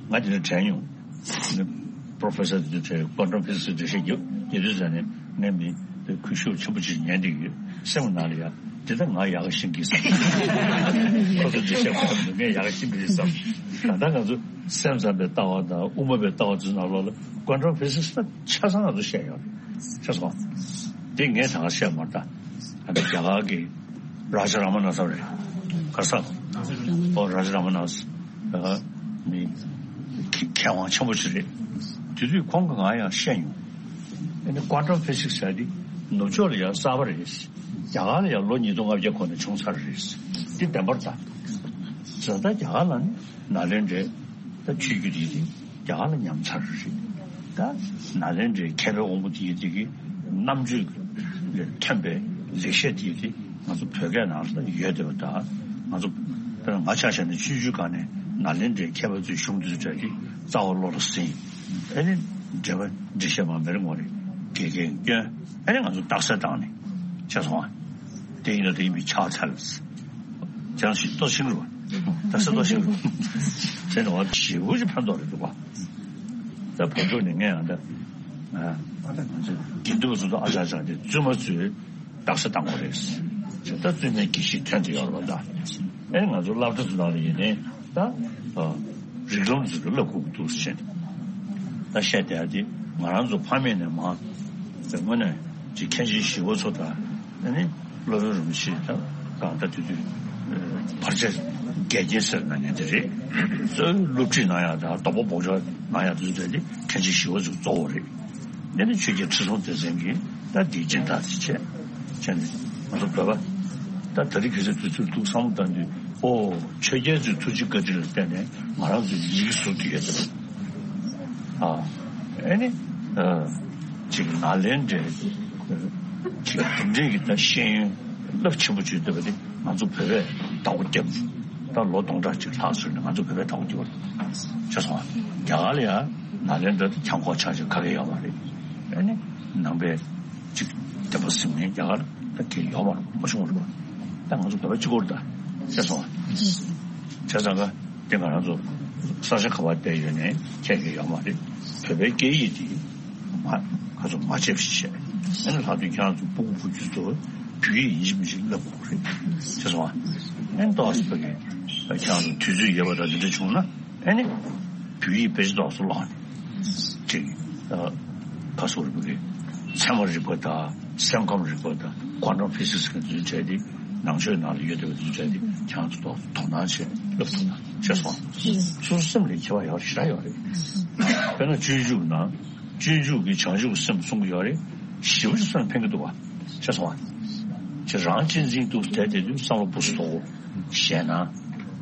ང་དེ་འདྲ་དྲན་མྱོང་། Professor་དེ་འདྲ་དྲན། Quantum Physics་འགྲེལ་བཤད་རྒྱབ་ཡོད་དུས་ཙང་ནས་ངས་མི་དེ་གུས་ཞབས་ཆེན་པོ་ཅིག་ཉན་བསྡད་ཀྱི་ཡོད། སེམས་ནང་ལ་ཡ་དེ་ད་ང་ཡག་ག་ཤེས་ཀྱི་བསམ། ཁོ་ཚོ་འགྲེལ་བཤད་གོ་བ་ངས་ཡག་ག་ཤེས་ཀྱི་བསམ། ད་ལྟ་ང་ཚོ་སེམས་ཙམ་པའི་ལྟ་བ་དང་དབུ་མ་པའི་ལྟ་བ་དེ་ཚོ་ནང་ལོགས་ལ་Quantum Physics་ད་ཆ་ཚང་ང་ཚོ་བཤད་ཡོད་རེད། ཤེས་སོང་། དེ་ངས་ད་ག་བཤད་མ་རེད་ད། ཨ་ནི་རྒྱ་གར་གྱི་རཱ་ཇ་ར་མ་ན་ས་རེད། ག་ས། ཨོ་རཱ་ཇ་ར་མ་ན་ས། ཨ་ནི་མཁས་དབང་ཆེན་པོ་ཞིག་རེད། དེ་དུས་ཁོང་གིས་ང་ཡང་བཤད་མྱོང་། ཨ་ནི་ཀོན་ཊམ་ཕི་ཟིག་ཟེར་དེ་ནུབ་ཕྱོགས་ལ་ཡང་གསར་པ་རེད། རྒྱ་གར་ལ་ཡང་ལོ་ཉིས་སྟོང་ལྔ་བརྒྱ་གོང་ནས་བྱུང་ཚར་རེད། འདི་བདེན་པར་ད། བྱས་ཙང་རྒྱ་གར་ལ་ནི་ནཱ་ལེནྡྲའི་ད་ཆོས་བརྒྱུད་དེ་རྒྱ་གར་ལ་ཉམས་ཚར་རེད། ད་ནཱ་ལེནྡྲའི་མཁས་པའི་དབང་པོ་དེ་ཡི་དེ་གི་རྣམ་དཔྱོད་ལས་ཐོན་པའི་ལེགས་བཤད་དེ་ཡི་དེ་ང་ཚོ་བོད་སྐད་ནང་ལ་ཡོད་བསྡད་པ། ད་ང་ཚོ་དཔེར་ན་ང་ཆ་བཞག་ན་སྤྱོད་འཇུག་སྒང་ནས་ནཱ་ལེནྡྲའི་མཁས་པ་ཚོའི་གཞུང་དེ་ཚོ་གྲས་དེ་རྩ་བ་བློ་ལ་ཟིན། ཨ་ནི་འགྲེལ་པ་འགྲེལ་བཤད་མ་མེར་ངོ་རེ་དགེ་རྒན་སྐྱོན། ཨ་ནི་ང་ཚོ་རྟགས་གསལ་བཏང་ནས་ཆགས་སོང་བ། དེ་ཡིན་ན་དེ་ཡིན་པའི་ཕྱག་འཚལ། ཅང་ཞིག་ལྟོ་ཤིང་རུ། ད་ས་ལྟོ་ཤིང་རུ། ཟེར་ནས་བ་ཞེ་པོ་ཅིག་ཕན་ཐོགས་རེད་འདུག་བ། ད་བོད་ཕྲུག་ནི་ངས་ཡང་ད། ཨ་ང་ཚོ་དགེ་འདུན་པ་ཚོ་ད་ཨ་ཅག་ཅག་དེ་བཙུན་མ་ཚོས་རྟགས་གསལ་བཏང་དགོས་རེད། ད་བཙུན་མའི་དགེ་བཤེས་ཐོན་དུ་ཡོད་རེད་བ་ད། ཨེ་ང་ཚོ་སློབ་གྲྭ་ཚོ་ནང་ལ་ཡིན་ནའི་ད། རིགས་ལམ་ཚོ་གི་བསླབ་དགོས་ཀྱི་འདུག་ཟེར་ནས། ད་བཤད་བསྡད་ཡ་དེ་ང་རང་ཚོ་ཕ་མེས་ནས་མ། དངོས་གནས་ཀྱི་མཁན་ཆེན་ཞི་བ་འཚོ་དང་། ཨ་ནི་སློབ་དཔོན་རིན་པོ་ཆེ་དང་། གང་ལྟར་དེ་དུས་བར་ཆད་འགལ་རྐྱེན་སེལ་གནང་མཁན་དེ་རེད། གཙོ་བོ་སློབ་ཁྲིད་གནང་ཡ་དང་དོགས་པ་སྦོམ་ཆགས་གནང་ཡ་དེ་ཚོ་དེ་མཁན་ཆེན་ཞི་བ་འཚོ་གཙོ་བོ་རེད། དེ་ནི་ཆོས་རྒྱལ་ཁྲི་སྲོང་ལྡེ་བཙན་གྱིས་ད་འདིའི་སྦྱིན་བདག་དེ་བྱས། བྱས་ནས་ང་ཚོ་བོད་པ་ད་ད་རེས་གལ་སྲིད་དུས་ཚོད་འདུག་བསམ་བློ་བཏང་དུས། ཨོ་ཆོས་རྒྱལ་ཚོའི་ཐུགས་རྗེ་བཀའ་དྲིན་ལ་བརྟེན་ནས་ང་རང་ཚོའི་ཡི་གེ་ཟུར་དུ་ཡོད་ཚེ། ཨ་ཨེ་ནི་ཨ་ཅིག་ནཱ་ལེནྡྲའི་ཅིག་འདི་འདྲའི་གི་ད་ཤེས་ཡོན་རླབས་ཆེན་པོ་བརྗོད་བསྡད་པ་དེ་ང་ཚོ་བོད་པས་བདག་པོ་བརྒྱབ། ད་ལོ་སྟོང་ཕྲག་གཅིག་ལྷག་ཙམ་ནས་ང་ཚོ་བོད་པས་བདག་པོ་བརྒྱབ་པ་རེད། ཤེས་སོང་ང་། རྒྱ་གར་ལ་ཡང་ནཱ་ལེནྡྲ་དེ་གྱང་ཁོག་ཆག་ཆག་ག་གེ་ཡོད་མ་རེད། ཨེ་ནི་ནང་པའི་ཅིག་བསྟན་པ་ཟིན་མཁན་རྒྱ་གར་ད་གེ་ཡོད་མ་རེད། མ་བྱུང་བ་རེད་པ། ད་ང་ཚོ་བོད་པ་གཅིག་པོ་རེད་ད། ཤེས་སོང་ང་། བྱས་ཙང་ག་དེ་ང་རང་ཚོ་ས་ཆ་ག་པར་བསྡད་ཡོད་ནའི་ཁྱད་གེ་ཡོད་མ་རེད། བོད་པའི་སྐད་ཡིག་དེ་མ་ཁ་ཚོ་མ་བརྗེད་པ་ཞིག་བྱས། ཨ་ནི་ལྷག་དོན་ཁྱེད་རང་ཚོ་སྤུ་གུ་བུ་རྒྱུད་ཚོ་བོད་ཡིག་ཡིན་གཅིག་མིན་གཅིག་བསླབ་དགོས་རེད། ཤེས་སོང་ང་། ཨ་ནི་ཏོག་ཙམ་བོད་ཀྱི་ཁྱེད་རང་ཚོ་དུས་ཚོད་ཡོད་པ་དང་འདི་འདྲ་བྱུང་ན། ཨ་ནི་བོད་ཡིག་དཔེ་ཆ་ཏོག་ཙམ་ཀློག་ནས་ཅིག་ཨ་ཁ་སོ་རི་བོད་ཀྱི་ཚད་མ་རིག་པ་དང་སེམས་ཁམས་རིག་པ་དང་ཀོན་ཊམ་ཕི་ཟིག་སི་གི་འཛུལ་བྱས་ཏེ་ནང་ཆོས་ནང་ལ་ཡོད་བསྡད་པ་འཛུལ་བྱས་ཏེ་ཁྱེད་རང་ཚོ་ཏོག་ཙམ་དོ་སྣང་བྱས་བསླབ་ཐུབ་ན། ཤེས་སོང་། སོ་སོ་སེམས་ལ་ཁྱད་པར་ཡོད་ཞེ་དྲག་ཡོད་རེད། དཔེར་ན་སྤྱོད་འཇུག་ནང་སྤྱོད་འཇུག་གི་བྱང་ཆུབ་སེམས་གསུང་གི་ཡོད་རེད། ཞེ་པོ་ཅིག་སེམས་ཕན་གི་འདུག་བ། ཤེས་སོང་ང་། ཁྱེད་རང་གཅེས་འཛིན་དུ་བསྡད་བསྡད་དུས་བསམ་བློ་སྦུ་སུ་དོ་ཞེ་ན།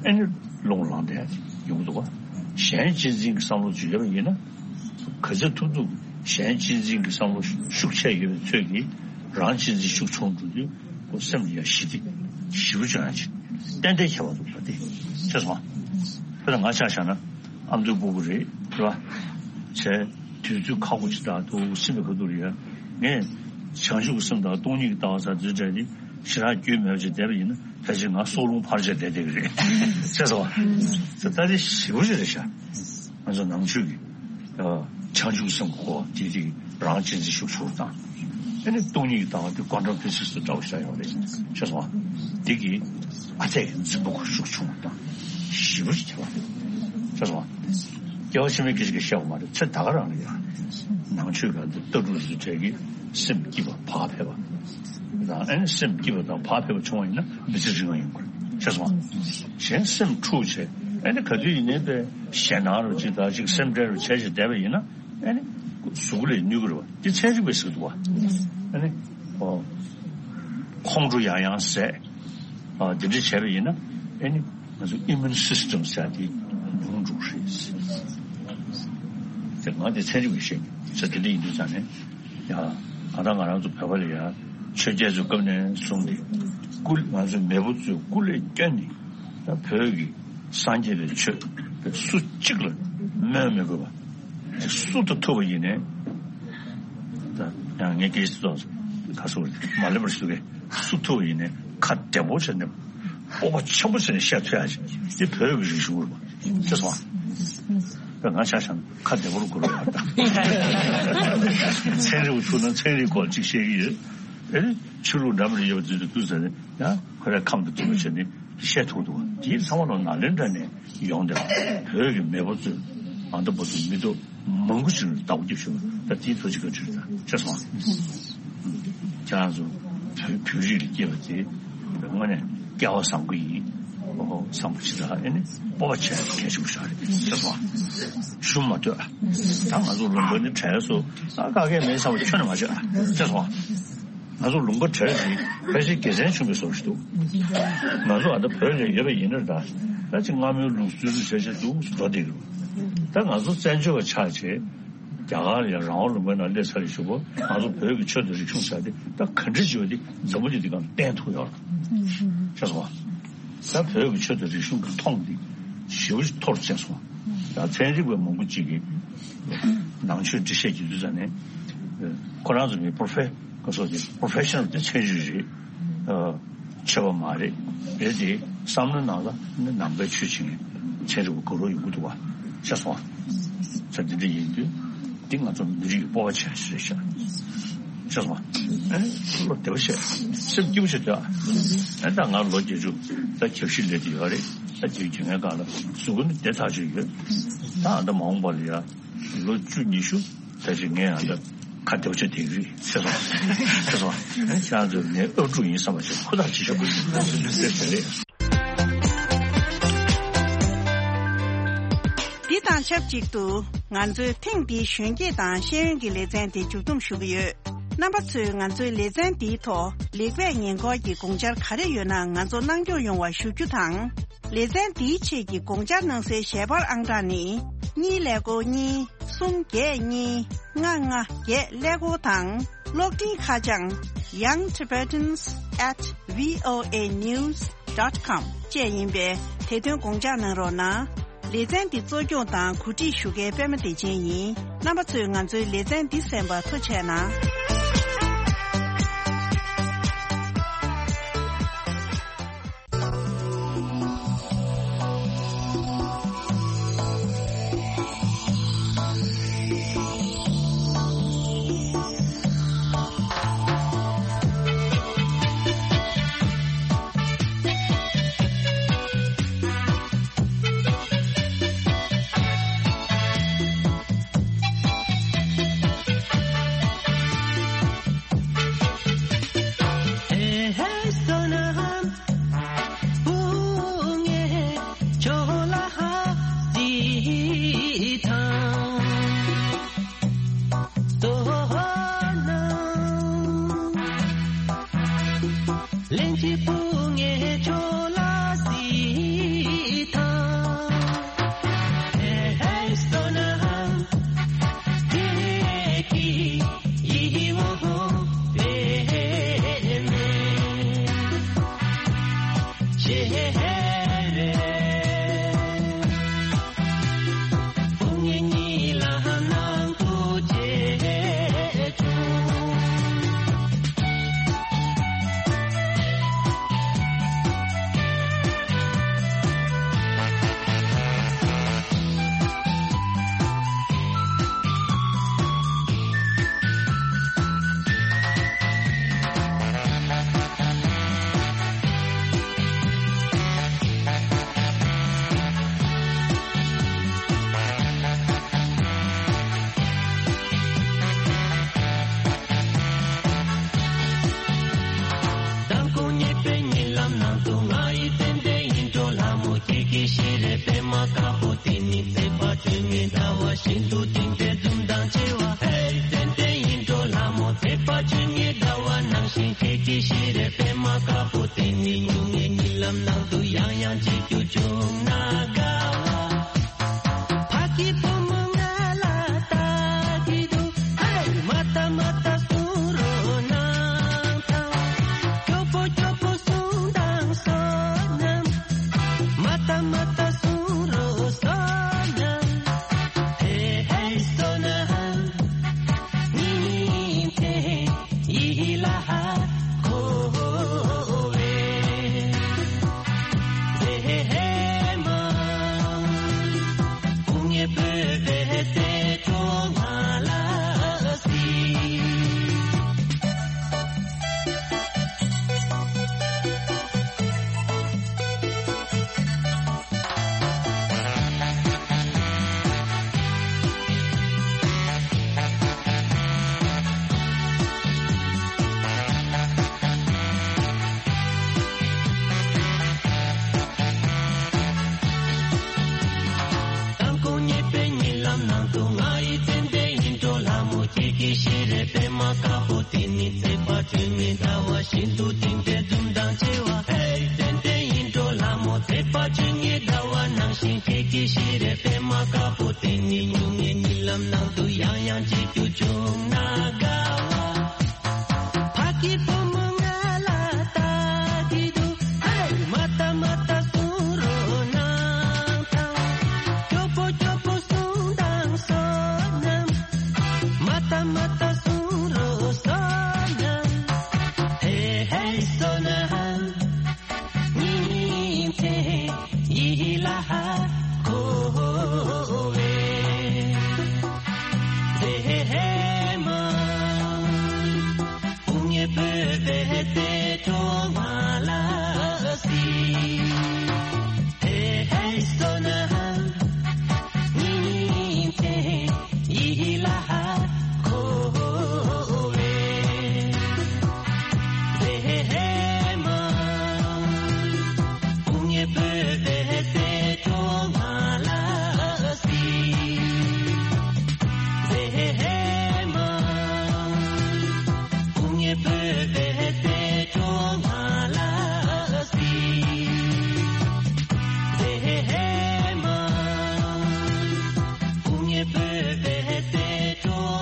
ཨེ་ནི་རླུང་ལངས་བསྡད་ཡོང་གི་འདུག་བ། གཞན་གཅེས་འཛིན་གྱི་བསམ་བློ་ཅིག་ཡོད་པ་ཡིན་ན། ག་ཚོད་ཐུབ་ཐུབ་གཞན་གཅེས་འཛིན་གྱི་བསམ་བློ་ཤུགས་ཆེ་ཡོད་པའི་ཚོད་ཀྱིས་རང་གཅེས་འཛིན་ཤུགས་ཆུང་འགྲོ་དུས་ཁོ་སེམས་ལ་ཡང་ཞི་བདེ་ཞེ་པོ་ཅིག་ཡོང་ཡ་ཅིག་ཏན་ཏན་ཁྱད་པར་འདུག་ད་དེ། ཤེས་སོང་ང་། དཔེར་ན་ང་ཆ་བཞག་ན་ཨ་མདོའི་སྤུ་གུ་རེད། རེད་བ། བྱས། དུས་ཚོད་ཁག་པོ་ཅིག་དང་དུ་སེམས་པའི་ཁ་ཐུག་རེད་ཡ། ངས་བྱང་ཆུབ་ཀྱི་སེམས་དང་སྟོང་ཉིད་ཀྱི་ལྟ་བ་ཟེར་འཛིན་གྲྭ་འདི་ཞེ་དྲག་རྒྱུས་མེད་པ་ཅིག་བསྡད་པ་ཡིན་ན་ཕལ་ཆེར་ང་སྲོག་རླུང་འཕར་བྱས་བསྡད་བསྡད་ཀྱི་རེད། ཤེས་སོང་ང་། ད་ལྟ་ཞེ་པོ་ཅིག་རེད་ཤག་ང་ཚོ་ནང་ཆོས་ཀྱི་བྱང་ཆུབ་སེམས་ཀྱི་སྐོར་དེ་དེ་རང་གཅེས་འཛིན་ཤུགས་ཆུང་དང་། ཨ་ནི་སྟོང་ཉིད་ཀྱི་ལྟ་བ་དེ་ཀོན་ཊམ་ཕི་ཟིག་སི་དུ་འདྲ་བོ་ཞིག་ཡོད་རེད། ཤེས་སོང་ང་། དེ་གིས་ཨ་ཙི་འཛིན་པ་ཁོ་ཤུགས་ཆུང་བ་དང་ཞེ་པོ་ཅིག་ཁྱད་པར་རེད། ཤེས་སོང་ང་། སྐྱེ་བ་ཕྱི་མའི་སྐད་ཆ་གི་བཤད་པ་མ་རེད། ཚེ་ད་ག་རང་ལ་ཡང་ནང་ཆོས་སྒང་དུ་ལྟ་གྲུབ་རིགས་གྲས་ཀྱི་སེམས་སྐྱིད་པ་བག་ཕེབས་པ་དང་། ཨ་ནི་སེམས་སྐྱིད་པ་དང་བག་ཕེབས་པ་བྱུང་བ་ཡིན་ན་མི་ཚེ་རིང་བ་ཡོང་གི་རེད། ཤེས་སོང་ང་། གཞན་སེམས་འཁྲུག་བྱས་ཨ་ནི་ག་དུས་ཡིན་ནའི་པའི་ཞེད་སྣང་རུ་ཅིག་དང་ཅིག་སེམས་ཁྲལ་རུ་བྱས་བྱས་བསྡད་པ་ཡིན་ན། ཨ་ནི་གཟུགས་ལ་གནོད་ཀྱི་རེད་བ། འདི་ཚན་རིག་པས་ཟེར་གྱི་འདུག་བ། ཨ་ནི་ཨོ་ཁོང་ཁྲོ་ཡང་ཡང་ཟད། ཨ་འདི་འདྲ་བྱས་པ་ཡིན་ན་ཨ་ནི་ང་ཚོ་ཨིམ་མུན་སིས་ཊམ་ཟེར་དེ་ཉུང་འགྲོ་གི་རེད། དེ་ང་དེ་ཚན་རིག་པས་བཤད་ཀྱི་ཟེར་དེ་འདྲ་ཡིན་དུས་ཙང་ནས་ཡ། གང་ལྟར་ང་རང་ཚོ་བོད་པ་ལ་ཡ་ཆོས་རྒྱལ་ཚོའི་སྐབས་ནས་བཟུང་སྟེ་སྐུ་ང་ཚོའི་མེས་པོ་ཚོས་སྐུ་ལས་བསྐྱོན་ནས་ད་བོད་ཀྱི་སངས་རྒྱས་པའི་ཆོས་སུ་གཅིག་ལ་སྨོན་མི་དགོས་པ། ཅིག་སུ་དང་ཐུག་པ་ཡིན་ནའི། ད་ཡང་ངས་སྐད་ཆ་ཏོག་ཙམ་ག་སོ་མ་ལེན་པར་ཞུ་གས། སུ་ཐུག་པ་ཡིན་ནའི་ཁ་བདེ་པོ་བྱས་ནས་སྤོབས་པ་ཆེན་པོ་བྱས་ནས་བཤད་ཐུབ་ཡ་ཅིག་འདི་བོད་ཀྱི་རིག་གཞུང་རེད་པ། ཤེས་སོང་ང་། ད་ང་ཆ་བཞག་ན་ཁ་བདེ་པོར་གོ་རོགས་ཡ་ད། ཚན་རིག་པ་ཐུག་ན་ཚན་རིག་སྐོར་ཅིག་བཤད་ཀྱི་ཡོད། ཨེ་ཆོས་ལུགས་འདྲ་མི་འདྲ་ཡོད་པ་དུས་དུས་ཟེར་ནས་ཡང་ཁོ་རའི་ཁམས་དང་མཐུན་པ་བྱས་ནས་བཤད་ཐུབ་འདུག་དེའི་ཚང་མ་ལ་ནཱ་ལེནྡྲ་ནས་ཡོང་སྟེ་བོད་ཀྱི་མེས་པོ་ཚོས་ཨ་མདོ་བོད་དུ་མི་ཐོག་མང་པོ་ཞིག་ལ་བདག་པོ་རྒྱབ་བཞག་པ། ད་ དེའི་ཐུགས་རྗེ་བཀའ་དྲིན་རེད། ཤེས་སོང་། ཁྱེད་རང་ཚོ་བོད་བོད་རིགས་ལ་སྐྱེས་པ་དེ་དངོས་གནས་སྐལ་བ་བཟང་པོ་ཡིན། ཨོ་ཧོ་བསམ་པ་ཞིག་དང་ཨེ་ནི་སྤོབས་པ་བྱས་གལ་ཆེན་པོ་ཞིག་རེད། ཤེས་སོང་། ཞུམ་མ་སྡོད། ད་ང་ཚོ་ལུང་པ་ནི་བྲལ་སོང་། ད་ག་གེ་མེད་བསམ་པ་ཁྱོན་ནས་མ་བྱེད། ཤེས་སོང་། ང་ཚོ་ལུང་པ་བྲལ་ཞིག་ཕལ་ཆེར་དགེ་མཚན་ཆུང་བའི་བཟོ་ཞིག་འདུག་ང་ཚོ་ཨ་ད་བོད་ལ་ཡོད་པ་ཡིན་ན་ད་ད་ཅིག་སྔ་མོའི་ལུགས་སྲོལ་ལ་བྱས་བྱས་འདུག་འགྲོ་བསྡད་ཀྱི་རེད། ད་ང་ཚོ་བཙན་བྱོལ་བ་ཆགས་བྱས། རྒྱ་གར་ལ་ཡང་རང་དབང་ལུང་པའི་ནང་སླེབས་ཚར་རེད་ཞུ་བ། ང་ཚོ་བོད་ཀྱི་ཆོས་དང་རིག་གཞུང་ཟེར་དེ་ད་ག་འདྲ་ཞིག་ཡོད་དེ་འཛམ་བུ་གླིང་འདི་སྒང་བསྟན་ཐུབ་ཡོད་རེད། ཤེས་སོང་བ། ད་བོད་ཀྱི་ཆོས་དང་རིག་གཞུང་གི་མཐོང་འདི་ཞེ་པོ་ཅིག་མཐོ་རུ་ཕྱིན་སོང་བ། ད་ཚན་རིག་པ་མང་པོ་ཅིག་གིས་ནང་ཆོས་འགྲེལ་བཤད་བགྱིས་དུས་ཙམ་ནས་ཁོ་རང་ཚོ་ནི་པོ་རོ་ཕེ་ག་སོགས་ཀྱི་པོ་རོ་ཕེ་ཤ་ནལ་དེ་ཚན་རིག་རེད། ཨ། ཆོས་པ་མ་རེད། རེད་དེ་བསམ་བློའི་ནང་ལ་ནི་ནང་པའི་ཆོས་བྱེད་མཁན་ཚན་རིག་པ་དགའ་རབ་ཡོང་གི་འདུག་བ། ཤེས་སོང་བ། ས་འདི་འདྲ་ཡིན་དུས་འདི་ང་ཚོ་མི་རིགས་ཀྱི་སྤོབས་པ་ཆེ་ཤོས་རེད་ཤག་ཤེས་སོང་བ། ཨེ་བློ་བདེ་བོ་བྱས་སེམས་སྐྱིད་པོ་བྱས་སྡོད་ཨ། ཨེ་ད་ང་ལོ་བརྒྱད་ཅུ་ད་གྱ་བཞི་སླེབས་དུས་ཡོད་རེད། ད་དེའི་དུས་ངའི་སྒང་ལ་གཟུགས་པོ་ནི་བདེ་ཐག་ཆོད་ཡོད། ད་ཨ་ད་མ་འོངས་པ་ལ་ཡ། ལོ་བཅུ་ཉི་ཤུ་ད་ཅིག་ངས་ཡང་ད་ཁ་བདེ་བོ་བྱས་བསྡད་ཀྱི་རེད། ཤེས་སོང་། ཤེས་སོང་། ཁྱེད་རང་ཚོ་ངའི་ཨབ་ཕྲུག་ཡིན་བསམ་པ་ཞིག་ཧུར་ཐག་བྱེད་ཤོག་ཟེར་བྱས་རེད། འདི་དང་ཆབས་ཅིག་ཏུ་ང་ཚོའི་ཐེངས་འདིའི་གཞོན་སྐྱེས་དང་ཤེས་ཡོན་གྱི་ལེ་ཚན་དེ་མཇུག་བསྡོམས་ཞུ་གི་ཡོད། རྣམ་པ་ཚོས་ང་ཚོའི་ལེ་ཚན་འདིའི་ཐོག་ལེགས་སྤེལ་ཉེས་འགོག་གི་དགོངས་འཆར་ག་རེ་ཡོད་ན་ང་ཚོ་གནང་སྐྱོང་ཡོང་བ་ཞུ་རྒྱུ་དང་། ལེ་ཚན་འདིའི་ཆེད་ཀྱི་དགོངས་འཆར་གནང་སའི་ཞལ་པར་ཨང་གྲངས་ནི། གཉིས་ཀླད་ཀོར་གཉིས། གསུམ་བརྒྱད་གཉིས། ལྔ་ལྔ་བརྒྱད་ཀླད་ཀོར་དང་། གློག་འཕྲིན་ཁ་བྱང་young tibetans at voa news dot com བཅས་ཡིན་པས་དེ་དོན་དགོངས་འཇགས་གནང་རོགས་གནང་། ལེ་ཚན་འདི་གཙོ་སྐྱོང་དང་གོ་སྒྲིག་ཞུ་མཁན་པད་མ་བདེ་ཆེན་ཡིན། རྣམ་པ་ཚོས་ང་ཚོའི་ལེ་ཚན་འདི་གསན་པར་ཐུགས་རྗེ་གནང་། དང་ཁོང་ཉེས་པའི་ཉེ་ལམ་ནང་དུ་ང་ཡི་ཏན་ཏན་ཡིན་འགྲོ་ལྷ་མོ་ཁྱེད་ཀྱི་ཤེས་རེ་པད་མ་དཀར་པོ་དེ་ནི་ཚེ་དཔག་བཅོ་ལྔའི་ཟླ་བ་བཞིན་དུ་དེང་འདྲའི་འཛུམ་མདངས་ཆེ་བ། ཧེ་ཏན་ཏན་ཡིན་འགྲོ་ལྷ་མོ་ཚེ་དཔག་བཅོ་ལྔའི་ཟླ་བ་ནང་བཞིན་ཁྱེད་ཀྱི་ཤེས་རེ་པད་མ་དཀར་པོ་དེ་ནི་སྨྱུང་གནས་ཉིན་ལམ་ནང་དུ་ཡང་ཡང་མཇལ་རྒྱུ་བྱུང་ན་དགའ་བ། ཕ་གི་བུ་མོ་ང་ལ་ལྟ་གི་འདུག་ཧེ། མ་ལྟ་མ་ལྟ་གསུང་རོགས་གནང་དང་། སྐྱོ་པོ་སྐྱོ་པོ་གསུང་དང་བསོད་ནམས། མ་ལྟ་མ་ལྟ་གསུང་རོགས་བསོད་ནམས། ཧེ་ཧེ་བསོད་ནམས། ཉིན་མཚན་ཡིད་ལ་འཁོར་བའི་མཛེས་མ། དཀར་པོ་དེ་ནི་ཚེས་པ་བཅུ་གཉིས་ཟླ་བ་བཞིན་དུ་དེང་འདྲའི་འཛུམ་མདངས་ཆེ་བ། ཧེ་ཏན་ཏན་ཡིན་འགྲོ་ལ་མོ། ཚེས་པ་བཅུ་གཉིས་ཟླ་བ་ནང་བཞིན་ཁྱེད་ཀྱི་ཤེས་རེ་པད་མ་དཀར་པོ་དེ་ནི་སྨྱུང་གནས་གཉིད་ལམ་ནང་དུ་ཡང་ཡང་མཇལ་རྒྱུ་བྱུང་ན་དགའ་བ། ཕ་གི་བུ་མོ་ང་ལ་ལྟ་གི་འདུག་ཧེ། མ་ལྟ་མ་ལྟ་གསུང་རོགས་གནང་དང་། སྐྱོ་པོ་སྐྱོ་པོ་གསུང་དང་བསོད་ནམས། མ་ལྟ་མ་ལྟ་གསུང་རོགས་བསོད་ནམས། ཧེ་ཧེ་བསོད་ནམས། ཉིན་མཚན་ཡིད་ལ་འཁོར་བའི་མཛེས་མ། དཔུང་གཉེན་བོད་པའི་གཏེར་སྟོན་མ་ལ་སྲིད། ཧེ་ཧེ་བསོད་ནམས། ཉིན་མཚན་ཡིད་ལ་འཁོར་བའི་མཛེས་མ། དཔུང་གཉེན་བོད་པའི་གཏེར་སྟོན་མ་ལ་སྲིད། མཛེས་མ། དཔུང་གཉེན་བོད་པའི་གཏེར་སྟོན་མ་ལ་སྲིད། མཛེས་མ། དཔུང་གཉེན་བོད་པའི་གཏེར་སྟོན།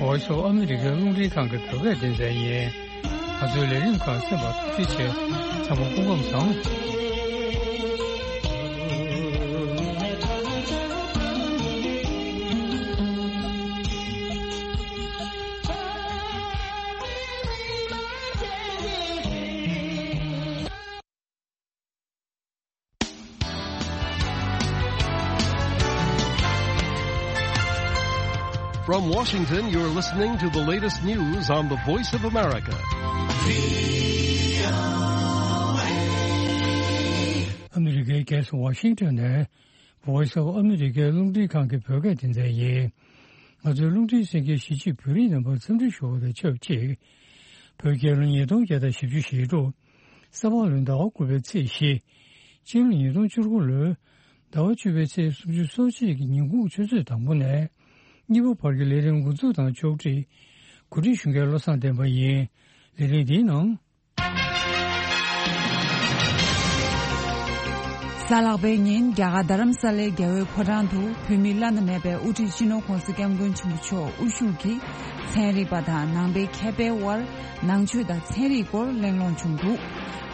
Voice of America རླུང་འཕྲིན་ཁང་གི་བོད་སྐད་སྡེ་ཚན་ཡིན། ང་ཚོའི་ལས་རིམ་ཁག་གསན་པར་ཐུགས་རྗེ་ཆེ། ཚང་མ་སྐུ་ཁམས་བཟང་། From Washington, you're listening to the latest news on the Voice of America. ཨ་མི་རི་ཀའི་རྒྱལ་ས་ཝ་ཤིང་ཊོན་ནས་Voice of America རླུང་འཕྲིན་ཁང་གི་བོད་སྐད་སྡེ་ཚན་ཡིན། ང་ཚོའི་རླུང་འཕྲིན་གསན་མཁན་གཞིས་བྱེས་བོད་རིགས་རྣམ་པར་འཚམས་འདྲི་ཞུ་བ་དང་ཆབས་ཅིག་བོད་རྒྱལ་ལོ་ཉིས་སྟོང་བརྒྱ་དང་བཞི་བཅུ་ཞེ་དྲུག་ས་ཕག་ལོའི་ཟླ་བ་དགུ་པའི་ཚེས་བཞི། སྤྱི་ལོ་ཉིས་སྟོང་བཅུ་དགུ་ལོའི་ཟླ་བ་བཅུ་པའི་ཚེས་སུམ་ཅུ་སོ་གཅིག་གི་ཉིན་གུང་ཆུ་ཚོད་དང་པོ་ནས་གཉིས་པ་བར་གྱི་ལས་རིམ་འགོ་འཛུགས་དང་ཕྱོགས་སྒྲིག་གོ་སྒྲིག་ཞུ་མཁན་བློ་བཟང་བསྟན་པ་ཡིན། ལས་རིམ་འདིའི་ནང་། གཟའ་ལྷག་པའི་ཉིན་རྒྱ་གར་རྡ་རམ་ས་ལའི་རྒྱལ་བའི་ཕོ་བྲང་དུ་བོད་མིའི་བླ་ན་མེད་པའི་དབུ་ཁྲིད་སྤྱི་ནོར་ྋགོང་ས་ྋསྐྱབས་མགོན་ཆེན་པོ་མཆོག་དབུ་བཞུགས་ཀྱིས་ཚན་རིག་པ་དང་ནང་པའི་མཁས་པའི་དབར་ནང་ཆོས་དང་ཚན་རིག་སྐོར་གླེང་སློང་བྱུང་འདུག་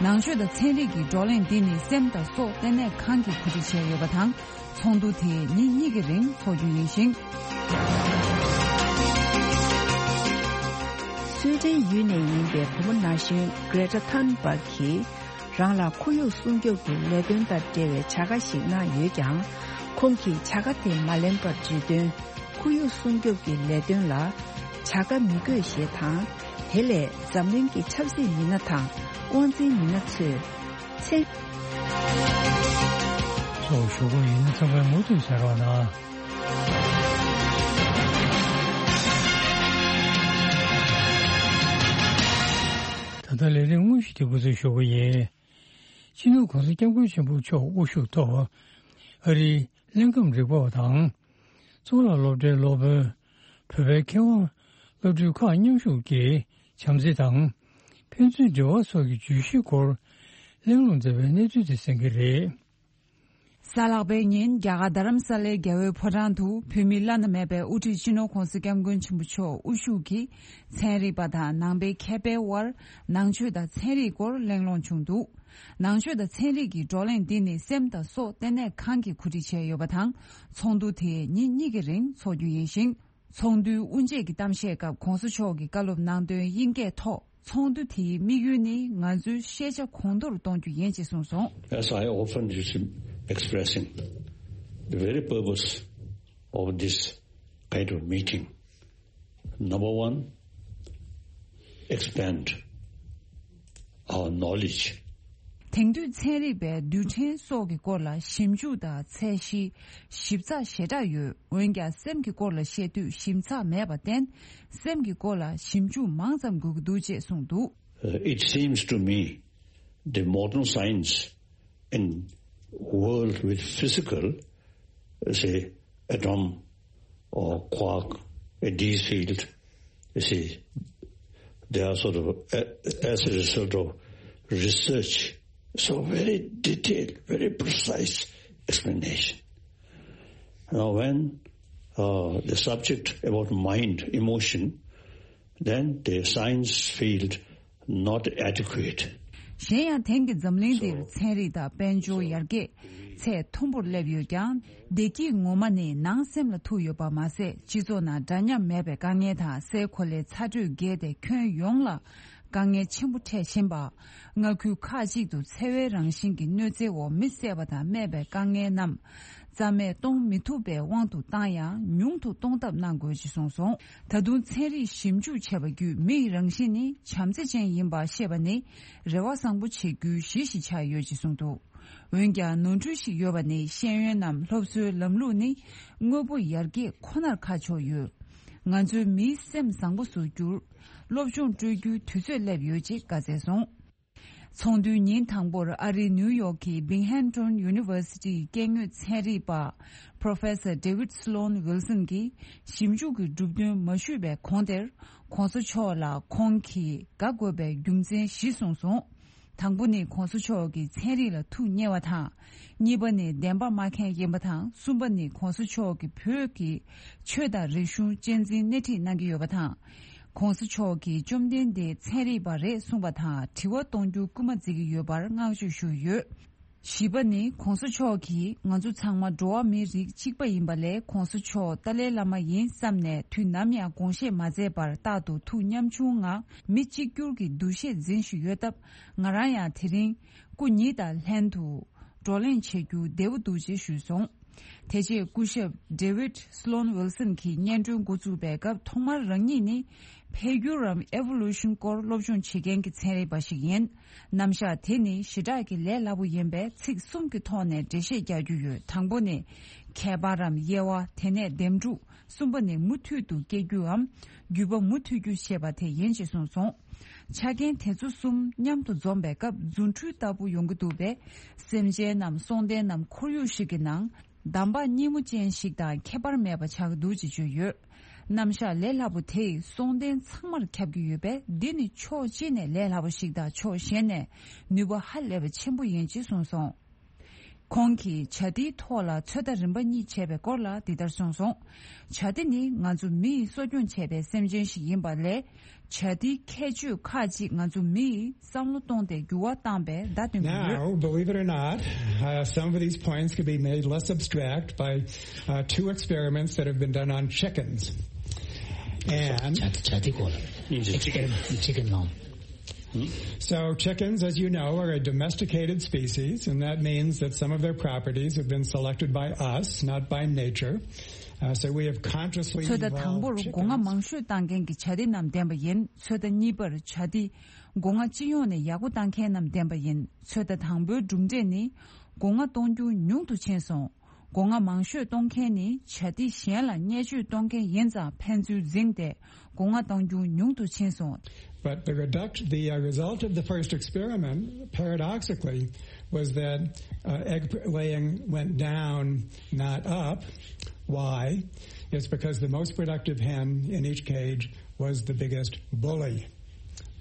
ནང་ཆོས་དང་ཚན་རིག་གི་བགྲོ་གླེང་འདི་ནི་སེམས་དང་སྲོག་ལྟེ་གནས་ཁང་གིས་གོ་སྒྲིག་བྱས་ཡོད་པ་དང་། ཚོགས་འདུ་དེ་ཉིན་གཉིས་ཀྱི་རིང་འཚོགས་རྒྱུ་ཡིན་ཞིང་། སུའེ་ཏེན་ཡུལ་ནས་ཡིན་པའི་བུ་མོ་ན་གཞོན་Greta Thunberg གྱིས་རང་ལ་ཁོར་ཡུག་སྲུང་སྐྱོབ་ཀྱི་ལས་དོན་དང་འབྲེལ་བའི་བྱ་དགའ་ཞིག་གནང་ཡོད་ཀྱང་། ཁོང་གིས་བྱ་དགའ་དེ་མ་ལེན་པར་བརྗོད་དོན། ཁོར་ཡུག་སྲུང་སྐྱོབ་ཀྱི་ལས་དོན་ལ་བྱ་དགའ་མི་དགོས་ཞེས་དང་། དེ་ལས་འཛམ་གླིང་གི་ཆབ་སྲིད་མི་སྣ་དང་དབང་འཛིན་མི་སྣ་ཚོས་མཚན། སོགས་ཞུ་སྒོ་ཡིན་ཚང་མས་མུ་མཐུད་གསན་རོགས་གནང་། ད་ལྟ་ལས་རིམ་དངོས་གཞི་དེ་འགོ་འཛུགས་ཞུ་གི་ཡིན། སྤྱི་ནོར་༸གོང་ས་༸སྐྱབས་མགོན་ཆེན་པོ་མཆོག་དབུ་བཞུགས་ཐོག་ཨ་རིའི་ལིན་ཁམ་རིག་པ་བ་དང་། གཙུག་ལག་སློབ་གྲྭའི་སློབ་དཔོན། བོད་པའི་མཁས་དབང་། སློབ་ཕྲུག་ཁག་མཉམ་ཞུགས་ཀྱིས་བྱམས་བརྩེ་དང་། ཕན་ཚུན་འབྲེལ་བ་སོགས་ཀྱི་བརྗོད་གཞིའི་སྐོར་གླེང་སློང་མཛད་པའི་གནས་ཚུལ་དེ་གསན་གྱི་རེད། གཟའ་ལྷག་པའི་ཉིན་རྒྱ་གར་རྡ་རམ་ས་ལའི་རྒྱལ་བའི་ཕོ་བྲང་དུ་བོད་མིའི་བླ་ན་མེད་པའི་དབུ་ཁྲིད་སྤྱི་ནོར་༸གོང་ས་༸སྐྱབས་མགོན་ཆེན་པོ་མཆོག་དབུ་བཞུགས་ཀྱིས་ཚན་རིག་པ་དང་ནང་པའི་མཁས་པའི་དབར་ནང་ཆོས་དང་ཚན་རིག་སྐོར་གླེང་སློང་བྱུང་འདུག་ནང་ཆོས་དང་ཚན་རིག་གི་བགྲོ་གླེང་འདི་ནི་སེམས་དང་སྲོག་ལྟེ་གནས་ཁང་གིས་གོ་སྒྲིག་བྱས་ཡོད་པ་དང་། ཚོགས་འདུ་དེ་ཉིན་གཉིས་ཀྱི་རིང་འཚོགས་རྒྱུ་ཡིན་ཞིང་། ཚོགས་འདུའི་དབུ་འབྱེད་ཀྱི་གཏམ་བཤད་སྐབས་༸གོང་ས་མཆོག་གིས་བཀའ་སློབ་གནང་དོན་དབྱིན་སྐད་ཐོག་ཚོགས་འདུ་དེའི་དམིགས་ཡུལ་ནི་ང་ཚོའི་ཤེས་བྱ་གོང་མཐོར་གཏོང་རྒྱུ་ཡིན་ཅེས་གསུངས་སོང་། As I often used to expressing, the very purpose of this kind of meeting, number one, expand our knowledge. དེང་དུས་ཚན་རིག་པས་རྡུལ་ཕྲན་སོགས་ཀྱི་སྐོར་ལ་ཞིབ་འཇུག་དང་ཚད་གཞི་ཞིབ་ཚགས་ཞེ་དྲག་ཡོད། འོན་ཀྱང་སེམས་ཀྱི་སྐོར་ལ་བཤད་དུས་ཞིབ་ཚགས་མེད་པར་བརྟེན། སེམས་ཀྱི་སྐོར་ལ་ཞིབ་འཇུག་མང་ཙམ་དགོས་ཀྱི་འདུག་ཅེས་གསུངས་འདུག Uh, it seems to me the modern science in world with physical, say, atom or quark, a D field, you see, they are sort of, a- as a result of research, so very detailed, very precise explanation. Now, when uh, the subject about mind, emotion, then the science field not adequate. གཞན་ཡང་དེང་གི་འཛམ་གླིང་འདིར་ཚན་རིག་དང་དཔལ་འབྱོར་ཡར་རྒྱས་ཚད་མཐོན་པོར་སླེབས་ཡོད་ཀྱང་། བདེ་སྐྱིད་ངོ་མ་ནི་ནང་སེམས་ལ་ཐུག་ཡོད་པ་མ་ཟད། སྤྱི་ཚོགས་ནང་འདྲ་མཉམ་མེད་པའི་དཀའ་ངལ་དང་སའི་གོ་ལའི་ཚ་དྲོད་རྒྱས་ཏེ་ཁྱོན་ཡོངས་ལ་དཀའ་ངལ་ཆེན་པོ་འཕྲད་བཞིན་པ། མངའ་ཁུལ་ཁག་ཅིག་ཏུ་འཚེ་བའི་རང་བཞིན་གྱི་གནོད་འཚེའི་འོག་མི་བསད་པ་དང་རྨས་པའི་དཀའ་ངལ་རྣམས་རྩ་མེད་གཏོང་མི་ཐུབ་པའི་དབང་དུ་བཏང་ཡང་ཉུང་དུ་གཏོང་ཐབས་གནང་དགོས་ཅེས་གསུངས་སོང་། ད་དུང་ཚན་རིག་ཞིབ་འཇུག་བྱས་པ་བརྒྱུད་མི་ཡི་རང་བཞིན་ནི་བྱམས་བརྩེ་ཅན་ཡིན་པ་ཤེས་པ་ནི་རེ་བ་བཟང་པོ་བྱེད་རྒྱུའི་གཞི་ཞིག་ཆགས་ཡོད་ཅེས་གསུངས་འདུག་འོན་ཀྱང་ནོར་འཁྲུལ་ཞིག་ཡོད་པ་ནི་ཤེས་ཡོན་ནམ་སློབ་གསོའི་ལམ་ལུགས་ནི་དངོས་པོ་ཡར་རྒྱས་ཁོ་ནར་ཁ་ཕྱོགས་ཡོད། ང་ཚོའི་མིའི་སེམས་བཟང་པོ་བཟོ་རྒྱུར་སློབ་སྦྱོང་སྤྲོད་རྒྱུའི་དུས་ཚོད་སླེབས་ཡོད་ཅེས་བཀའ་སྩལ་སོང་། ཚོགས་འདུའི་ཉིན་དང་པོར་ཨ་རིའི་ནིའུ་ཡོག་གི་Binghamton University སྐྱེ་དངོས་ཚན་རིག་པ་Professor David Sloan Wilson གྱིས་ཞིབ་འཇུག་གི་གྲུབ་དོན་མ་ཞུས་པའི་གོང་དེར། ༸གོང་ས་མཆོག་ལ་ཁོང་གིས་དགའ་དགོས་པའི་རྒྱུ་མཚན་བཞི་གསུངས་སོང་། དང་པོ་ནི་༸གོང་ས་མཆོག་གིས་ཚན་རིག་ལ་ཐུགས་མཉེས་པ་དང་། གཉིས་པ་ནི་བདེན་པ་སྨྲ་མཁན་ཡིན་པ་དང་། གསུམ་པ་ནི་༸གོང་ས་མཆོག་གིས་བོད་ཀྱི་ཆོས་དང་རིག་གཞུང་གཅེས་འཛིན་སྣེ་ཁྲིད་གནང་གི་ཡོད་པ་དང་། ༸གོང་ས་མཆོག་གིས་བཅོམ་ལྡན་འདས་ཚན་རིག་པ་རེད་གསུངས་པ་དང་དྲི་བ་གཏོང་རྒྱུ་སྐུལ་མ་བརྩི་གི་ཡོད་པར་བསྔགས་བརྗོད་ཞུས་ཡོད། བཞི་པ་ནི་༸གོང་ས་མཆོག་གིས་ང་ཚོ་ཚང་མ་འགྲོ་བ་མིའི་རིགས་གཅིག་པ་ཡིན་པ་ལས། ༸གོང་ས་མཆོག་ཏཱ་ལའི་བླ་མ་ཡིན་བསམ་ནས་དུས་ནམ་ཡང་དགོངས་བཞེས་མ་མཛད་པར་རྟག་ཏུ་ཐུགས་ཉམ་ཆུང་ངང་མི་གཅིག་གྱུར་གྱི་འདུ་ཤེས་འཛིན་བཞིན་ཡོད་སྟབས། ང་རང་ཡང་དེ་རིང་སྐུ་ཉིད་དང་ལྷན་དུ་བགྲོ་གླེང་བྱེད་རྒྱུ་བདེ་པོ་འདུག་ཅེས་ཞུས་སོང་། དེ་རྗེས་སྐུ་ཞབས་David Sloan Wilson གྱིས་སྙན་སྒྲོན་འགོ་བཙུགས་པའི་སྐབས་ཐོག་མར་རང་ཉིད་ནི་འཕེལ་འགྱུར་རམ་Evolution སྐོར་སློབ་སྦྱོང་བྱེད་མཁན་གྱི་ཚན་རིག་པ་ཞིག་ཡིན། རྣམ་གཞག་དེ་ནི་ཞེ་དྲག་གི་ལས་སླ་པོ་ཡིན་པས་ཚིག་གསུམ་གྱི་ཐོག་ནས་འགྲེལ་བཤད་རྒྱག་རྒྱུ་ཡོད། དང་པོ་ནི་ཁྱད་པར་རམ་དབྱེ་བ། དེ་ནས་འདེམས་སྒྲུག་གསུམ་པ་ནི་མུ་མཐུད་དུ་སྐྱེ་རྒྱུའམ་བརྒྱུད་པ་མུ་མཐུད་རྒྱུ་ཞེས་པ་དེ་ཡིན་ཅེས་གསུངས་སོང་། ཆ་རྐྱེན་དེ་ཚོ་གསུམ་མཉམ་དུ་འཛོམས་པའི་སྐབས་རྫུ་འཕྲུལ་ལྟ་བུ་ཡོང་གི་འདུག་པས། སེམས་ཅན་ནམ་སྲོག་ལྡན་ནམ་ཁོར་ཡུག་ཞིག་གི་ནང་འདམ་བག་སྙི་མོ་ཅན་ཞིག་དང་ཁྱད་པར་མེད་པ་ཆགས་ཀྱི་འདུག་ཅེས་བརྗོད་ཡོད། རྣམ་གཞག་ལས་སླ་པོ་དེས་སྲོག་ལྡན་ཚང་མར་ཁྱབ་ཀྱི་ཡོད་པས། འདི་ནི་ཕྱོགས་གཅིག་ནས་ལས་སླ་པོ་ཞིག་དང་ཕྱོགས་གཞན་ནས་ནུས་པ་ཧ་ལས་པ་ཆེན་པོ་ཡིན་ཅེས་གསུངས་སོང་། ཁོང་གིས་བྱ་དེའི་ཐོག་ལ་ཚོད་ལྟ་རིམ་པ་གཉིས་བྱས་པའི་སྐོར་ལ་འདི་ལྟར་གསུངས་སོང་། བྱ་དེ་ནི་ང་ཚོ་མི་ཡིས་གསོ་སྐྱོང་བྱས་པའི་སེམས་ཅན་ཞིག་ཡིན་པ་ལས། བྱ་དེའི་ཁྱད་ཆོས་ཁག་ཅིག་ང་ཚོ་མི་ཡིས་བསམ་བློ་གཏོང་སྟེ་འགྱུར་བ་བཏང་པའི་བརྡ་སྟོན་གྱི་ཡོད། Now, believe it or not, uh, some of these points could be made less abstract by uh, two experiments that have been done on chickens. And བྱ་བྱ་དེ་སྐོར་ལ་experiment chicken ནང་། So, chickens, as you know, are a domesticated species, and that means that some of their properties have been selected by us, not by nature. Uh, so, we have consciously evolved chickens. ཚོད་ལྟ་དང་པོར་སྒོ་ང་མང་ཤོས་བཏང་མཁན་གྱི་བྱ་དེ་རྣམས་ལྡན་པ་ཡིན། ཚོད་ལྟ་གཉིས་པར་བྱ་དེ་སྒོ་ང་སྤྱི་ཡོངས་ནས་ཡག་པོ་བཏང་མཁན་རྣམས་ལྡན་པ་ཡིན། ཚོད་ལྟ་དང་པོའི་གྲུབ་འབྲས་ནི། སྒོ་ང་གཏོང་རྒྱུ་ཉུང་དུ་ཕྱིན་སོང་། སྒོ་ང་མང་ཤོས་གཏོང་མཁན་ནི་བྱ་དེ་གཞན་ལ་བརྙས་བཅོས་གཏོང་མཁན་ཡིན་ཙང་ཕན་ཚུན་འཛིངས་ཏེ་སྒོ་ང་གཏོང་རྒྱུ་ཉུང་དུ་ཕྱིན་སོང་། But the reduct, the uh, result of the first experiment, paradoxically, was that uh, egg laying went down, not up. Why? It's because the most productive hen in each cage was the biggest bully,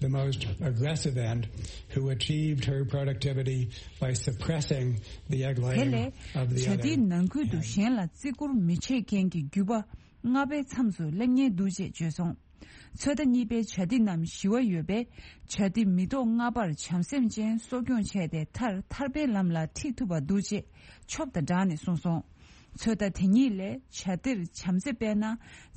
the most aggressive end, who achieved her productivity by suppressing the egg laying of the other. དེ་ལས་བྱ་དེའི་ནང་ཁུལ་དུ་གཞན་ལ་བརྩི་བཀུར་མི་བྱེད་མཁན་གྱི་རྒྱུད་པ་ལྔ་པའི་མཚམས་སུ་སླེབས་ཉེན་འདུག་ཅེས་བརྗོད་སོང་། ཚོད་ལྟ་གཉིས་པའི་བྱ་དེ་རྣམས་ཞི་བ་ཡོད་པས། བྱ་དེ་མི་ཐོག་ལྔ་པར་བྱམས་སེམས་ཅན་གསོ་སྐྱོང་བྱས་ཏེ་མཐར་ཐར་པའི་ལམ་ལ་ཁྲིད་ཐུབ་པ་འདུག་ཅེས་ཆོབ་དང་སྦྲགས་ནས་གསུངས་སོང་། ཚོད་ལྟ་དེ་གཉིས་ལས་བྱ་དེར་བྱམས་བརྩེ་སྤེལ་ན།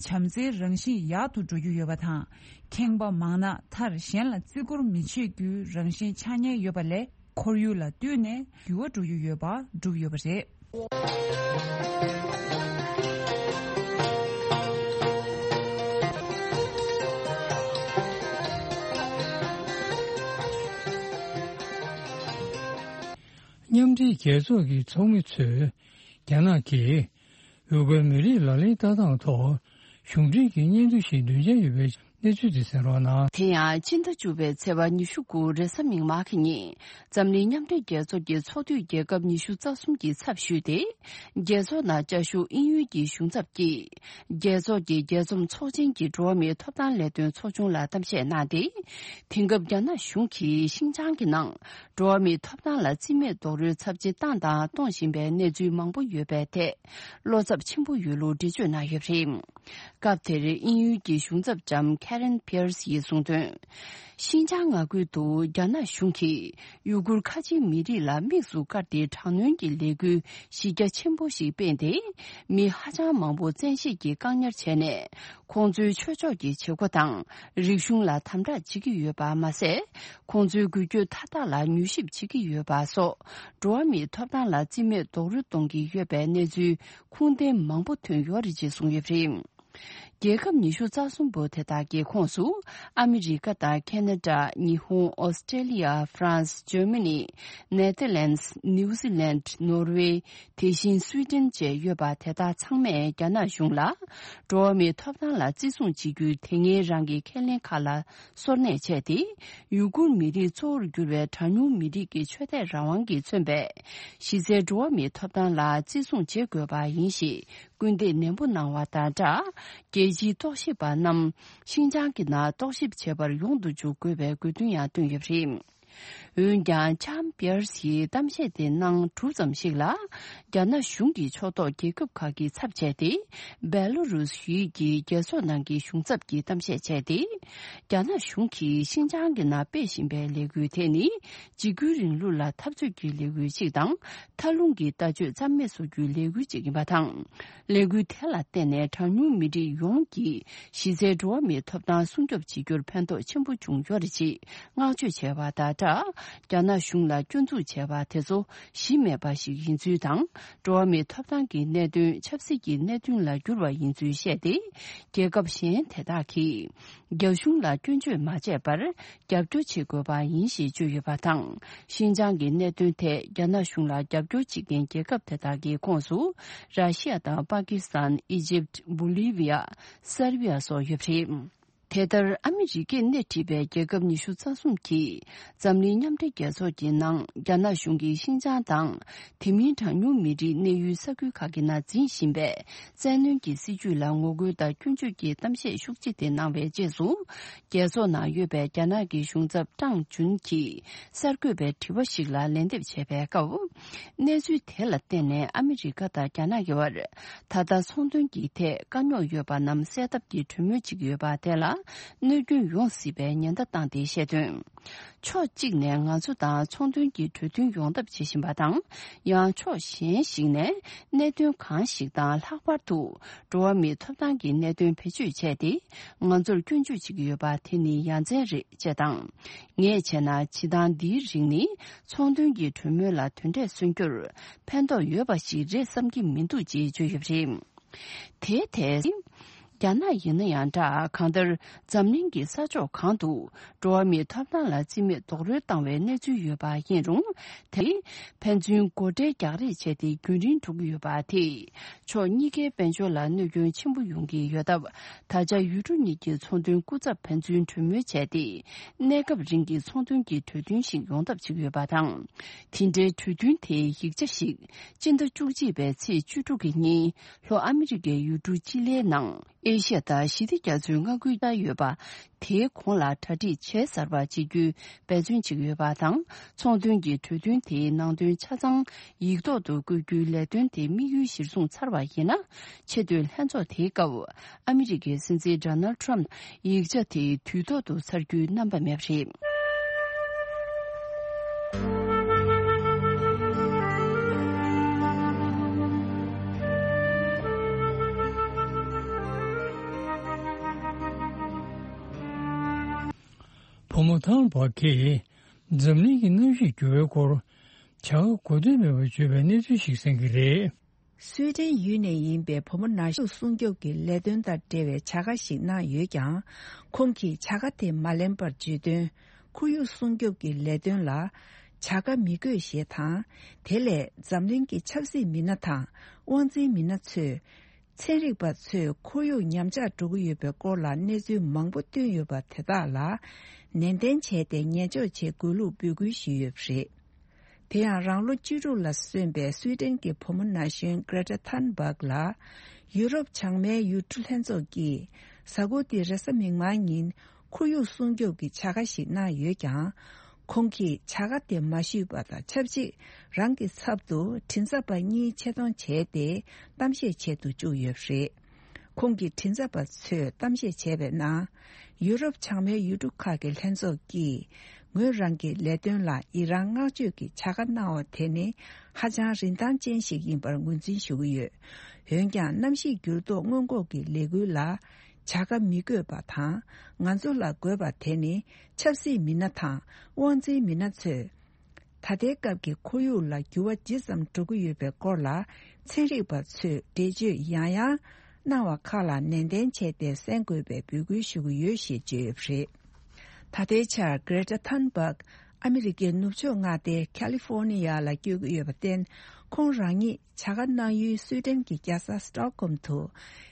བྱམས་བརྩེའི་རང་བཞིན་ཡག་ཏུ་འགྲོ་རྒྱུ་ཡོད་པ་དང་། ཁེངས་པ་མང་ན་མཐར་གཞན་ལ་བརྩི་བཀུར་མི་བྱེད་རྒྱུའི་རང་བཞིན་ཆགས་ཉེན་ཡོད་པ་ལས། ཁོར་ཡུག་ལ་བསྟུན་ནས་འགྱུར་བ་འགྲོ་རྒྱུ་ཡོད་པ་གྲུབ་ཡོད་པ་རེད། མཉམ་འབྲེལ་རྒྱལ་ཚོགས་ཀྱི་ཚོགས་མི་ཚོས་རྒྱ་ནག་གིས་ཡུ་གུར་མི་རིགས་ལག་ལེན་བསྟར་སྟངས་ཐོག་གཞུང་འབྲེལ་གྱི་སྙན་ཐོ་ཞིག་འདོན་འཆར་ཡོད་པའི་གནས་ཚུལ་དེ་གསན་རོགས་གནང་། དེ་ཡང་ཕྱི་ཟླ་བཅུ་པའི་ཚེས་པ་ཉི་ཤུ་དགུ་རེས་གཟའ་མིག་དམར་གྱི་ཉིན། འཛམ་གླིང་མཉམ་འབྲེལ་རྒྱལ་ཚོགས་ཀྱི་ཚོགས་འཐུས་རྒྱལ་ཁབ་ཉི་ཤུ་རྩ་གསུམ་གྱི་ཚབ་ཞུས་ཏེ། རྒྱལ་ཚོགས་ནང་བཅའ་བཞུགས་དབྱིན་ཡུལ་གྱི་གཞུང་ཚབ་ཀྱིས། རྒྱལ་ཚོགས་ཀྱི་རྒྱལ་འཛོམས་ཚོགས་ཆེན་གྱི་འགྲོ་བ་མིའི་ཐོབ་ཐང་ལས་དོན་ཚོགས་ཆུང་ལ་གཏམ་བཤད་གནང་སྟེ། དེང་སྐབས་རྒྱ་ནག་གཞུང་གིས་ཤིན་ཅང་གི་ནང་འགྲོ་བ་མིའི་ཐོབ་ཐང་ལ་བརྩི་མེད་རྡོག་རོལ་ཚབས་ཆེ་བཏང་དང་གཏོང་བཞིན་པའི་གནས་ཚུལ་མང་པོ་ཡོད་པའི་ཐད། བློ་འཚབ་ཆེན་པོ་ཡོད་ལུགས་འགྲེལ་བརྗོད་གནང་ཡོད་པ་རེད། སྐབས་དེར་དབྱིན་ཡུལ་གྱི་གཞུང་ཚབ་ལྕམ་Karen Pierce ཡིས་གསུངས་དོན། ཤིན་ཅང་མངའ་ཁུལ་དུ་རྒྱ་ནག་གཞུང་གིས་ཡུ་གུར་ཁ་ཆེའི་མི་རིགས་ལ་དམིགས་སུ་བཀར་ཏེ་དྲག་གནོན་གྱི་ལས་འགུལ་གཞི་རྒྱ་ཆེན་པོ་ཞིག་སྤེལ་ཏེ། མི་ཧ་ཅང་མང་པོ་བཙན་ཤེད་ཀྱིས་བཀག་ཉར་བྱས་ནས། ཁོང་ཚོའི་ཆོས་ཕྱོགས་ཀྱི་བྱེད་སྒོ་དང་རིག་གཞུང་ལ་དམ་དྲག་བྱེད་ཀྱི་ཡོད་པ་མ་ཟད། ཁོང་ཚོའི་འགུལ་སྐྱོད་མཐའ་དག་ལ་མྱུལ་ཞིབ་བྱེད་ཀྱི་ཡོད་པ་སོགས། འགྲོ་བ་མིའི་ཐོབ་ཐང་ལ་བརྩི་མེད་རྡོག་རོལ་གཏོང་གི་ཡོད་པའི་གནས་ཚུལ་ཁུངས་ལྡན་མང་པོ་ཐོན་ཡོད་རེད་ཅེས་གསུངས་ཡོད་པ་རེད། རྒྱལ་ཁབ་ཉི་ཤུ་རྩ་གསུམ་པོ་དེ་དག་གི་ཁོངས་སུ། ཨ་མི་རི་ཀ་དང་ཁེ་ན་ཌ། ཉི་ཧོང་། ཨོ་སི་ཀྲེ་ལི་ཡ། ཧྥ་རན་སི། ཇར་མ་ནི། ནེ་ཐར་ལེན་སི། ནིའུ་ཛི་ལན། ནོར་ཝེ། དེ་བཞིན་སུའི་ཏན་བཅས་ཡོད་པ་དེ་དག་ཚང་མས་རྒྱ་ནག་གཞུང་ལ། འགྲོ་བ་མིའི་ཐོབ་ཐང་ལ་བརྩི་སྲུང་བྱེད་རྒྱུའི་དེ་སྔའི་རང་གི་ཁས་ལེན་ཁག་ལ་སོར་གནས་བྱས་ཏེ། ཡུ་གུར་མི་རིགས་གཙོ་བོར་གྱུར་བའི་གྲངས་ཉུང་མི་རིགས་ཀྱི་ཆོས་དད་རང་དབང་གིས་མཚོན་པའི་གཞི་རྩའི་འགྲོ་བ་མིའི་ཐོབ་ཐང་ལ་བརྩི་སྲུང་བྱེད་དགོས་པ་ཡིན་ཞེས་སྐུལ་འདེད་ནན་པོ་གནང་བ་དང་སྦྲགས། རྒྱལ་སྤྱིའི་རྟོག་ཞིབ་པ་རྣམས་ཤིན་ཅང་གི་ནང་རྟོག་ཞིབ་བྱེད་པར་ཡོང་དུ་འཇུག་དགོས་པའི་དགོས་འདུན་ཡང་བཏོན་ཡོད་པ་རེད། འོན་ཀྱང་། ལྕམ་པེར་སིའི་གཏམ་བཤད་དེ་གནང་གྲུབ་ཙམ་ཞིག་ལ། རྒྱ་ནག་གཞུང་གི་ཕྱོགས་གཏོགས་རྒྱལ་ཁབ་ཁག་གི་ཚབ་བྱས་ཏེ། སྦེ་ལོ་རུས་ཡུལ་གྱི་རྒྱལ་ཚོགས་ནང་གི་གཞུང་ཚབ་ཀྱིས་གཏམ་བཤད་བྱས་ཏེ། རྒྱ་ནག་གཞུང་གིས་ཤིན་ཅང་གི་ནང་སྤེལ་བཞིན་པའི་ལས་འགུལ་དེ་ནི། འཇིགས་སྐུལ་རིང་ལུགས་ལ་འཐབ་རྩོད་ཀྱི་ལས་འགུལ་ཞིག་དང་། མཐའ་ལྷུང་གི་ལྟ་སྤྱོད་རྩ་མེད་བཟོ་རྒྱུའི་ལས་འགུལ་ཞིག་ཡིན་པ་དང་། ལས་འགུལ་དེ་ལ་བརྟེན་ནས་གྲངས་ཉུང་མི་རིགས་ཡོངས་ཀྱི་གཞི་རྩའི་འགྲོ་བ་མིའི་ཐོབ་ཐང་སྲུང་སྐྱོབ་བྱེད་རྒྱུར་ཕན་ཐོགས་ཆེན་པོ་བྱུང་ཡོད་རེད་ཅེས་བསྔགས་བརྗོད་བྱས་པ་དང་སྦྲགས། རྒྱ་ནག་གཞུང་ལ་སྐྱོན་འཛུགས་བྱས་པ་དེ་ཚོ་གཞི་མེད་པ་ཞིག་ཡིན་ཚུལ་དང་། འགྲོ་བ་མིའི་ཐོབ་ཐང་གི་གནད་དོན་ཆབ་སྲིད་ཀྱི་གནད་དོན་ལ་བསྒྱུར་བ་ཡིན་ཚུལ་བཤད་དེ། རྒྱལ་ཁབ་གཞན་དེ་དག་གིས། རྒྱ་གཞུང་ལ་སྐྱོན་བརྗོད་མ་བྱས་པར་རྒྱབ་སྐྱོར་བྱེད་དགོས་པ་ཡིན་ཞེས་བརྗོད་ཡོད་པ་དང་། ཤིན་ཅང་གི་གནད་དོན་ཐད་རྒྱ་ནག་གཞུང་ལ་རྒྱབ་སྐྱོར་བྱེད་མཁན་རྒྱལ་ཁབ་དེ་དག་གི་ཁོངས་སུ། ར་ཤི་ཡ་དང་པ་ཀི་སི་ཐན། ཨི་ཇིབ། བོ་ལི་བི་ཡ། སར་བི་ཡ་སོགས་ཡོད་པ་རེད། དེ་ལྟར། ཨ་མི་རི་ཀས་སྣེ་ཁྲིད་པའི་རྒྱལ་ཁབ་ཉི་ཤུ་རྩ་གསུམ་གྱིས། འཛམ་གླིང་མཉམ་འབྲེལ་རྒྱལ་ཚོགས་ཀྱི་ནང་། རྒྱ་ནག་གཞུང་གིས་ཤིན་ཅང་དང་། དེ་མིན་གྲངས་ཉུང་མི་རིགས་གནས་ཡུལ་ས་ཁུལ་ཁག་གི་ནང་འཛིན་བཞིན་པའི། བཙན་གནོན་གྱི་སྲིད་བྱུས་ལ་ངོ་རྒོལ་དང་སྐྱོན་བརྗོད་ཀྱི་གཏམ་བཤད་ཤུགས་ཆེ་དེ་གནང་བའི་རྗེས་སུ། རྒྱལ་ཚོགས་ནང་ཡོད་པའི་རྒྱ་ནག་གི་གཞུང་ཚབ་ཀྲང་ཅུན་གྱིས་གསར་འགོད་པའི་དྲི་བ་ཞིག་ལ་ལན་འདེབས་བྱས་པའི་སྐབས། གནས་ཚུལ་དེ་ལ་བརྟེན་ནས་ཨ་མི་རི་ཀ་དང་རྒྱ་ནག་གི་བར་ད་ལྟ་ཚོང་དོན་གྱི་ཐད་དཀའ་རྙོག་ཡོད་པ་རྣམས་སེལ་ཐབས་ཀྱི་གྲོས་མོལ་བྱེད་ཀྱི་ཡོད་པ་དེ་ལ། གནོད་སྐྱོན་ཡོང་སྲིད་པའི་ཉེན་བརྡ་བཏང་སྟེ་བཤད་དོན། ཕྱོགས་གཅིག་ནས་ང་ཚོ་དང་ཚོང་དོན་གྱི་གྲོས་མཐུན་ཡོང་ཐབས་བྱེད་བཞིན་པ་དང་། ཡང་ཕྱོགས་གཞན་ཞིག་ནས་གནད་དོན་གང་ཞིག་དང་ལྷག་པར་དུ་འགྲོ་བ་མིའི་ཐོབ་ཐང་གི་གནད་དོན་བེད་སྤྱོད་བྱས་ཏེ་ང་ཚོར་སྐྱོན་བརྗོད་བྱེད་ཀྱི་ཡོད་པ་དེ་ནི་ཡ་མཚན་རེད་ཅེས་དང་། ངས་བྱས་ན་བྱེད་སྟངས་འདིའི་རིགས་ནི་ཚོང་དོན་གྱི་གྲོས་མོལ་ལ་དོན་འབྲས་སོན་རྒྱུར་ཕན་ཐོགས་ཡོད་པ་ཞིག་རེད་བསམ་གྱི་མི་འདུག་ཅེས་བརྗོད་ཡོད་པ་རེད། དེའི་ཐད། རྒྱ་ནག་ཡིན་ན་ཡང་འདྲ། གང་ལྟར་འཛམ་གླིང་གི་ས་ཕྱོགས་གང་དུ་འགྲོ་བ་མིའི་ཐོབ་ཐང་ལ་རྩིས་མེད་རྡོག་རོལ་བཏང་བའི་གནས་ཚུལ་ཡོད་པ་ཡིན་རུང་། དེ་ཕན་ཚུན་མགོ་ཁྲལ་རྒྱག་རེས་བྱས་ཏེ་རྒྱུན་རིང་འགྲོ་གི་ཡོད་པ་དེས་ཕྱོགས་གཉིས་ཀའི་དཔལ་འབྱོར་ལ་གནོད་སྐྱོན་ཆེན་པོ་ཡོང་གི་ཡོད་སྟབས། ད་ཆ་ཡུལ་གྲུ་གཉིས་ཀྱི་ཚོང་དོན་སྐུ་ཚབ་ཕན་ཚུན་གྲོས་མོལ་བྱས་ཏེ། གནས་སྐབས་རིང་གི་ཚོང་དོན་གྱི་གྲོས་མཐུན་ཞིག་ཡོང་ཐབས་བྱེད་ཀྱི་ཡོད་པ་དང་། དེ་འབྲེལ་གྲོས་མཐུན་དེའི་ཡིག་ཆ་ཞིག་སྤྱི་ཟླ་བཅུ་གཅིག་པའི་ཚེས་བཅུ་དྲུག་གི་ཉིན། ལྷོ་ཨ་མི་རི་ཀའི་ཡུལ་གྲུ་ཅི་ལིའི་ནང་ཨེ་ཤ་ཡ་དང་ཞི་བདེ་རྒྱ་མཚོའི་མངའ་ཁུལ་ལ་ཡོད་པ། དེའི་གོང་ལ་གྲ་སྒྲིག་བྱས་ཚར་བ་བྱེད་རྒྱུའི་འབད་བརྩོན་བྱེད་ཀྱི་ཡོད་པ་དང་། ཚོང་དོན་གྱི་གྲོས་མཐུན་དེའི་ནང་དོན་ཆ་ཚང་ཡིག་ཐོག་ཏུ་བཀོད་རྒྱུའི་ལས་དོན་དེ་དམིགས་ཡུལ་གཞིར་བཟུང་ཚར་བ་ཡིན་ན། ཆེས་མཐོའི་ལྷན་ཚོགས་དེའི་སྐབས་ཨ་མི་རི་ཀའི་སྲིད་འཛིན་ཌོ་ནལ་ཊམ་ཡིག་ཆ་དེ་དུས་ཐོག་ཏུ་ཚར་རྒྱུའི་རྣམ་པ་མེད་པ་རེད། བུ་མོ་ཐང་བ་གིས་འཛམ་གླིང་གི་གནམ་གཤིས་འགྱུར་བའི་སྐོར་བྱ་དགའ་གོ་ཐོས་མེད་པར་བརྗོད་པའི་གནས་ཚུལ་ཞིག་གསན་གྱི་རེད། སུའེ་ཏེན་ཡུལ་ནས་ཡིན་པའི་བུ་མོ་ན་གཞོན་སྲུང་སྐྱོབ་ཀྱི་ལས་དོན་དང་འབྲེལ་བའི་བྱ་དགའ་ཞིག་གནང་ཡོད་ཀྱང་། ཁོང་གིས་བྱ་དགའ་དེ་མ་ལེན་པར་བརྗོད་དོན། ཁོར་ཡུག་སྲུང་སྐྱོབ་ཀྱི་ལས་དོན་ལ་བྱ་དགའ་མི་དགོས་ཞེས་དང་། དེ་ལས་འཛམ་གླིང་གི་ཆབ་སྲིད་མི་སྣ་དང་དབང་འཛིན་མི་སྣ་ཚོས། ཚན་རིག་པ་ཚོས་ཁོར་ཡུག་ཉམས་ཆག་འགྲོ་གི་ཡོད་པའི་སྐོར་ལ་གནས་ཚུལ་མང་པོ་བཏོན་ཡོད་པ་དེ་དག་ལ་ནན་ཏན་བྱས་ཏེ་ཉེས་འཇོག་བྱེད་དགོས་ལུགས་འབོད་སྐུལ་ཞུས་ཡོད་པ་རེད། དེ་ཡང་རང་ལོ་བཅུ་དྲུག་ལ་སོན་པའི་སུའེ་ཏེན་གྱི་བུ་མོ་ན་གཞོན་Greta Thunberg ལ་ཡུ་རོབ་བྱང་མའི་ཡུལ་གྲུ་ལྷན་ཚོགས་ཀྱིས་གཟའ་འཁོར་འདིའི་རེས་གཟའ་མིག་དམར་ཉིན་ཁོར་ཡུག་སྲུང་སྐྱོབ་ཀྱི་བྱ་དགའ་ཞིག་གནང་ཡོད་ཀྱང་། ཁོང་གིས་བྱ་དགའ་དེ་མ་ཞུས་པ་དང་ཆབས་ཅིག་རང་གི་ཚབ་ཏུ་མགྲིན་ཚབ་པ་གཉིས་ཆེད་གཏོང་བྱས་ཏེ་གཏམ་བཤད་བྱེད་དུ་བཅུག་ཡོད་པ་རེད། ཁོང་གི་མགྲིན་ཚབ་པ་ཚོས་གཏམ་བཤད་བྱས་པའི་ནང་། ཡུ་རོབ་བྱང་མའི་ཡུལ་གྲུ་ཁག་གི་ལྷན་ཚོགས་ཀྱིས་ངོས་རང་གི་ལས་དོན་ལ་ཡི་རང་བསྔགས་བརྗོད་ཀྱི་བྱ་དགའ་གནང་བ་དེ་ནི་ཧ་ཅང་རིན་ཐང་ཅན་ཞིག་ཡིན་པར་ངོས་འཛིན་ཞུ་གི་ཡོད། འོན་ཀྱང་གནམ་གཤིས་འགྱུར་ལྡོག་སྔོན་འགོག་གི་ལས་འགུལ་ལ་བྱ་དགའ་མི་དགོས་པ་དང་། ང་ཚོ་ལ་དགོས་པ་དེ་ནི་ཆབ་སྲིད་མི་སྣ་དང་དབང་འཛིན་མི་སྣ་ཚོས། ད་ལྟའི་སྐབས་ཀྱི་ཁོར་ཡུག་ལ་འགྱུར་བ་ཇི་ཙམ་འགྲོ་གི་ཡོད་པའི་སྐོར་ལ་ཚན་རིག་པ་ཚོས་འགྲེལ་བརྗོད་ཡང་ཡང་གནང་བ་ཁག་ལ་ནན་ཏན་བྱས་ཏེ་གསན་དགོས་པའི་འབོད་སྐུལ་ཞུ་གི་ཡོད་ཞེས་བརྗོད་ཡོད་པ་རེད། ད་ལྟའི་ཆར་Greta Thunberg ཨ་མི་རི་ཀའི་ནུབ་ཕྱོགས་མངའ་སྡེ་California ལ་བསྐྱོད་ཀྱི་ཡོད་པར་བརྟེན། ཁོང་རང་ཉིད་བྱ་དགའ་གནང་ཡུལ་སུའེ་ཏེན་གྱི་རྒྱལ་ས་Stockholm དུ་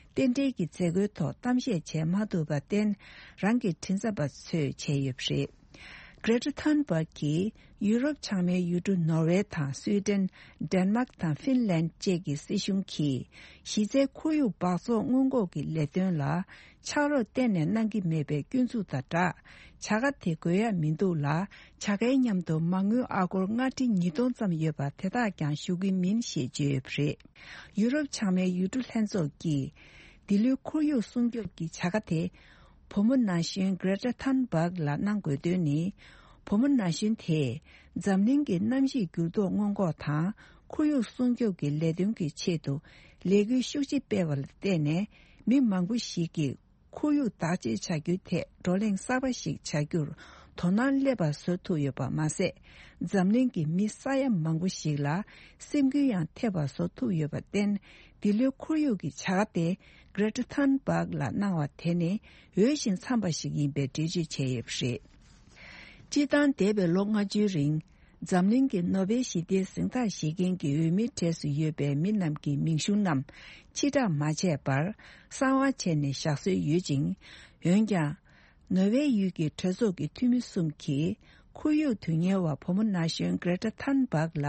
རྟེན་འབྲེལ་གྱི་མཛད་སྒོའི་ཐོག་གཏམ་བཤད་བྱས་མ་ཐུབ་པར་བརྟེན། རང་གི་མགྲིན་ཚབ་པ་ཚོས་བྱས་ཡོད་པ་རེད། Greta Thunberg གིས་ཡུ་རོབ་བྱང་མའི་ཡུལ་གྲུ་ནོར་ཝེ་དང་སུའེ་ཏེན། ཌེན་མཱག་དང་ཧྥིན་ལན་བཅས་ཀྱི་སྲིད་གཞུང་གིས་གཞི་རྩའི་ཁོར་ཡུག་སྦགས་བཙོག་སྔོན་འགོག་གི་ལས་དོན་ལ་ཕྱག་རོགས་གཏན་ནས་གནང་གི་མེད་པའི་སྐྱོན་འཛུགས་དང་སྦྲགས། བྱ་དགའ་དེ་དགོས་ཡ་མི་འདུག་ལ། བྱ་དགའི་མཉམ་དུ་མ་དངུལ་ཨ་སྒོར་ལྔ་ཁྲི་ཉིས་སྟོང་ཙམ་ཡོད་པ་དེ་དག་ཀྱང་ཞུ་གི་མིན་ཞེས་བརྗོད་ཡོད་པ་རེད། ཡུ་རོབ་བྱང་མའི་ཡུལ་གྲུ་ལྷན་ཚོགས་ཀྱིས་འདི་ལོའི་ཁོར་ཡུག་སྲུང་སྐྱོབ་ཀྱི་བྱ་དགའ་དེ། བུ་མོ་ན་གཞོན་Greta Thunberg ལ་གནང་དགོས་དོན་ནི། བུ་མོ་ན་གཞོན་དེས་འཛམ་གླིང་གི་གནམ་གཤིས་འགྱུར་ལྡོག་སྔོན་འགོག་དང་ཁོར་ཡུག་སྲུང་སྐྱོབ་ཀྱི་ལས་དོན་གྱི་ཆེད་དུ་ལས་འགུལ་ཤུགས་ཆེ་སྤེལ་བ་ལ་བརྟེན་ནས། མི་མང་པོ་ཞིག་གིས་ཁོར་ཡུག་བདག་གཅེས་བྱ་རྒྱུའི་ཐད་བགྲོ་གླེང་གསར་པ་ཞིག་བྱ་རྒྱུར་དོ་སྣང་སླེབས་པ་བཟོ་ཐུབ་ཡོད་པ་མ་ཟད། འཛམ་གླིང་གི་མི་ས་ཡ་མང་པོ་ཞིག་ལ་སེམས་འགུལ་ཡང་ཐེབས་པ་བཟོ་ཐུབ་ཡོད་པར་བརྟེན། འདི་ལོའི་ཁོར་ཡུག་གི་བྱ་དགའ་དེ་Greta Thunberg ལ་གནང་བ་དེ་ནི་འོས་ཤིང་འཚམས་པ་ཞིག་ཡིན་པའི་འགྲེལ་བརྗོད་བྱས་ཡོད་པ་རེད། སྤྱིར་བཏང་འདས་པའི་ལོ་ལྔ་བཅུའི་རིང་འཛམ་གླིང་གི་ནོ་བེལ་ཞི་བདེའི་གཟེངས་རྟགས་བཞེས་མཁན་གྱི་འོས་མིའི་གྲས་སུ་ཡོད་པའི་མི་རྣམས་ཀྱི་མིང་གཞུང་རྣམས་ཕྱིར་བསྒྲགས་མ་བྱས་པར་གསང་བ་བྱས་ནས་བཞག་སྲོལ་ཡོད་ཅིང་། འོན་ཀྱང་། ནོར་ཝེ་ཡུལ་གྱི་གྲོས་ཚོགས་ཀྱི་འཐུས་མི་གསུམ་གྱིས་ཁོར་ཡུག་དོན་གཉེར་བ་བུ་མོ་ན་གཞོན་Greta Thunberg ལ་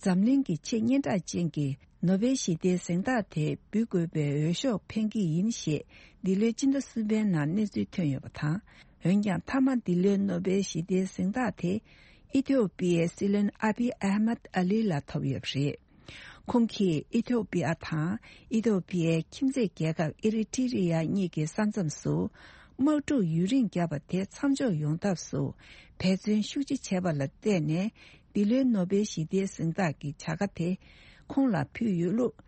འཛམ་གླིང་གི་ཆེས་སྙན་གྲགས་ཅན་གྱི་ནོ་བེལ་ཞི་བདེའི་གཟེངས་རྟགས་དེ་འབུལ་དགོས་པའི་འོས་ཤོག་འཕེན་གྱི་ཡིན་ཞེས་འདི་ལོའི་སྤྱི་ཟླ་གསུམ་པའི་ནང་གནས་ཚུལ་ཐོན་ཡོད་པ་དང་། འོན་ཀྱང་མཐའ་མ་འདི་ལོའི་ནོ་བེལ་ཞི་བདེའི་གཟེངས་རྟགས་དེ་ཨི་ཐོ་པི་ཡའི་སྲིད་བློན་ཨ་བི་ཨ་མད་ཨ་ལི་ལ་ཐོབ་ཡོད་པ་རེད། ཁོང་གིས་ཨི་ཐོ་པི་ཡ་དང་ཨི་ཐོ་པི་ཡའི་ཁྱིམ་མཚེས་རྒྱལ་ཁབ་ཨི་རི་ཊི་རི་ཡ་གཉིས་ཀྱི་ས་མཚམས་སུ་ དམག་འཁྲུག་ཡུན་རིང་བརྒྱབ་པ་དེ་མཚམས་འཇོག་ཡོང་ཐབས་སུ་འབད་བརྩོན་ཤུགས་ཆེ་བྱས་པ་ལ་བརྟེན་ནས། འདི་ལོའི་ནོ་སྦེལ་ཞི་བདེའི་གཟེངས་རྟགས་ཀྱི་བྱ་དགའ་དེ་ཁོང་ལ་ཕུལ་ཡོད་ལུགས།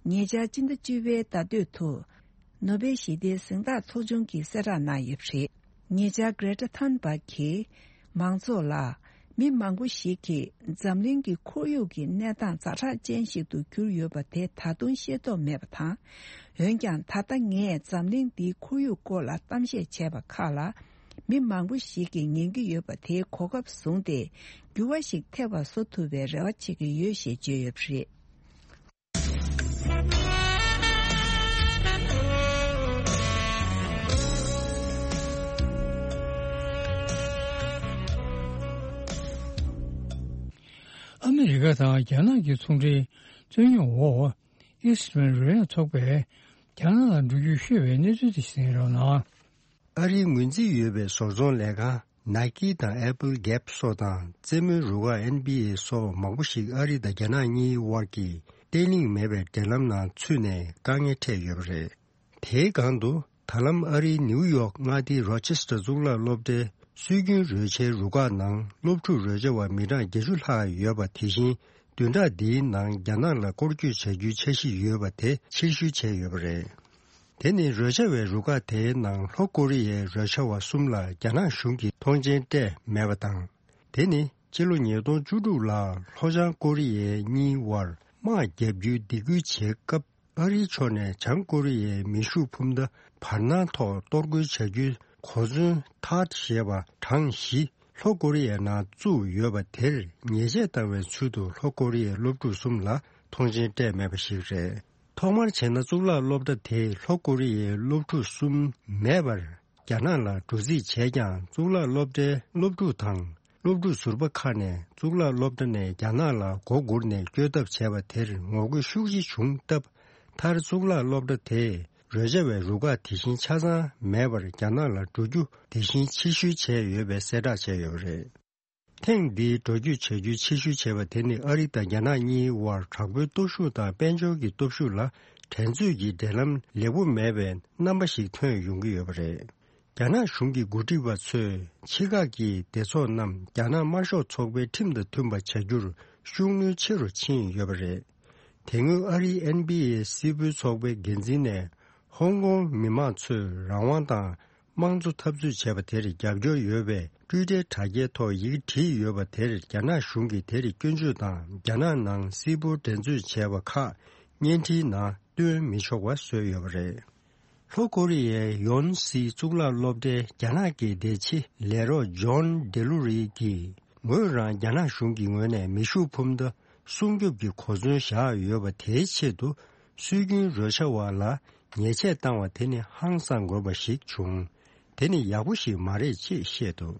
ཉེ་ཆར་སྤྱི་ཟླ་བཅུ་པའི་ཟླ་སྟོད་དུ། ནོ་སྦེལ་ཞི་བདེའི་གཟེངས་རྟགས་ཚོགས་ཆུང་གིས་གསལ་བསྒྲགས་གནང་ཡོད་པ་རེད། ཉེ་ཆར་གྷི་རེ་ཊ་ཐན་བྷག་གིས་མང་ཚོགས་ལ། མི་མང་པོ་ཞིག་གིས་འཛམ་གླིང་གི་ཁོར་ཡུག་གི་གནས་སྟངས་ཛ་དྲག་ཅན་ཞིག་ཏུ་གྱུར་ཡོད་པ་དེ་ད་དུང་ཤེས་རྟོགས་མེད་པ་དང་། འོན་ཀྱང་ད་ལྟ་ངས་འཛམ་གླིང་འདིའི་ཁོར་ཡུག་སྐོར་ལ་གཏམ་བཤད་བྱས་པ་ཁག་ལ། མི་མང་པོ་ཞིག་གིས་ཉན་གྱི་ཡོད་པ་དེའི་གོ་སྐབས་བཟུང་སྟེ། འགྱུར་བ་ཞིག་ཐེབས་པ་བཟོ་ཐུབ་པའི་རེ་བ་བྱེད་ཀྱི་ཡོད་ཞེས་བརྗོད་ཡོད་པ་རེད། ཨ་མི་རི་ཀ་དང་རྒྱ་ནག་གི་ཚོང་འབྲེལ་རྩོད་རྙོག་འོག་ཨིས་ཊི་མན་རོལ་དབྱངས་ཚོགས་པས་རྒྱ་ནག་ལ་འགྲོ་རྒྱུ་ཤོར་བའི་གནས་ཚུལ་དེ་གསན་རོགས་གནང་། ཨ་རིའི་ངོས་འཛིན་ཡོད་པའི་བཟོ་ཚོང་ལས་ཁང་Nike་དང་Apple་Gap་སོགས་དང་རྩེད་མོའི་རུ་ཁག་N B A་སོགས་མང་པོ་ཞིག་ཨ་རི་དང་རྒྱ་ནག་གཉིས་དབར་གྱི་བརྟན་ལྷིང་མེད་པའི་འབྲེལ་ལམ་ནང་ཚུད་ནས་དཀའ་ངལ་འཕྲད་ཡོད་པ་རེད། དེའི་སྒང་དུ་ད་ལམ་ཨ་རིའི་ནིའུ་ཡོག་མངའ་སྡེའི་རོ་ཆེ་སི་ཊར་གཙུག་ལག་སློབ་གྲྭའི་སྲོལ་རྒྱུན་རོལ་ཆའི་རུ་ཁག་ནང་སློབ་ཕྲུག་རོལ་ཆ་བ་མི་གྲངས་བརྒྱད་ཅུ་ལྷག་ཡོད་པ། དེ་བཞིན་བདུན་ཕྲག་འདིའི་ནང་རྒྱ་ནག་ལ་སྐོར་སྐྱོད་བྱ་རྒྱུའི་འཆར་གཞི་ཡོད་པ་དེ་ཕྱིར་བཤོལ་བྱས་ཡོད་པ་རེད། དེ་ནི་རོལ་ཆ་བའི་རུ་ཁག་དེའི་ནང་ལྷོ་ཀོ་རི་ཡའི་རོལ་ཆ་བ་གསུམ་ལ་རྒྱ་ནག་གཞུང་གིས་ཐོངས་མཆན་སྤྲད་མེད་པ་དང་། དེ་ནི་ཕྱི་ལོ་ཉིས་སྟོང་བཅུ་དྲུག་ལ་ལྷོ་བྱང་ཀོ་རི་ཡའི་གཉིས་དབར་དམག་བརྒྱབ་རྒྱུའི་སྡིགས་སྐུལ་བྱེད་སྐབས། ཨ་རིའི་ཕྱོགས་ནས་བྱང་ཀོ་རི་ཡའི་མེ་ཤུགས་འཕུར་མདའ་བར་སྣང་ཐོག་གཏོར་རྒོལ་བྱ་རྒྱུའི་གོ་མཚོན་ཐཱད་ཞེས་པ་གྲངས་བཞི་ལྷོ་ཀོ་རི་ཡའི་ནང་བཙུགས་ཡོད་པ་དེར་ཉེས་ཆད་བཏང་བའི་ཚུལ་དུ་ལྷོ་ཀོ་རི་ཡའི་སློབ་ཕྲུག་གསུམ་ལ་ཐོངས་མཆན་སྤྲད་མེད་པ་ཞིག་རེད། ཐོག་མར་བྱས་ན་གཙུག་ལག་སློབ་གྲྭ་དེས་ལྷོ་ཀོ་རི་ཡའི་སློབ་ཕྲུག་གསུམ་མེད་པར་རྒྱ་ནག་ལ་འགྲོ་རྩིས་བྱས་ཀྱང་། གཙུག་ལག་སློབ་གྲྭའི་སློབ་ཕྲུག་དང་། སློབ་ཕྲུག་ཟུར་པ་ཁག་ནས་གཙུག་ལག་སློབ་གྲྭ་ནས་རྒྱ་ནག་ལ་མགོ་སྒུར་ནས་བསྐྱོད་ཐབས་བྱས་པ་དེར་ངོ་རྒོལ་ཤུགས་ཆེ་བྱུང་སྟབས། མཐར་གཙུག་ལག་སློབ་གྲྭ་དེས་རོལ་ཆ་བའི་རུ་ཁག་དེ་བཞིན་ཆ་ཚང་མེད་པར་རྒྱ་ནག་ལ་འགྲོ་རྒྱུ་དེ་བཞིན་ཕྱིར་བཤོལ་བྱས་ཡོད་པའི་གསལ་བསྒྲགས་བྱས་ཡོད་པ་རེད། ཐེངས་འདིའི་འགྲོ་སྐྱོད་བྱ་རྒྱུའི་ཕྱིར་བཤོལ་བྱས་པ་དེ་ནི་ཨ་རི་དང་རྒྱ་ནག་གཉིས་དབར་དྲག་པོའི་སྟོབས་ཤུགས་དང་དཔལ་འབྱོར་གྱི་སྟོབས་ཤུགས་ལ་འགྲན་རྩོད་ཀྱི་འབྲེལ་ལམ་ལེགས་པོ་མེད་པའི་རྣམ་པ་ཞིག་ཐོན་ཡོང་གི་ཡོད་པ་རེད། རྒྱ་ནག་གཞུང་གི་འགོ་ཁྲིད་པ་ཚོས་ཕྱི་ཁག་གི་སྡེ་ཚོགས་རྣམས་རྒྱ་ནག་དམར་ཤོག་ཚོགས་པའི་ཁྲིམས་དང་མཐུན་པ་བྱ་རྒྱུར་ཤུགས་སྣོན་ཆེ་རུ་ཕྱིན་ཡོད་པ་རེད། དེ་སྔོན་ཨ་རིའི་ཨེན་བྷི་ཨེ་སིལ་སྤོལ་ཚོགས་པའི་འགན་འཛིན་ནས་ཧོང་ཀོང་མི་མང་ཚོས་རང་དབང་དང་དམངས་གཙོ་འཐབ་རྩོད་བྱས་པ་དེར་རྒྱབ་སྐྱོར་ཡོད་པའི་ཊུའི་ཊར་དྲ་རྒྱའི་ཐོག་ཡི་གེ་བྲིས་ཡོད་པ་དེར་རྒྱ་ནག་གཞུང་གིས་དེར་སྐྱོན་བརྗོད་དང་། རྒྱ་ནག་ནང་སིལ་སྤོལ་འགྲན་རྩོད་བྱས་པ་ཁག་བརྙན་འཕྲིན་ནང་སྟོན་མི་ཆོག་པ་བཟོས་ཡོད་པ་རེད། ལྷོ་ཀོ་རི་ཡའི་ཡོན་སི་གཙུག་ལག་སློབ་གྲྭའི་རྒྱ་ནག་གི་བདེ་ཆེ་ལས་རོགས་ཇོན་ཌེ་ལུ་རི་གིས། ངོས་རང་རྒྱ་ནག་གཞུང་གི་ངོས་ནས་མེ་ཤུགས་འཕུར་མདའ་སྲུང་སྐྱོབ་ཀྱི་གོ་མཚོན་བཞག་ཡོད་པ་དེའི་ཆེད་དུ་སྲོལ་རྒྱུན་རོལ་ཆ་བ་ལ་ཉེས་ཆད་བཏང་བ་དེ་ནི་ཧང་སང་དགོས་པ་ཞིག་བྱུང་། དེ་ནི་ཡག་པོ་ཞིག་མ་རེད་ཅེས་བཤད་འདུག།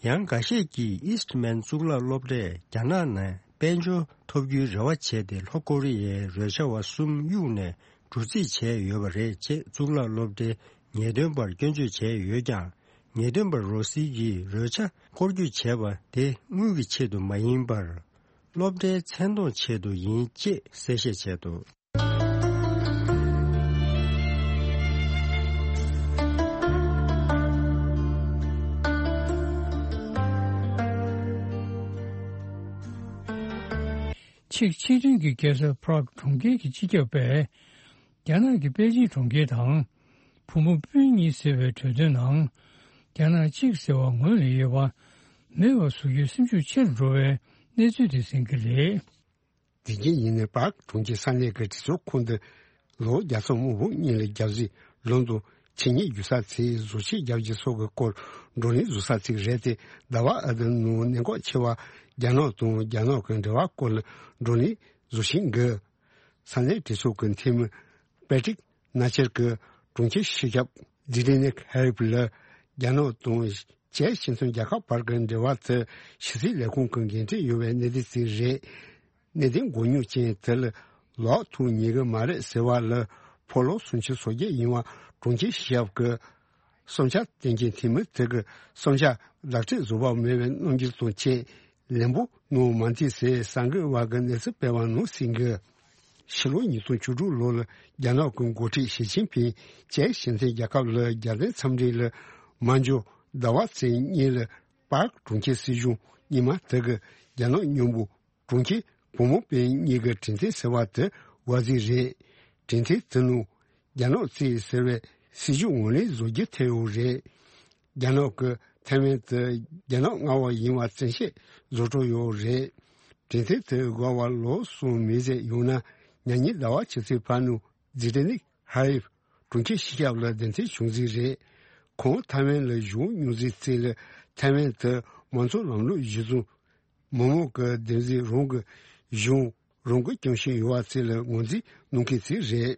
ཡང་འགའ་ཤས་ཀྱིས་ཨིས་ཊི་མན་གཙུག་ལག་སློབ་གྲྭས་རྒྱ་ནག་ནས་དཔལ་འབྱོར་ཐོབ་རྒྱུའི་རེ་བ་བྱས་ཏེ། ལྷོ་ཀོ་རི་ཡའི་རོལ་ཆ་བ་གསུམ་གཡུགས་ནས་འགྲོ་རྩིས་བྱས་ཡོད་པ་རེད་ཅེས་གཙུག་ལག་སློབ་གྲྭའི་ངེས་སྟོན་པར་སྐྱོན་བརྗོད་བྱས་ཡོད་ཀྱང་། ངེས་སྟོན་པ་རོ་སི་ཡིས་རོལ་ཆ་སྐོར་སྐྱོད་བྱས་པ་དེ་དངུལ་གྱི་ཆེད་དུ་མ་ཡིན་པར། སློབ་གྲྭའི་མཚན་མཐོང་ཆེད་དུ་ཡིན་ཅེས་གསལ་བཤད་བྱས་འདུག། ཆེག་སྤྱི་མཐུན་གྱི་རྒྱལ་ས་པ་རག་གྲོང་ཁྱེར་གྱི་སྤྱི་ཁྱབ་པས། རྒྱ་ནག་གི་པེ་ཅིན་གྲོང་ཁྱེར་དང་། བུ་མོ་སྤུན་གཉིས་ཟེར་བའི་གྲོས་མཐུན་ནང་། རྒྱ་ནག་གཅིག་ཟེར་བ་ངོས་ལེན་ཡོད་པ་མེད་པ་བཟོ་རྒྱུའི་སེམས་ཤུགས་ཆེ་རུ་འགྲོ་བའི་གནས་ཚུལ་དེ་གསན་གྱི་རེད། དེ་རྗེས་ཉིན་ནས་པཱག་གྲོང་ཁྱེར་ས་གནས་ཀྱི་གྲོས་ཚོགས་ཁོངས་འདི་ལོ་བརྒྱ་ཚོ་མང་པོ་སྔོན་ལ་རྒྱལ་སྲིད་ལོན་དུ་ཆེད་གཉེར་རྒྱུ་ས་ཚིགས་བཟོ་བྱེད་རྒྱག་རྒྱུ་སོགས་ཀྱི་སྐོར་བགྲོ་གླེང་བཟོ་ས་ཚིགས་རེད་དེ། ཟླ་བ་ཨ་དི་ནང་གནད་འགག་ཆེ་བ་རྒྱ་ནག་དང་རྒྱ་ནག་གི་འབྲེལ་བ་སྐོར་ལ་བགྲོ་གླེང་བཟོ་བཞིན་གི། ས་གནས་གྲོས་ཚོགས་ཀྱི་འཐུས་མི་པེ་ཏྲིག་ནཱ་ཆེར་གྱིས་གྲོང་ཁྱེར་སྤྱི་ཁྱབ་ཛི་ཏི་ནེག་ཧེ་རིབ་ལ་རྒྱ་ནག་དང་བྱེས་སྤྱི་མཐུན་རྒྱལ་ཁབ་བར་གྱི་འབྲེལ་བ་དེ་ཕྱི་སྲིད་ལས་ཁུངས་ཀྱི་འགན་འཁྲི་ཡོད་པའི་གནད་དོན་ཞིག་རེད། གནད་དོན་མགོ་རྙོག་ཅན་དེ་ལ་ལོག་ཐུག་ཉན་གྱི་མ་རེད་ཟེར་བ་ལ་ཕོ་ལོ་སུམ་ཅུ་སོ་བརྒྱད་ཡིན་པ་གྲོང་ཁྱེར་སྤྱི་ཁྱབ་ཀྱི་བསམ་འཆར་བསྟན་མཁན་འཐུས་མི་དེ་གི་བསམ་འཆར་ལག་བྲིས་བཟོ་བ་མེད་པའི་རྣམ་འགྱུར་དང་བཅས་ལན་པོ་གནང་མ་འདུག་ཟེར་གསར་འགོད་པ་གིས་གནས་ཚུལ་སྤེལ་བ་ནང་གསུངས་གི། ཕྱི་ལོ་ཉིས་སྟོང་བཅུ་དྲུག་ལོ་ལ་རྒྱ་ནག་གི་འགོ་ཁྲིད་ཞི་ཅིན་ཕིང་ཅེ་ཞི་མཐུན་རྒྱལ་ཁབ་ལ་རྒྱལ་བསྟན་འཚམས་འདྲི་ལ་མ་འཇོག་ཟླ་བ་ཚེས་གཉིས་ལ་པཱརྐ་གྲོང་ཁྱེར་སྲིད་གཞུང་ཉི་མ་དེ་གི་རྒྱ་ནག་མཉམ་པོ་གྲོང་ཁྱེར་བུ་མོ་པའི་གཉིས་ཀྱི་གྲོས་མཐུན་ཟེར་བ་དེ་བར་ཟིག་རེད། གྲོས་མཐུན་དེ་ནང་རྒྱ་ནག་གཙོས་ཟེར་བའི་སྲིད་ཇུས་ངོས་ལེན་བཟོ་རྒྱུ་ཐེ་ཡོད་རེད། རྒྱ་ནག་གི་ཐའེ་ཝན་དེ་རྒྱ་ནག་མངའ་འོག་ཡིན་པ་བཙན་ཤེད་བཟོ་འགྲོ་ཡོད་རེད། གྲོས་མཐུན་དེ་འགོར་བ་ལོ་གསུམ་མིན་ཟེར་ཡོང་ན་ཉ་ཉིན་ཟླ་བ་ཕྱི་ཚེས་ཕར་ནུ་ཛི་ཏེ་ནིག་ཧ་རིབ་གྲོང་ཁྱེར་སྤྱི་ཁྱབ་ལ་གདན་འདྲེན་བྱུང་ཟིག་རེད། ཁོང་ཐའེ་ཝན་ལ་བཞུགས་མྱོང་ཟིག་ཚེ་ལ་ཐའེ་ཝན་དེ་མང་གཙོ་ལམ་ལུགས་གཞི་བཟུང་མི་མང་གི་བདེན་འཛིན་རང་གི་གཞུང་རང་གི་སྐྱོང་བཞིན་ཡོད་པ་ཚོ་ལ་ངོས་འཛིན་གནང་མཁན་ཚོ་རེད།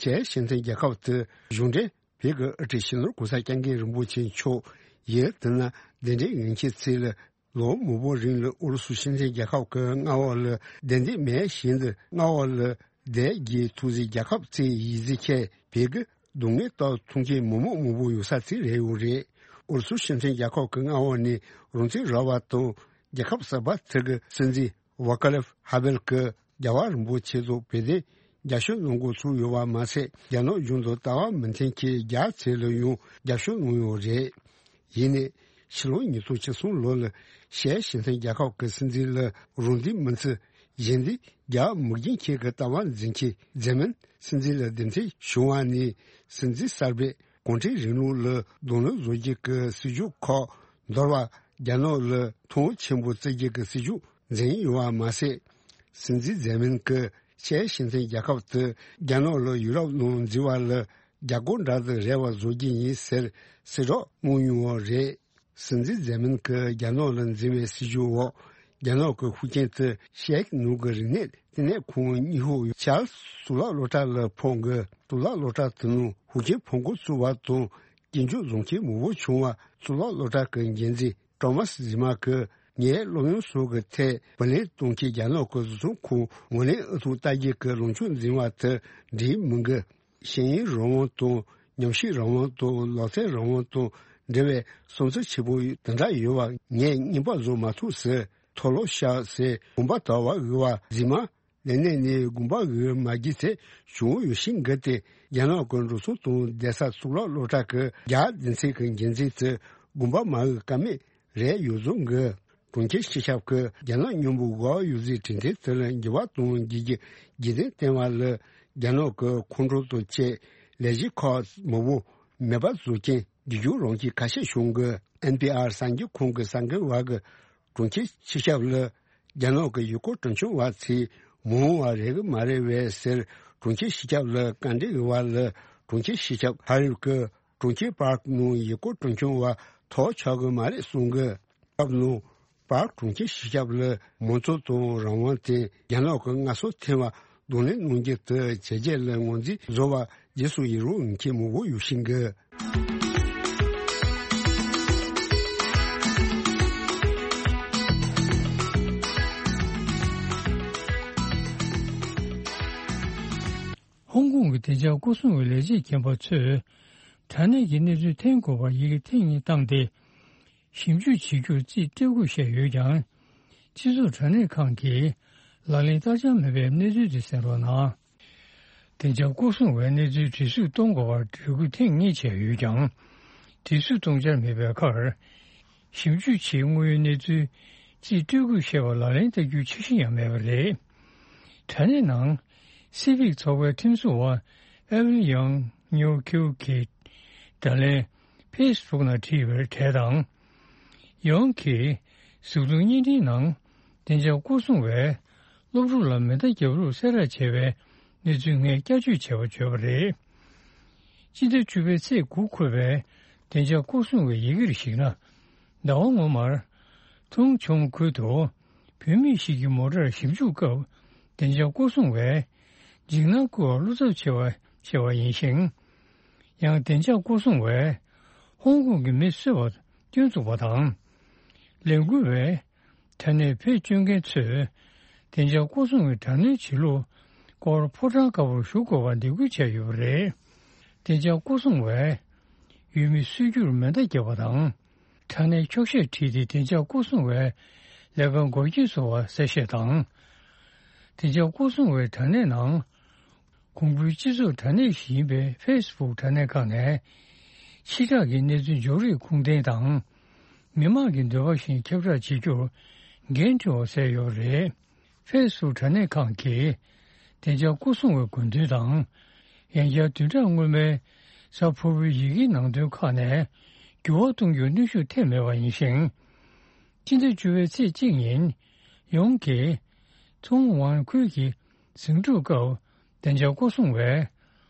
ཅེ་ཞི་མཐུན་རྒྱལ་ཁབ་དེ་གཞུང་འབྲེལ་བོད་ཀྱི་དབུ་ཁྲིད་སྤྱི་ནོར་གོང་ས་སྐྱབས་མགོན་རིན་པོ་ཆེ་མཆོག་ཡིན་དེ་ན་གདན་འདྲེན་ཡོད་མཁན་ཚོ་ལ་ལོ་མང་པོ་རིང་ལ་ཨུ་རུ་སུ་ཞི་མཐུན་རྒྱལ་ཁབ་ཀྱི་མངའ་འོག་ལ་བདེ་འདེད་མེད་བཞིན་དུ་མངའ་འོག་ལ་བསྡད་རྒྱུ་ཐུག་ཟིག་རྒྱལ་ཁབ་ཚོ་ཡིན་ཟིག་ཁྱེད་བོད་ཀྱི་སྡུག་བསྔལ་དང་མཐོང་རྐྱེན་མི་མང་མང་པོ་ཡོད་ས་ཚོ་རེད་ཡོད་རེད། ཨུ་རུ་སུ་ཞི་མཐུན་རྒྱལ་ཁབ་ཀྱི་མངའ་འོག་ནས་རང་བཙན་རག་པ་དང་རྒྱལ་ཁབ་གསར་པ་དེ་གི་སྲིད་འཛིན་ཝ་ཀ་ལེབ་ཧ་བེལ་གྱིས་རྒྱལ་བ་རིན་པོ་ཆེ་ཚོ་བོད་དོན་རྒྱབ་སྐྱོར་གནང་འགོ་ཚུགས་ཡོད་པ་མ་ཟད་རྒྱ་ནག་གཞུང་དང་ལྟ་བ་མི་མཐུན་ཁྱེད་རྒྱ་ཚོ་ལ་ཡང་རྒྱབ་སྐྱོར་གནང་ཡོད་རེད། ཡིན་ནའི་ཕྱི་ལོ་ཉིས་སྟོང་བཅུ་གསུམ་ལོ་ལ་ཤར་ཞི་མཐུན་རྒྱལ་ཁབ་ཀྱི་སྲིད་འཛིན་ལ་རང་བདེན་མི་འཚོལ་གཞན་སྡེ་རྒྱ་མི་རྒྱན་ཁྱེད་ཀྱི་ལྟ་བ་འཛིན་མཁན་ཛེ་མིན་སྲིད་འཛིན་ལ་གདན་འདྲེན་བྱུང་བ་ནས་སྲིད་འཛིན་གསར་པས་གུང་ཁྲན་རིང་ལུགས་ལ་གདོང་ལེན་བཟོ་རྒྱུ་གི་སྲིད་ཇུས་ཁག་འདོར་བ་རྒྱ་ནག་ལ་ཐོག་ཆེན་པོ་བརྩི་རྒྱུ་གི་སྲིད་ཇུས་འཛིན་ཡོད་པ་མ་ཟད། སྲིད་འཛིན་ཛེ་མིན་གྱིས་ཤར་ཞི་མཐུན་རྒྱལ་ཁབ་དེ་རྒྱ་ནག་ལ་ཡུ་རོབ་ནང་འཛུལ་བ་ལ་རྒྱ་སྒོར་འདྲ་དང་རེ་བ་བཟོ་རྒྱུ་ཡིན་ཟེར་གསལ་བསྒྲགས་གནང་མྱོང་བ་རེད། སྲིད་འཛིན་ཛེ་མིན་གྱིས་རྒྱ་ནག་ལ་འཛིན་པའི་སྲིད་ཇུས་འོག་རྒྱ་ནག་གི་ཤུགས་རྐྱེན་དེ་ཤར་ནུབ་ཀྱི་རིག་གནས་ལྟེ་གནས་ཁང་གཉིས་ཤོག་ཡུལ་ཆར་གཙུག་ལག་སློབ་གྲྭ་ལ་ཕོག་གི་གཙུག་ལག་སློབ་གྲྭ་དེ་ནང་ཤུགས་རྐྱེན་ཕོག་འགོ་ཚུགས་པ་དང་སྐྱོན་བརྗོད་བཟོ་མཁན་མང་པོ་བྱུང་བ་གཙུག་ལག་སློབ་གྲྭ་གི་འགན་འཛིན་ཀྲོ་མཱས་ཟི་མ་གིས་ངའི་སློབ་ཡོན་སོགས་ཀྱི་ཐད་བུ་ལོན་གཏོང་མཁན་རྒྱ་ནག་གི་བཟོ་ཚོང་ཁང་ངོས་ལེན་ཨུ་ཐུག་ལྟ་རྒྱུ་གི་ལངས་ཕྱོགས་འཛིན་པ་དེ་འགྲིག་མི་འགི། ཤེས་ཡོན་རང་དབང་དང་ཉམས་ཞིབ་རང་དབང་དང་ལག་རྩལ་རང་དབང་དང་འབྲེལ་བའི་བསམ་ཚུལ་ཆེན་པོ་དེ་འདྲ་ཡོད་པ་ངས་རྔན་པ་བཟོ་མ་ཐུབ་ཟེར་མཐོལ་ལོ་བཤགས་ཟེར་དགོངས་པ་དག་པ་འོས་པ་རྫུན་མ་ལས་གནས་ནས་དགོངས་པ་འོས་མ་བགྱིས་ཚེ་བྱུང་ཡོད་ཤིང་འགི་སྟེ་རྒྱ་ནག་གི་འགྲོ་སོང་དང་བསྡད་ས་གཙུག་ལག་སློབ་གྲྭ་གི་རྒྱ་སྡེ་ཚན་གྱི་འགན་འཛིན་དེ་དགོངས་པ་མ་འོས་ཀ་མེད་རེད་ཡོད་བཟོ་འགི། གྲོང་ཁྱེར་སྤྱི་ཁྱབ་ཀྱིས་རྒྱ་ནག་མཉམ་པོ་འགོ་ཡོད་ཟིག་གྲོས་མཐུན་དེ་ལ་འགྱུར་བ་གཏོང་རྒྱུ་གི་རྒྱུ་རྐྱེན་བསྟན་པ་ལ་རྒྱ་ནག་གི་ཁོང་ཁྲོ་དང་བཅས་ལས་གཞི་ཁག་མང་པོ་མེད་པ་བཟོ་རྐྱེན་རྒྱུ་རྒྱུ་རང་གི་ཁ་ཤས་བྱུང་གི། ཨེན་པི་ཨར་གསར་འགྱུར་ཁང་གི་གསར་འགོད་པ་གི་གྲོང་ཁྱེར་སྤྱི་ཁྱབ་ལ་རྒྱ་ནག་གི་ཡུལ་སྐོར་སྤྲོ་འཆམ་པ་ཚོས་མ་འོངས་པ་རེད་གི་མ་རེད་བས་ཟེར་གྲོང་ཁྱེར་སྤྱི་ཁྱབ་ལ་བཀའ་འདྲི་ཡོད་པ་ལ་གྲོང་ཁྱེར་སྤྱི་ཁྱབ་ཧ་རིབ་ཀྱིས་གྲོང་ཁྱེར་པཱརྐ་ནང་ཡུལ་སྐོར་སྤྲོ་འཆམ་པ་ཐོབ་ཆོག་གི་མ་རེད་གསུང་གི། སྐབས་ནང་པཱརྐ་གྲོང་ཁྱེར་སྤྱི་ཁྱབ་ལ་མང་གཙོ་དང་རང་དབང་དེ་རྒྱ་ནག་གི་མངའ་གསོལ་ཐེབས་པ་གདོང་ལེན་གནང་རྒྱུ་དེ་བྱས་རྗེས་ལ་ངོས་འཛིན་བཟོ་བ་རྗེས་སུ་ཡི་རང་ཡོད་མཁན་མང་པོ་ཡོད་ཤིང་གི། ཧོང་ཀོང་གི་བདེ་འཇགས་སྐོར་སྲུང་བའི་ལས་བྱེད་མཁན་པ་ཚོས་དྲ་གནས་ཀྱི་གནས་ཚུལ་འཐེན་དགོས་པར་ཡི་གེ་ཐེངས་གཉིས་བཏང་སྟེ། ཞིབ་འཇུག་བྱེད་རྒྱུར་རྩིས་སྤྲད་དགོས་བཤད་ཡོད་ཀྱང་། སྤྱི་ཚོགས་དྲ་གནས་ཁང་གིས་ལག་ལེན་བསྟར་འཆར་མེད་པའི་གནས་ཚུལ་དེ་གསན་རོགས་གནང་། བདེ་འཇགས་སྐོར་སྲུང་བའི་གནས་ཚུལ་འདྲི་གཟིགས་གཏོང་དགོས་པར་འབོད་སྐུལ་ཐེངས་གཉིས་བྱས་ཡོད་ཀྱང་། འདྲི་གཟིགས་གཏོང་འཆར་མེད་པའི་ཁར། ཞིབ་འཇུག་བྱེད་དངོས་ཡོད་གནས་ཚུལ་རྩིས་སྤྲོད་དགོས་བཤད་པ་ལག་ལེན་བསྟར་རྒྱུའི་འཆར་གཞི་ཡང་མེད་པ་རེད། དྲ་གནས་ནང་སི་ཕིག་ཚོགས་པའི་ཁྲིམས་བཟོ་བ་ཨེ་ཝིལ་ཡང་ཉོ་ཁིའུ་གིས་དྲ་ལན་ཕེ་སི་བུག་ནང་བྲིས་པའི་གྲས་དང་། ཡང་གིས་གཟུགས་མཐོང་བརྙན་འཕྲིན་ནང་བདེ་འཇགས་སྐོར་སྲུང་བས་སློབ་ཕྲུག་ལ་མེ་མདའ་བརྒྱབ་ལུགས་གསལ་བསྒྲགས་བྱས་པའི་གནས་ཚུལ་ངས་བསྐྱར་བཅོས་བྱས་པ་བརྗོད་པ་རེད། སྤྱི་ཟླ་བཅུ་པའི་ཚེས་དགུ་འཁོད་པའི་བདེ་འཇགས་སྐོར་སྲུང་བའི་ཡི་གེར་གཞིགས་ན། ཟླ་བ་སྔོན་མར། ཐུང་ཆུང་ཁུལ་དུ་བུད་མེད་ཞིག་གི་མོ་ཊར་ཞིབ་འཇུག་སྐབས་བདེ་འཇགས་སྐོར་སྲུང་བས་འཇིགས་སྣང་སྐུལ་བར་བློ་འཚབ་ཆེ་བ་བྱས་པ་ཡིན་ཞིང་། ཡང་བདེ་འཇགས་སྐོར་སྲུང་བས་ཧོང་ཀོང་གི་མི་གསོད་པ་སྐྱོན་བཙུགས་པ་དང་། ལས་འགུལ་བས་དྲ་གནས་བེད་སྤྱོད་མཁན་ཚོས་བདེ་འཇགས་སྐོར་སྲུང་བའི་དྲ་གནོན་བྱེད་ལུགས་སྐོར་ཕོ་བྲང་དཀར་པོར་ཞུགས་དགོས་པར་འདེད་སྐུལ་བྱས་ཡོད་པ་རེད། བདེ་འཇགས་སྐོར་སྲུང་བས་ཡུལ་མི་གསོད་རྒྱུར་མེ་མདའ་བརྒྱབ་པ་དང་། དྲ་གནས་འཁྱོག་བཤད་བྲིས་ཏེ་བདེ་འཇགས་སྐོར་སྲུང་བའི་ལས་ཀར་འགོག་རྐྱེན་བཟོ་བ་གསལ་བཤད་དང་། བདེ་འཇགས་སྐོར་སྲུང་བའི་དྲ་གནས་ནང་། གོང་བུའི་སྤྱི་ཚོགས་དྲ་གནས་ཤིག་ཡིན་པའི་ཕེ་སི་བུག་དྲ་གནས་ཁག་ནས། ཕྱི་བསྒྲགས་ཀྱི་གནས་ཚུལ་འཇོག་རིགས་ཁུངས་ལྡན་དང་། མི་མང་གི་འདོད་པ་བཞིན་ཁྱབ་བསྒྲགས་བྱེད་རྒྱུར་འགན་འཁྲི་བ་བསལ་ཡོད་པ་རེད། ཕེ་སི་བུག་དྲ་གནས་ཁག་གིས་བདེ་འཇགས་སྐོར་སྲུང་བའི་དགོས་འདུན་དང་། ཡང་བསྐྱར་བདུན་ཕྲག་སྔོན་མའི་གཟའ་ཕུར་བུའི་ཡི་གེའི་ནང་དོན་ཁག་ནས་འགྱུར་བ་གཏོང་རྒྱུར་གནོན་ཤུགས་ཐེབས་མེད་པ་ཡིན་ཞིང་། སྤྱི་ཟླ་བཅུ་པའི་ཚེས་གཅིག་ཉིན་ཡོངས་ཀྱི་ཚོང་ཝང་ཁུལ་གྱི་ཟིང་འཁྲུག་སྐབས་བདེ་འཇགས་སྐོར་སྲུང་བས་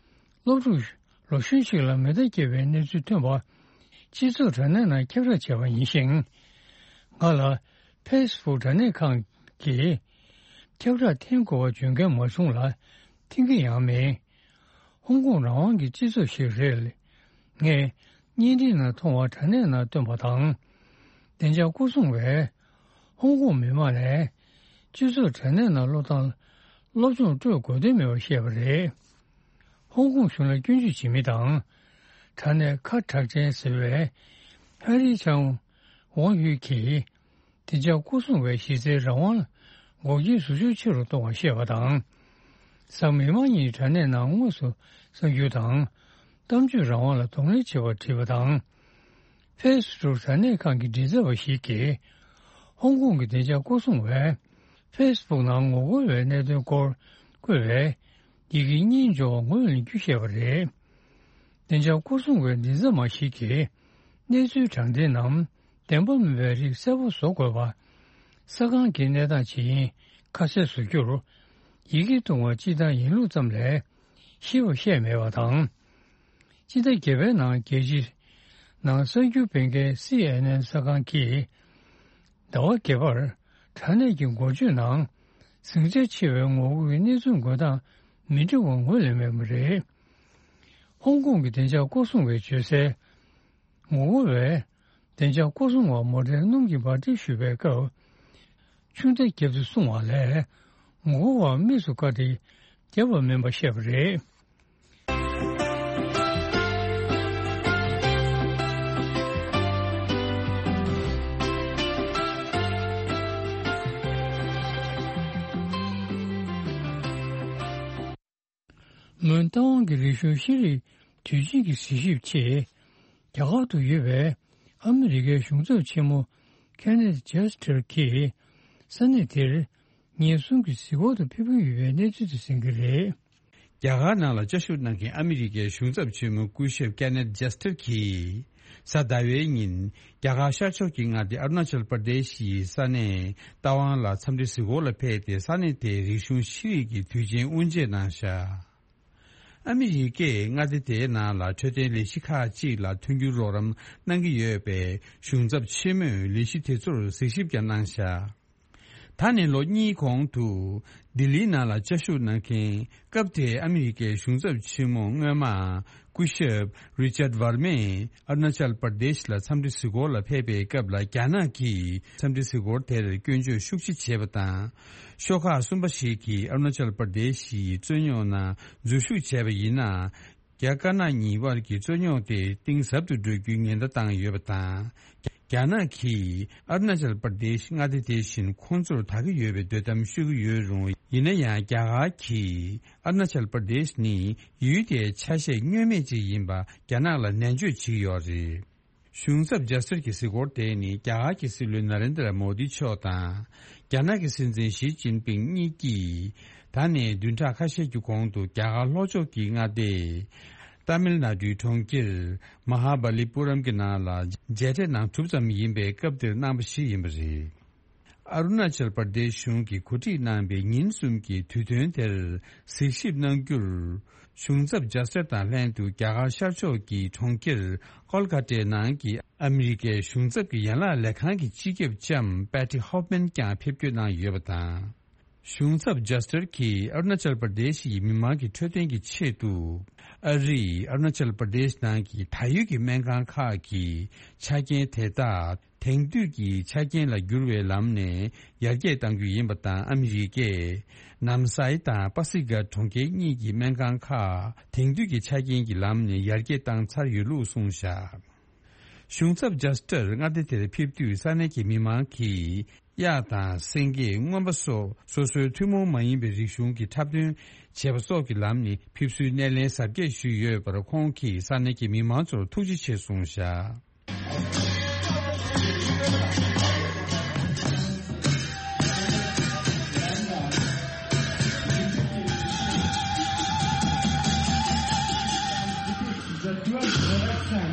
སློབ་ཕྲུག་ལོ་གཞོན་ཞིག་ལ་མེ་མདའ་བརྒྱབ་པའི་གནས་ཚུལ་ཐོན་པ་སྤྱི་ཚོགས་དྲ་གནས་ནང་ཁྱབ་བསྒྲགས་བྱས་པ་ཡིན་ཞིང་། ང་ལ་ཕེ་སི་བུག་དྲ་གནས་ཁང་གིས་ཁྱབ་བསྒྲགས་འཐེན་དགོས་པ་བརྗོད་མཁན་མ་བྱུང་ལ་འཐེན་གྱི་ཡང་མེད། ཧོང་ཀོང་རང་དབང་གི་སྤྱི་ཚོགས་ཤིག་རེད། ངས་བརྙན་འཕྲིན་ནང་མཐོང་བ་དྲ་གནས་ནང་བཏོན་པ་དང་། བདེ་འཇགས་སྐོར་སྲུང་བས་ཧོང་ཀོང་མི་མང་ནས་སྤྱི་ཚོགས་དྲ་གནས་ནང་བློ་བཏང་སློབ་སྦྱོང་སྤྲོད་དགོས་དོན་མེད་པ་བཤད་པ་རེད། ཧོང་ཀོང་གཞུང་ལ་སྐྱོན་བརྗོད་བྱེད་མི་དང་། དྲ་གནས་ཁ་གྲག་ཅན་ཟེར་བའི་ཧན་རི་ཆང་ཝང་ཡུས་ཀྱིས། བདེ་འཇགས་སྐོར་སྲུང་བའི་གཞི་རྩའི་རང་དབང་ལ་འགོག་རྐྱེན་བཟོ་ཕྱོགས་ཆེ་རུ་གཏོང་བར་བཤད་པ་དང་། གཟའ་མིག་དམར་ཉིན་དྲ་གནས་ནང་དངོས་སུ་གསར་འགྱུར་དང་། གཏམ་བརྗོད་རང་དབང་ལ་གདོང་ལེན་བྱེད་པར་བྲིས་པ་དང་། ཕེ་སི་བུག་དྲ་གནས་ཁང་གི་མགྲིན་ཚབ་པ་ཞིག་གིས། ཧོང་ཀོང་གི་བདེ་འཇགས་སྐོར་སྲུང་བས། ཕེ་སི་བུག་ནང་ངོ་རྒོལ་བའི་གནད་དོན་སྐོར་བཀོད་པའི་ཡི་གེ་གཉིས་འབྱོར་བ་ངོས་ལེན་རྒྱུ་བཤད་པ་རེད། བདེ་འཇགས་སྐོར་སྲུང་བའི་མགྲིན་ཚབ་མ་ཞིག་གིས། གནས་ཚུལ་དྲང་བདེན་ནམ། བདེན་པ་མིན་པའི་རིགས་གསལ་པོ་བཟོ་དགོས་པ། ས་ཁང་གི་གནས་སྟངས་ཇི་ཡིན་ཁ་གསལ་བཟོ་རྒྱུར། ཡི་གེ་བཏུང་བ་སྤྱི་བཏང་ཡིན་ལུགས་ཙམ་ལས་ཤེས་པ་བཤད་མེད་པ་དང་། སྤྱི་ཟླ་བརྒྱད་པའི་ནང་རྒྱལ་སྤྱིའི་ནང་གསར་འགྱུར་སྤེལ་མཁན་སི་ཨེན་ཨེན་གསར་ཁང་གིས། ཟླ་བ་བརྒྱད་པར་དྲ་གནས་ཀྱི་འགོ་བརྗོད་ནང་ཟིང་ཆ་ཆེ་བའི་ངོ་རྒོལ་གྱི་གནས་ཚུལ་འགོད་སྟངས་མི་འགྲིག་པ་ངོས་ལེན་མེད་པ་རེད། ཧོང་ཀོང་གི་བདེ་འཇགས་སྐོར་སྲུང་བས་བརྗོད་གསལ། ངོ་རྒོལ་བས་བདེ་འཇགས་སྐོར་སྲུང་བ་མོ་ཊའི་སྣུམ་གྱི་འབར་མདེལ་གཞུས་པའི་སྐབས། ཆུ་མདའ་བརྒྱབ་སྟེ་བསྲུང་བ་ལས། ངོ་རྒོལ་བ་དམིགས་སུ་བཀར་ཏེ་བརྒྱབ་པ་མིན་པ་བཤད་པ་རེད། མོན་རྟ་དབང་གི་རིག་གཞུང་ཤེས་རིག་དུས་ཆེན་གྱི་གཟིགས་ཞིབ་ཆེད། རྒྱ་གར་དུ་ཡོད་པའི་ཨ་མི་རི་ཀའི་གཞུང་ཚབ་ཆེན་མོ་ཁེ་ནེད་ཇེ་སི་ཊར་གྱིས་ས་གནས་དེར་ཉིན་གསུམ་གྱི་གཟིགས་སྐོར་དུ་ཕེབས་ཀྱི་ཡོད་པའི་གནས་ཚུལ་དེ་གསན་གྱི་རེད། རྒྱ་གར་ནང་ལ་བཅའ་བཞུགས་གནང་མཁན་ཨ་མི་རི་ཀའི་གཞུང་ཚབ་ཆེན་མོ་སྐུ་ཞབས་ཀེ་ནེད་ཇེ་སི་ཊར་གྱིས། གཟའ་ཟླ་བའི་ཉིན། རྒྱ་གར་ཤར་ཕྱོགས་ཀྱི་མངའ་སྡེ་ཨ་རུ་ན་ཅལ་པར་དེ་ཤི་ཡི་ས་གནས་རྟ་དབང་ལ་འཚམས་འདྲི་གཟིགས་སྐོར་ལ་ཕེབས་ཏེ། ས་གནས་དེའི་རིག་གཞུང་ཤེས་རིག་གི་དུས་ཆེན་དབུ་འབྱེད་གནང་བཞག་ཨ་མི་རི་ཀས་མངའ་སྡེ་དེའི་ནང་ལ་འཕྲོད་བསྟེན་ལས་གཞི་ཁག་ཅིག་ལ་མཐུན་འགྱུར་རོགས་རམ་གནང་གི་ཡོད་པའི་གཞུང་ཚབ་ཆེན་མོས་ལས་གཞི་དེ་ཚོར་གཟིགས་ཞིབ་ཀྱང་གནང་བཞག་ད་ནི་ལོ་གཉིས་གོང་དུ་ལྡི་ལིའི་ནང་ལ་བཅའ་བཞུགས་གནང་མཁན། སྐབས་དེའི་ཨ་མི་རི་ཀའི་གཞུང་ཚབ་ཆེན་མོ་སྔོན་མ་སྐུ་ཞབས་རི་ཅར་ཝར་མས་ཨ་རུ་ན་ཅལ་པར་དེཤ་ལ་འཚམས་འདྲི་གཟིགས་སྐོར་ལ་ཕེབས་པའི་སྐབས་ལ། རྒྱ་ནག་གིས་འཚམས་འདྲི་གཟིགས་སྐོར་དེར་སྐྱོན་བརྗོད་ཤུགས་ཆེ་བྱས་པ་དང་། ཤོག་ཁག་གསུམ་པ་ཞིག་གིས་ཨ་རུ་ན་ཅལ་པར་དེཤ་ཡི་རྩོད་རྙོག་ནང་འཛུལ་ཞུགས་བྱས་པ་ཡིན་ན། རྒྱ་དཀར་ནག་གཉིས་དབར་གྱི་རྩོད་རྙོག་དེ་གཏིང་ཟབ་ཏུ་འགྲོ་རྒྱུའི་ཉེན་བརྡ་བཏང་ཡོད་པ་དང་། རྒྱ་ནག་གིས་ཨ་རུ་ན་ཅལ་པར་དེཤ་མངའ་སྡེ་དེ་བཞིན་ཁོང་ཚོར་ད་གི་ཡོད་པའི་དོ་དམ་ཞུ་གི་ཡོད་རུང་། ཡིན་ན་ཡང་རྒྱ་གར་གྱིས་ཨ་རུ་ན་ཅལ་པར་དེཤ་ནི་ཡུལ་དེའི་ཆ་ཤས་བསྙོན་མེད་ཅིག་ཡིན་པ་རྒྱ་ནག་ལ་ནན་བརྗོད་བྱེད་ཀྱི་ཡོད་རེད། གཞུང་ཚབ་ཇ་སི་ཊར་གྱི་གཟིགས་སྐོར་དེ་ནི་རྒྱ་གར་གྱི་སྲིད་བློན་ན་རེན་དྲ་མོ་དི་མཆོག་དང་། རྒྱ་ནག་གི་སྲིད་འཛིན་ཞི་ཅིན་ཕིང་གཉིས་ཀྱིས། ད་ནས་བདུན་ཕྲག་ཁ་ཤས་ཀྱི་གོང་དུ་རྒྱ་གར་ལྷོ་ཕྱོགས་ཀྱི་མངའ་སྡེ། ཏཱ་མིལ་ནཱ་ཌུའི་གྲོང་ཁྱེར་མ་ཧཱ་བ་ལི་པུ་རམ་གྱི་ནང་ལ་མཇལ་འཕྲད་གནང་གྲུབ་ཙམ་ཡིན་པའི་སྐབས་དེར་གནང་བ་ཞིག་ཡིན་པ་རེད། ཨ་རུ་ན་ཅལ་པར་དེཤ་གཞུང་གིས་གོ་སྒྲིག་གནང་བའི་ཉིན་གསུམ་གྱི་དུས་སྟོན་དེར་གཟིགས་ཞིབ་གནང་རྒྱུར། གཞུང་ཚབ་ཇ་སི་ཊར་དང་ལྷན་དུ་རྒྱ་གར་ཤར་ཕྱོགས་ཀྱི་གྲོང་ཁྱེར་ཀོལ་ཀ་ཏའི་ནང་གི་ཨ་མི་རི་ཀའི་གཞུང་ཚབ་ཀྱི་ཡན་ལག་ལས་ཁང་གི་སྤྱི་ཁྱབ་ལྕམ་པེ་ཏི་ཧོབ་མན་ཀྱང་ཕེབས་སྐྱོད་གནང་ཡོད་པ་དང་། གཞུང་ཚབ་ཇ་སི་ཊར་གྱིས་ཨ་རུ་ན་ཅལ་པར་དེཤ་ཡི་མི་མང་གི་འཕྲོད་བསྟེན་གྱི་ཆེད་དུ། ཨ་རིས་ཨ་རུ་ན་ཅལ་པར་དེཤ་ནང་གི་ད་ཡོད་ཀྱི་སྨན་ཁང་ཁག་གི་ཆ་རྐྱེན་དེ་དག་དེང་དུས་ཀྱི་ཆ་རྐྱེན་ལ་བསྒྱུར་བའི་ལམ་ནས་ཡར་རྒྱས་གཏང་རྒྱུ་ཡིན་པ་དང་། ཨ་མི་རི་ཀས་ནམ་སའི་དང་པ་སི་ཀ་གྲོང་ཁྱེར་གཉིས་ཀྱི་སྨན་ཁང་ཁག་དེང་དུས་ཀྱི་ཆ་རྐྱེན་གྱི་ལམ་ནས་ཡར་རྒྱས་བཏང་ཚར་ཡོད་ལུགས་གསུངས་བཞག་གཞུང་ཚབ་ཇ་སི་ཊར་མངའ་སྡེ་དེར་ཕེབས་དུས་ས་གནས་ཀྱི་མི་མང་གིས་ གཡག་དང་སེང་གེ། རྔོན་པ་སོགས་སོ་སོའི་ཐུན་མོང་མ་ཡིན་པའི་རིག་གཞུང་གི་འཁྲབ་སྟོན་བྱེད་པ་སོགས་ཀྱི་ལམ་ནས་ཕེབས་བསུའི་སྣེ་ལེན་གཟབ་རྒྱས་ཞུས་ཡོད་པར། ཁོང་གིས་ས་གནས་ཀྱི་མི་མང་ཚོར་ཐུགས་རྗེ་ཆེ་གསུངས་བཞག The dual direction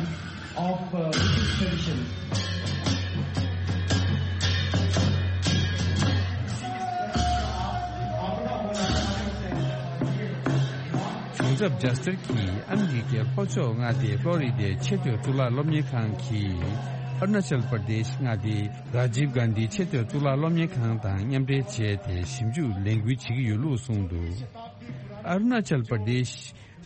of, uh, Buddhist tradition. གཞུང་ཚབ་ཇ་སི་ཊར་གྱིས་ཨ་མི་རི་ཀའི་ལྷོ་ཕྱོགས་མངའ་སྡེ་ཕློ་རི་སྡེའི་ཆེས་མཐོའི་གཙུག་ལག་སློབ་གཉེར་ཁང་གིས་ཨ་རུ་ན་ཅལ་པར་དེཤ་མངའ་སྡེའི་རཱ་ཇིབ་གྷན་དྷི་ཆེས་མཐོའི་གཙུག་ལག་སློབ་གཉེར་ཁང་དང་མཉམ་འབྲེལ་བྱས་ཏེ་ཞིབ་འཇུག་ལས་འགུལ་བྱེད་ཀྱི་ཡོད་ལུགས་གསུངས་འདུག་ཨ་རུ་ན་ཅལ་པར་དེཤ་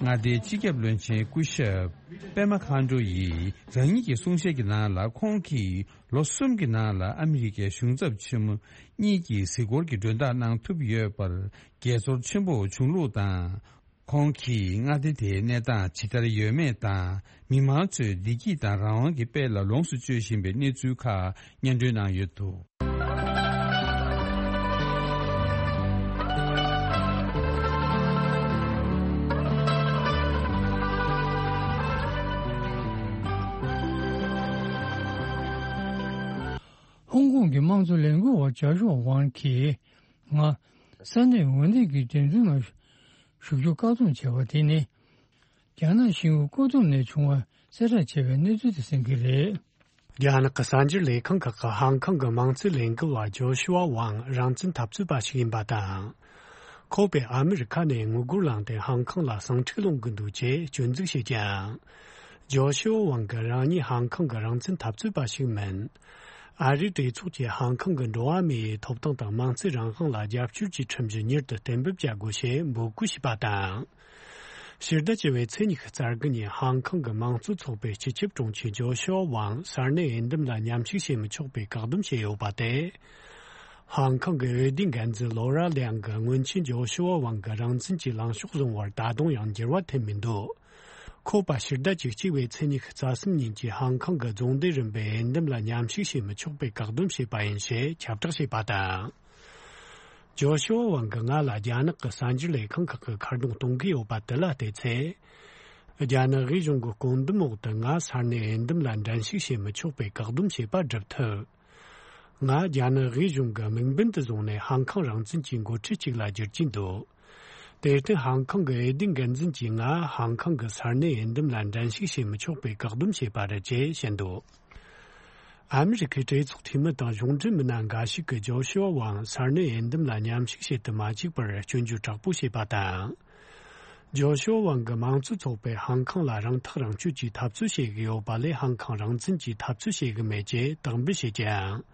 མངའ་སྡེའི་སྤྱི་ཁྱབ་བློན་ཆེན་སྐུ་ཞབས་པེ་མ་ཁཱན་ཌོ་ཡིས་རང་ཉིད་ཀྱི་གསུང་བཤད་ཀྱི་ནང་ལ། ཁོང་གིས་ལོ་གསུམ་གྱི་ནང་ལ་ཨ་མི་རི་ཀའི་གཞུང་ཚབ་ཆེན་མོ་གཉིས་ཀྱི་གཟིགས་སྐོར་གྱི་མགྲོན་བདག་གནང་ཐུབ་ཡོད་པར་དགྱེས་ཚོར་ཆེན་པོ་བྱུང་ལུགས་དང་། ཁོང་གིས་མངའ་སྡེ་དེའི་གནས་སྟངས་ཇི་ལྟར་ཡོད་མེད་དང་། མི་མང་ཚོས་བདེ་སྐྱིད་དང་རང་དབང་གི་དཔལ་ལ་ལོངས་སུ་སྤྱོད་བཞིན་པའི་གནས་ཚུལ་ཁག་སྙན་སྒྲོན་གནང་ཡོད་འདུག་ཧོང་ཀོང་གི་དམངས་གཙོ་ལས་འགུལ་བ་ཇོ་ཤུ་ཝ་ཝང་གིས། ང་ས་གནས་འོས་བསྡུ་གི་འགྲན་བསྡུར་ནང་ཞུགས་རྒྱུ་བཀག་སྡོམ་བྱས་པ་དེ་ནི། རྒྱ་ནག་ཤིན་ཧྭ་ཀོ་ཐུམ་ནས་བྱུང་བ་གསལ་བསྒྲགས་བྱས་པའི་གནས་ཚུལ་དེ་གསན་གྱི་རེད། རྒྱ་ནག་གི་གསར་འགྱུར་ལས་ཁང་ཁག་གི་ཧང་ཀང་གི་དམངས་གཙོའི་ལས་འགུལ་བ་ཇོ་ཤུ་ཝ་ཝང་རང་བཙན་འཐབ་རྩོད་པ་ཞིག་ཡིན་པ་དང་། ཁོ་པས་ཨ་མི་རི་ཁ་ནས་དངུལ་སྒོར་བླངས་ཏེ་ཧང་ཀང་ལ་ཟིང་འཁྲུག་སློང་གི་འདུག་ཅེས་སྐྱོན་འཛུགས་བྱས་ཀྱང་། ཇོ་ཤུ་ཝ་ཝང་གིས་རང་ཉིད་ཧང་ཀང་གི་རང་བཙན་འཐབ་རྩོད་པ་ཞིག་མིན། ཨ་རིའི་གྲོས་ཚོགས་ཀྱིས་ཧང་ཀང་གི་འགྲོ་བ་མིའི་ཐོབ་ཐང་དང་མིང་ཚིག་རང་དབང་ལ་རྒྱབ་སྐྱོར་གྱི་ཁྲིམས་གཞི་མྱུར་དུ་གཏན་འབེབས་བྱ་དགོས་ཞེས་འབོད་སྐུལ་བྱས་པ་དང་། ཕྱི་ཟླ་བཅུ་བའི་ཚེས་ཉི་ཤུ་རྩ་དགུ་ཉིན་ཧང་ཀང་གི་དམངས་གཙོ་ཚོགས་པའི་སྤྱི་ཁྱབ་དྲུང་ཆེ་ཇོ་ཤུ་ཝ་ཝང་ས་གནས་འོས་འདེམས་ལ་མཉམ་ཞུགས་བྱེད་མི་ཆོག་པའི་བཀག་སྡོམ་བྱས་ཡོད་པ་དེ། ཧང་ཀང་གི་འོས་བསྡུའི་འགན་འཛིན་ལོ་ར་ལིའང་གིས་སྔོན་ཆད་ཇོ་ཤུ་ཝ་ཝང་གི་རང་བཙན་གྱི་ལངས་ཕྱོགས་བཟུང་བར་ད་དུང་ཡང་འགྱུར་བ་ཐེབས་མི་འདུག་ཁོ་པ་ཕྱི་ཟླ་བཅུ་གཅིག་པའི་ཚེས་ཉི་ཤུ་རྩ་གསུམ་ཉིན་གྱི་ཧང་ཀང་གི་རྫོང་སྡེ་རིམ་པའི་འོས་འདེམས་ལ་མཉམ་ཞུགས་བྱེད་མི་ཆོག་པའི་བཀག་སྡོམ་བྱས་པ་ཡིན་ཞེས་ཁྱབ་བསྒྲགས་བྱས་པ་དང་། ཇོ་ཤུ་ཝ་ཝང་གིས་ང་ལ་རྒྱ་ནག་གི་གསར་འགྱུར་ལས་ཁང་ཁག་གིས་ཁ་རྡུང་གཏོང་གི་ཡོད་པ་དེ་ལ་བལྟས་ཚེ། རྒྱ་ནག་དབུས་གཞུང་གི་བཀོད་འདོམས་འོག་ཏུ་ང་ས་གནས་འོས་འདེམས་ལ་འགྲན་ཞུགས་བྱེད་མི་ཆོག་པའི་བཀག་སྡོམ་བྱས་པ་སྒྲུབ་ཐུབ། ང་རྒྱ་ནག་དབུས་གཞུང་གི་དམིགས་འབེན་དུ་བཟུང་ནས་ཧང་ཀང་རང་བཙན་གྱི་འགོ་ཁྲིད་ཅིག་ལ་འགྱུར་གྱིན་འདུག་དེར་བརྟེན་ཧང་ཀང་གི་འོས་བསྡུའི་འགན་འཛིན་གྱིས་ང་ཧང་ཀང་གི་ས་གནས་འོས་འདེམས་ལ་འགྲན་ཞུགས་བྱེད་མི་ཆོག་པའི་བཀག་སྡོམ་བྱས་པ་རེད་ཅེས་བཤད་འདུག་ཨ་མི་རི་ཁའི་གྲོས་ཚོགས་འཐུས་མི་དང་གཞུང་འབྲེལ་མི་སྣ་འགའ་ཞིག་གིས་ཇོ་ཤུ་ཝ་ཝང་ས་གནས་འོས་འདེམས་ལ་མཉམ་ཞུགས་བྱེད་དུ་མ་བཅུག་པར་སྐྱོན་བརྗོད་དྲག་པོ་བྱས་པ་དང་། ཇོ་ཤུ་ཝ་ཝང་གིས་དམངས་གཙོའི་ཚོགས་པས་ཧང་ཀང་ལ་རང་ཐག་རང་གཅོད་ཀྱི་འཐབ་རྩོད་བྱེད་ཀྱི་ཡོད་པ་ལས་ཧང་ཀང་རང་བཙན་གྱི་འཐབ་རྩོད་བྱེད་ཀྱི་མེད་ཅེས་དག་འབུལ་བྱས་ཀྱང་།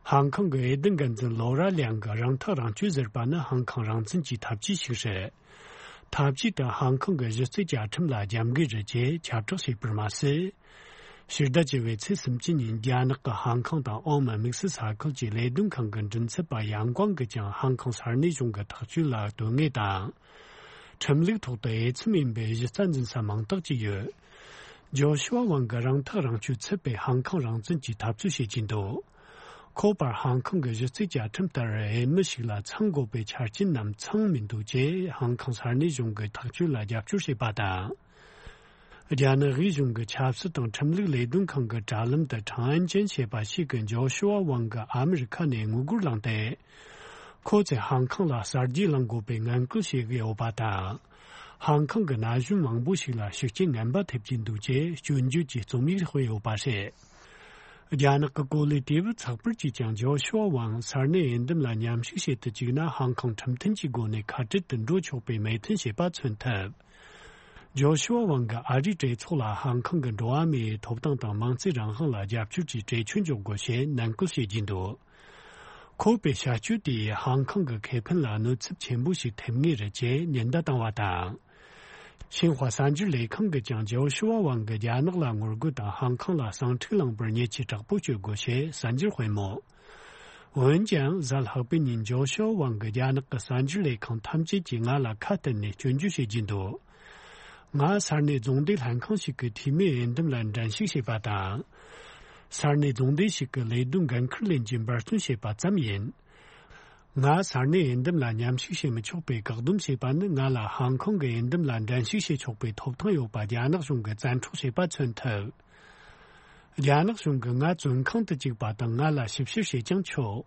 ཧང་ཀང་གི་འོས་བསྡུ་འགན་འཛིན་ལོ་ར་ལིའང་གིས་རང་ཐག་རང་གཅོད་ཟེར་པ་ནི་ཧང་ཀང་རང་བཙན་གྱི་འཐབ་ཇུས་ཤིག་རེད། འཐབ་ཇུས་དེ་ཧང་ཀང་གི་གཞི་རྩའི་བཅའ་ཁྲིམས་ལ་རྒྱབ་འགལ་རེད་ཅེས་ཁྱབ་བསྒྲགས་བྱས་པར་མ་ཟད། ཕྱི་ཟླ་བཅུ་བའི་ཚེས་སུམ་ཅུ་ཉིན་རྒྱ་ནག་གི་ཧང་ཀང་དང་ཨོ་མན་དམིགས་བསལ་ས་ཁུལ་གྱི་ལས་དོན་ཁང་གི་མགྲིན་ཚབ་པ་ཡང་ཀོང་གིས་ཀྱང་ཧང་ཀང་ས་གནས་གཞུང་གི་ཐག་གཅོད་ལ་དོན་དངོས་དང་། ཁྲིམས་ལུགས་ཐོག་ཏུ་འོས་འཚམ་ཡིན་པའི་གཞི་རྩ་འཛིན་ས་མིང་རྟགས་ཅིག་ཡོད། ཇོ་ཤུ་ཝ་ཝང་གིས་རང་ཐག་རང་གཅོད་ཚུད་པའི་ཧང་ཀང་རང་བཙན་གྱི་འཐབ་རྩོད་བྱེད་ཀྱིན་འདུག་ཁོ་པར་ཧང་ཀང་གི་གཞི་རྩའི་བཅའ་ཁྲིམས་ལྟར་འོས་མི་ཞིག་ལ་ཚང་དགོས་པའི་ཆ་རྐྱེན་རྣམས་ཚང་མི་འདུག་ཅེས་ཧང་ཀང་ས་གནས་གཞུང་གི་ཐག་གཅོད་ལ་རྒྱབ་སྐྱོར་བྱས་པ་དང་། རྒྱ་ནག་དབུས་གཞུང་གི་ཆབ་སྲིད་དང་ཁྲིམས་ལུགས་ལས་དོན་ཁང་གི་དྲ་ལམ་དུ་ཁྲང་ཨན་ཅན་ཞེས་པ་ཞིག་གིས་ཇོ་ཤུ་ཝ་ཝང་གིས་ཨ་མི་རི་ཁ་ནས་དངུལ་སྒོར་བླངས་ཏེ། ཁོ་ཚོས་ཧང་ཀང་ལ་གསར་བརྗེ་གླེང་དགོས་པའི་ངན་སྐུལ་བྱེད་ཀྱི་ཡོད་པ་དང་། ཧང་ཀང་གི་ན་གཞོན་མང་པོ་ཞིག་ལ་ཤུགས་རྐྱེན་ངན་པ་ཐེབས་ཀྱི་འདུག་ཅེས་སྐྱོན་བརྗོད་ཀྱི་རྩོམ་ཡིག་སྤེལ་ཡོད་པ་རེད། རྒྱ་ནག་གི་གོ་ལའི་དུས་བབ་ཚགས་པར་གྱིས་ཀྱང་ཇོ་ཤུ་ཝ་ཝང་ས་གནས་འོས་འདེམས་ལ་མཉམ་ཞུགས་བྱེད་དུ་བཅུག་ན་ཧང་ཀང་ཁྲིམས་མཐུན་གྱི་སྒོ་ནས་ཁ་བྲལ་དུ་འགྲོ་ཆོག་པའི་མོས་མཐུན་བྱས་པ་མཚོན་ཐུབ། ཇོ་ཤུ་ཝ་ཝང་གིས་ཨ་རིའི་གྲོས་ཚོགས་ལ་ཧང་ཀང་གི་འགྲོ་བ་མིའི་ཐོབ་ཐང་དང་མིང་ཚིག་རང་དབང་ལ་རྒྱབ་སྐྱོར་གྱི་གྲོས་ཆོད་འཇོག་དགོས་ཞེས་ནན་སྐུལ་བྱེད་ཀྱིན་འདུག་ཁོ་པའི་བྱ་སྤྱོད་དེས་ཧང་ཀང་གི་ཁེ་ཕན་ལ་གནོད་ཚབས་ཆེན་པོ་ཞིག་ཐེབས་ངེས་རེད་ཅེས་ཉེན་བརྡ་བཏང་བ་དང་། ཤིན་ཧྭ་གསར་འགྱུར་ལས་ཁང་གིས་ཀྱང་ཇོ་ཤུ་ཝ་ཝང་གིས་རྒྱ་ནག་ལ་ངོ་རྒོལ་དང་ཧང་ཀང་ལ་ཟིང་འཁྲུག་བསླངས་པར་ཉེས་ཆད་དྲག་པོ་གཅོད་དགོས་ཞེས་གསར་འགྱུར་སྤེལ་མོད། འོན་ཀྱང་གཟའ་ལྷག་པའི་ཉིན་ཇོ་ཤུ་ཝ་ཝང་གིས་རྒྱ་ནག་གི་གསར་འགྱུར་ལས་ཁང་ཐམས་ཅད་ཀྱིས་ང་ལ་ཁ་གཏད་ནས་སྐྱོན་བརྗོད་བྱེད་ཀྱིན་འདུག་ང་ས་གནས་རྫོང་སྡེ་ལྷན་ཁང་ཞིག་གི་འཐུས་མིའི་འོས་འདེམས་ལ་འགྲན་ཞུགས་བྱས་པ་དང་། ས་གནས་རྫོང་སྡེ་ཞིག་གི་ལས་དོན་འགན་འཁུར་ལེན་གྱིས་འབད་བརྩོན་བྱས་པ་ཙམ་ཡིན། ང་ས་གནས་འོས་འདེམས་ལ་མཉམ་ཞུགས་བྱེད་མི་ཆོག་པའི་བཀག་སྡོམ་བྱས་པ་ནི། ང་ལ་ཧང་ཀོང་གི་འོས་འདེམས་ལ་འགྲན་ཞུགས་བྱེད་ཆོག་པའི་ཐོབ་ཐང་ཡོད་པ་རྒྱ་ནག་གཞུང་གིས་བཙན་འཕྲོག་བྱས་པ་མཚོན་ཐུབ། རྒྱ་ནག་གཞུང་གིས་ང་བཙོན་ཁང་དུ་བཅུག་པ་དང་། ང་ལ་ཞིབ་བཤེར་བྱེད་ཀྱང་ཆོག།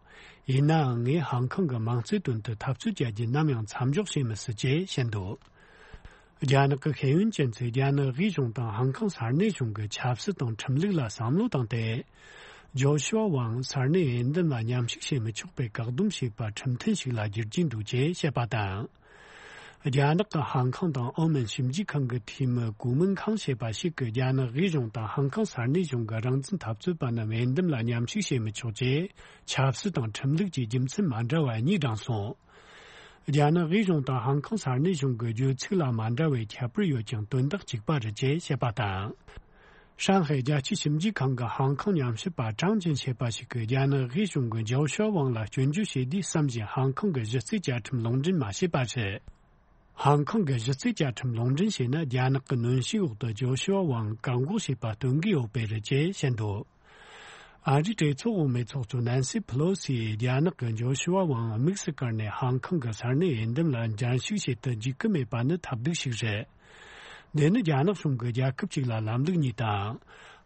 ཡིན་ནའང་ངས་ཧང་ཀོང་གི་མང་གཙོའི་དོན་དུ་འཐབ་རྩོད་བྱ་རྒྱུ་ནམ་ཡང་མཚམས་འཇོག་བྱེད་མི་སྲིད་ཅེས་བཤད་འདུག། རྒྱ་ནག་གི་ཤེས་ཡོན་ཅན་ཚོས་རྒྱ་ནག་དབུས་གཞུང་དང་ཧང་ཀོང་ས་གནས་གཞུང་གི་ཆབ་སྲིད་དང་ཁྲིམས་ལུགས་ལ་བསམ་བློ་བཏང་སྟེ། ཇོ་ཤུ་ཝ་ཝང་ས་གནས་འོས་འདེམས་ལ་མཉམ་ཞུགས་བྱེད་མི་ཆོག་པའི་བཀག་སྡོམ་བྱས་པ་ཁྲིམས་མཐུན་ཞིག་ལ་བསྒྱུར་གྱི་འདུག་ཅེས་བཤད་པ་དང་། རྒྱ་ནག་གི་ཧང་ཀོང་དང་ཨོ་མན་ཞིབ་འཇུག་ཁང་གི་འཐུས་མི་གུ་མིན་ཁང་ཞེས་པ་ཞིག་གིས། རྒྱ་ནག་དབུས་གཞུང་དང་ཧང་ཀོང་ས་གནས་གཞུང་གི་རང་བཙན་འཐབ་རྩོད་པ་རྣམས་འོས་འདེམས་ལ་མཉམ་ཞུགས་བྱེད་མི་ཆོག་ཅེས་ཆབ་སྲིད་དང་ཁྲིམས་ལུགས་ཀྱི་རྒྱུ་མཚན་མ་འདྲ་བ་གཉིས་བགྲངས་སོང་། རྒྱ་ནག་དབུས་གཞུང་དང་ཧང་ཀོང་ས་གནས་གཞུང་གི་བརྗོད་ཚིག་ལ་མ་འདྲ་བའི་ཁྱད་པར་ཡོད་ཀྱང་དོན་དག་གཅིག་པ་རེད་ཅེས་བཤད་པ་དང་། ཧྲང་ཧའེ་རྒྱལ་སྤྱིའི་ཞིབ་འཇུག་ཁང་གི་ཧང་ཀོང་ཉམས་ཞིབ་པ་ཀྲང་ཅིན་ཞེས་པ་ཞིག་གིས། རྒྱ་ནག་དབུས་གཞུང་གིས་ཇོ་ཤུ་ཝ་ཝང་ལ་སྐྱོན་བརྗོད་བྱེད་དུས་བསམ་བཞིན་ཧང་ཀོང་གི་གཞི་རྩའི་བཅའ་ཁྲིམས་ལུང་འདྲེན་མ་བྱས་པ་རེད། ཧང་ཀོང་གི་གཞི་རྩའི་བཅའ་ཁྲིམས་ལུང་འདྲེན་བྱས་ན། རྒྱ་ནག་གི་གནོན་ཤུགས་འོག་ཏུ་ཇོ་ཤུ་ཝ་ཝང་བཀག་འགོག་བྱས་པ་སྟོན་གྱི་ཡོད་པས་རེད་ཅེས་བཤད་འདུག། ཨ་རིའི་གྲོས་ཚོགས་འོག་མའི་ཚོགས་གཙོ་ནན་སི་ཕི་ལོ་སི་ཡིས་རྒྱ་ནག་གིས་ཇོ་ཤུ་ཝ་ཝང་དམིགས་སུ་བཀར་ནས་ཧང་ཀོང་གི་ས་གནས་འོས་འདེམས་ལ་འགྲན་ཞུགས་བྱེད་དུ་འཇུག་གི་མེད་པ་ནི་ཐབས་སྡུག་ཞིག་རེད། འདི་ནི་རྒྱ་ནག་གཞུང་གིས་རྒྱལ་ཁབ་ཅིག་ལ་ལམ་ལུགས་གཉིས་དང་།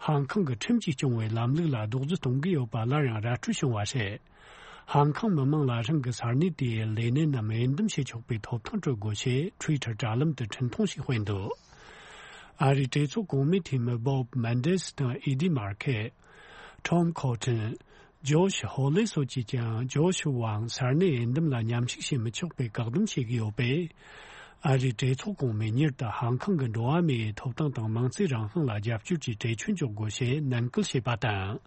ཧང་ཀོང་གི་ཁྲིམས་ཀྱིས་སྐྱོང་བའི་ལམ་ལུགས་ལ་རྡོག་རྫིས་གཏོང་གི་ཡོད་པ་སླར་ཡང་ར་འཕྲོད་བྱུང་བ་རེད། ཧང་ཀོང་མི་མང་ལ་རང་གི་ས་གནས་དེའི་ལས་སྣེ་རྣམས་འོས་འདེམས་བྱེད་ཆོག་པའི་ཐོབ་ཐང་སྤྲོད་དགོས་ཞེས་ཊུའི་ཊར་དྲ་ལམ་དུ་འཕྲིན་ཐུང་ཞིག་སྤེལ་འདུག། ཨ་རིའི་གྲོས་ཚོགས་གོང་མའི་འཐུས་མི་བོབ་མན་ཌེ་སི་དང་ཨི་ཌི་མར་ཁེ། ཊོམ་ཁོ་ཊན། ཇོ་ཤི་ཧོ་ལེ་སོགས་ཀྱིས་ཀྱང་ཇོ་ཤི་ཝང་ས་གནས་འོས་འདེམས་ལ་མཉམ་ཞུགས་བྱེད་མི་ཆོག་པའི་བཀག་སྡོམ་བྱེད་ཀྱི་ཡོད་པས། ཨ་རིའི་གྲོས་ཚོགས་གོང་མས་མྱུར་དུ་ཧང་ཀོང་གི་འགྲོ་བ་མིའི་ཐོབ་ཐང་དང་མང་གཙོའི་རང་དབང་ལ་རྒྱབ་སྐྱོར་གྱི་གྲོས་ཆོད་འཇོག་དགོས་ཞེས་ནན་སྐུལ་བྱས་པ་དང་།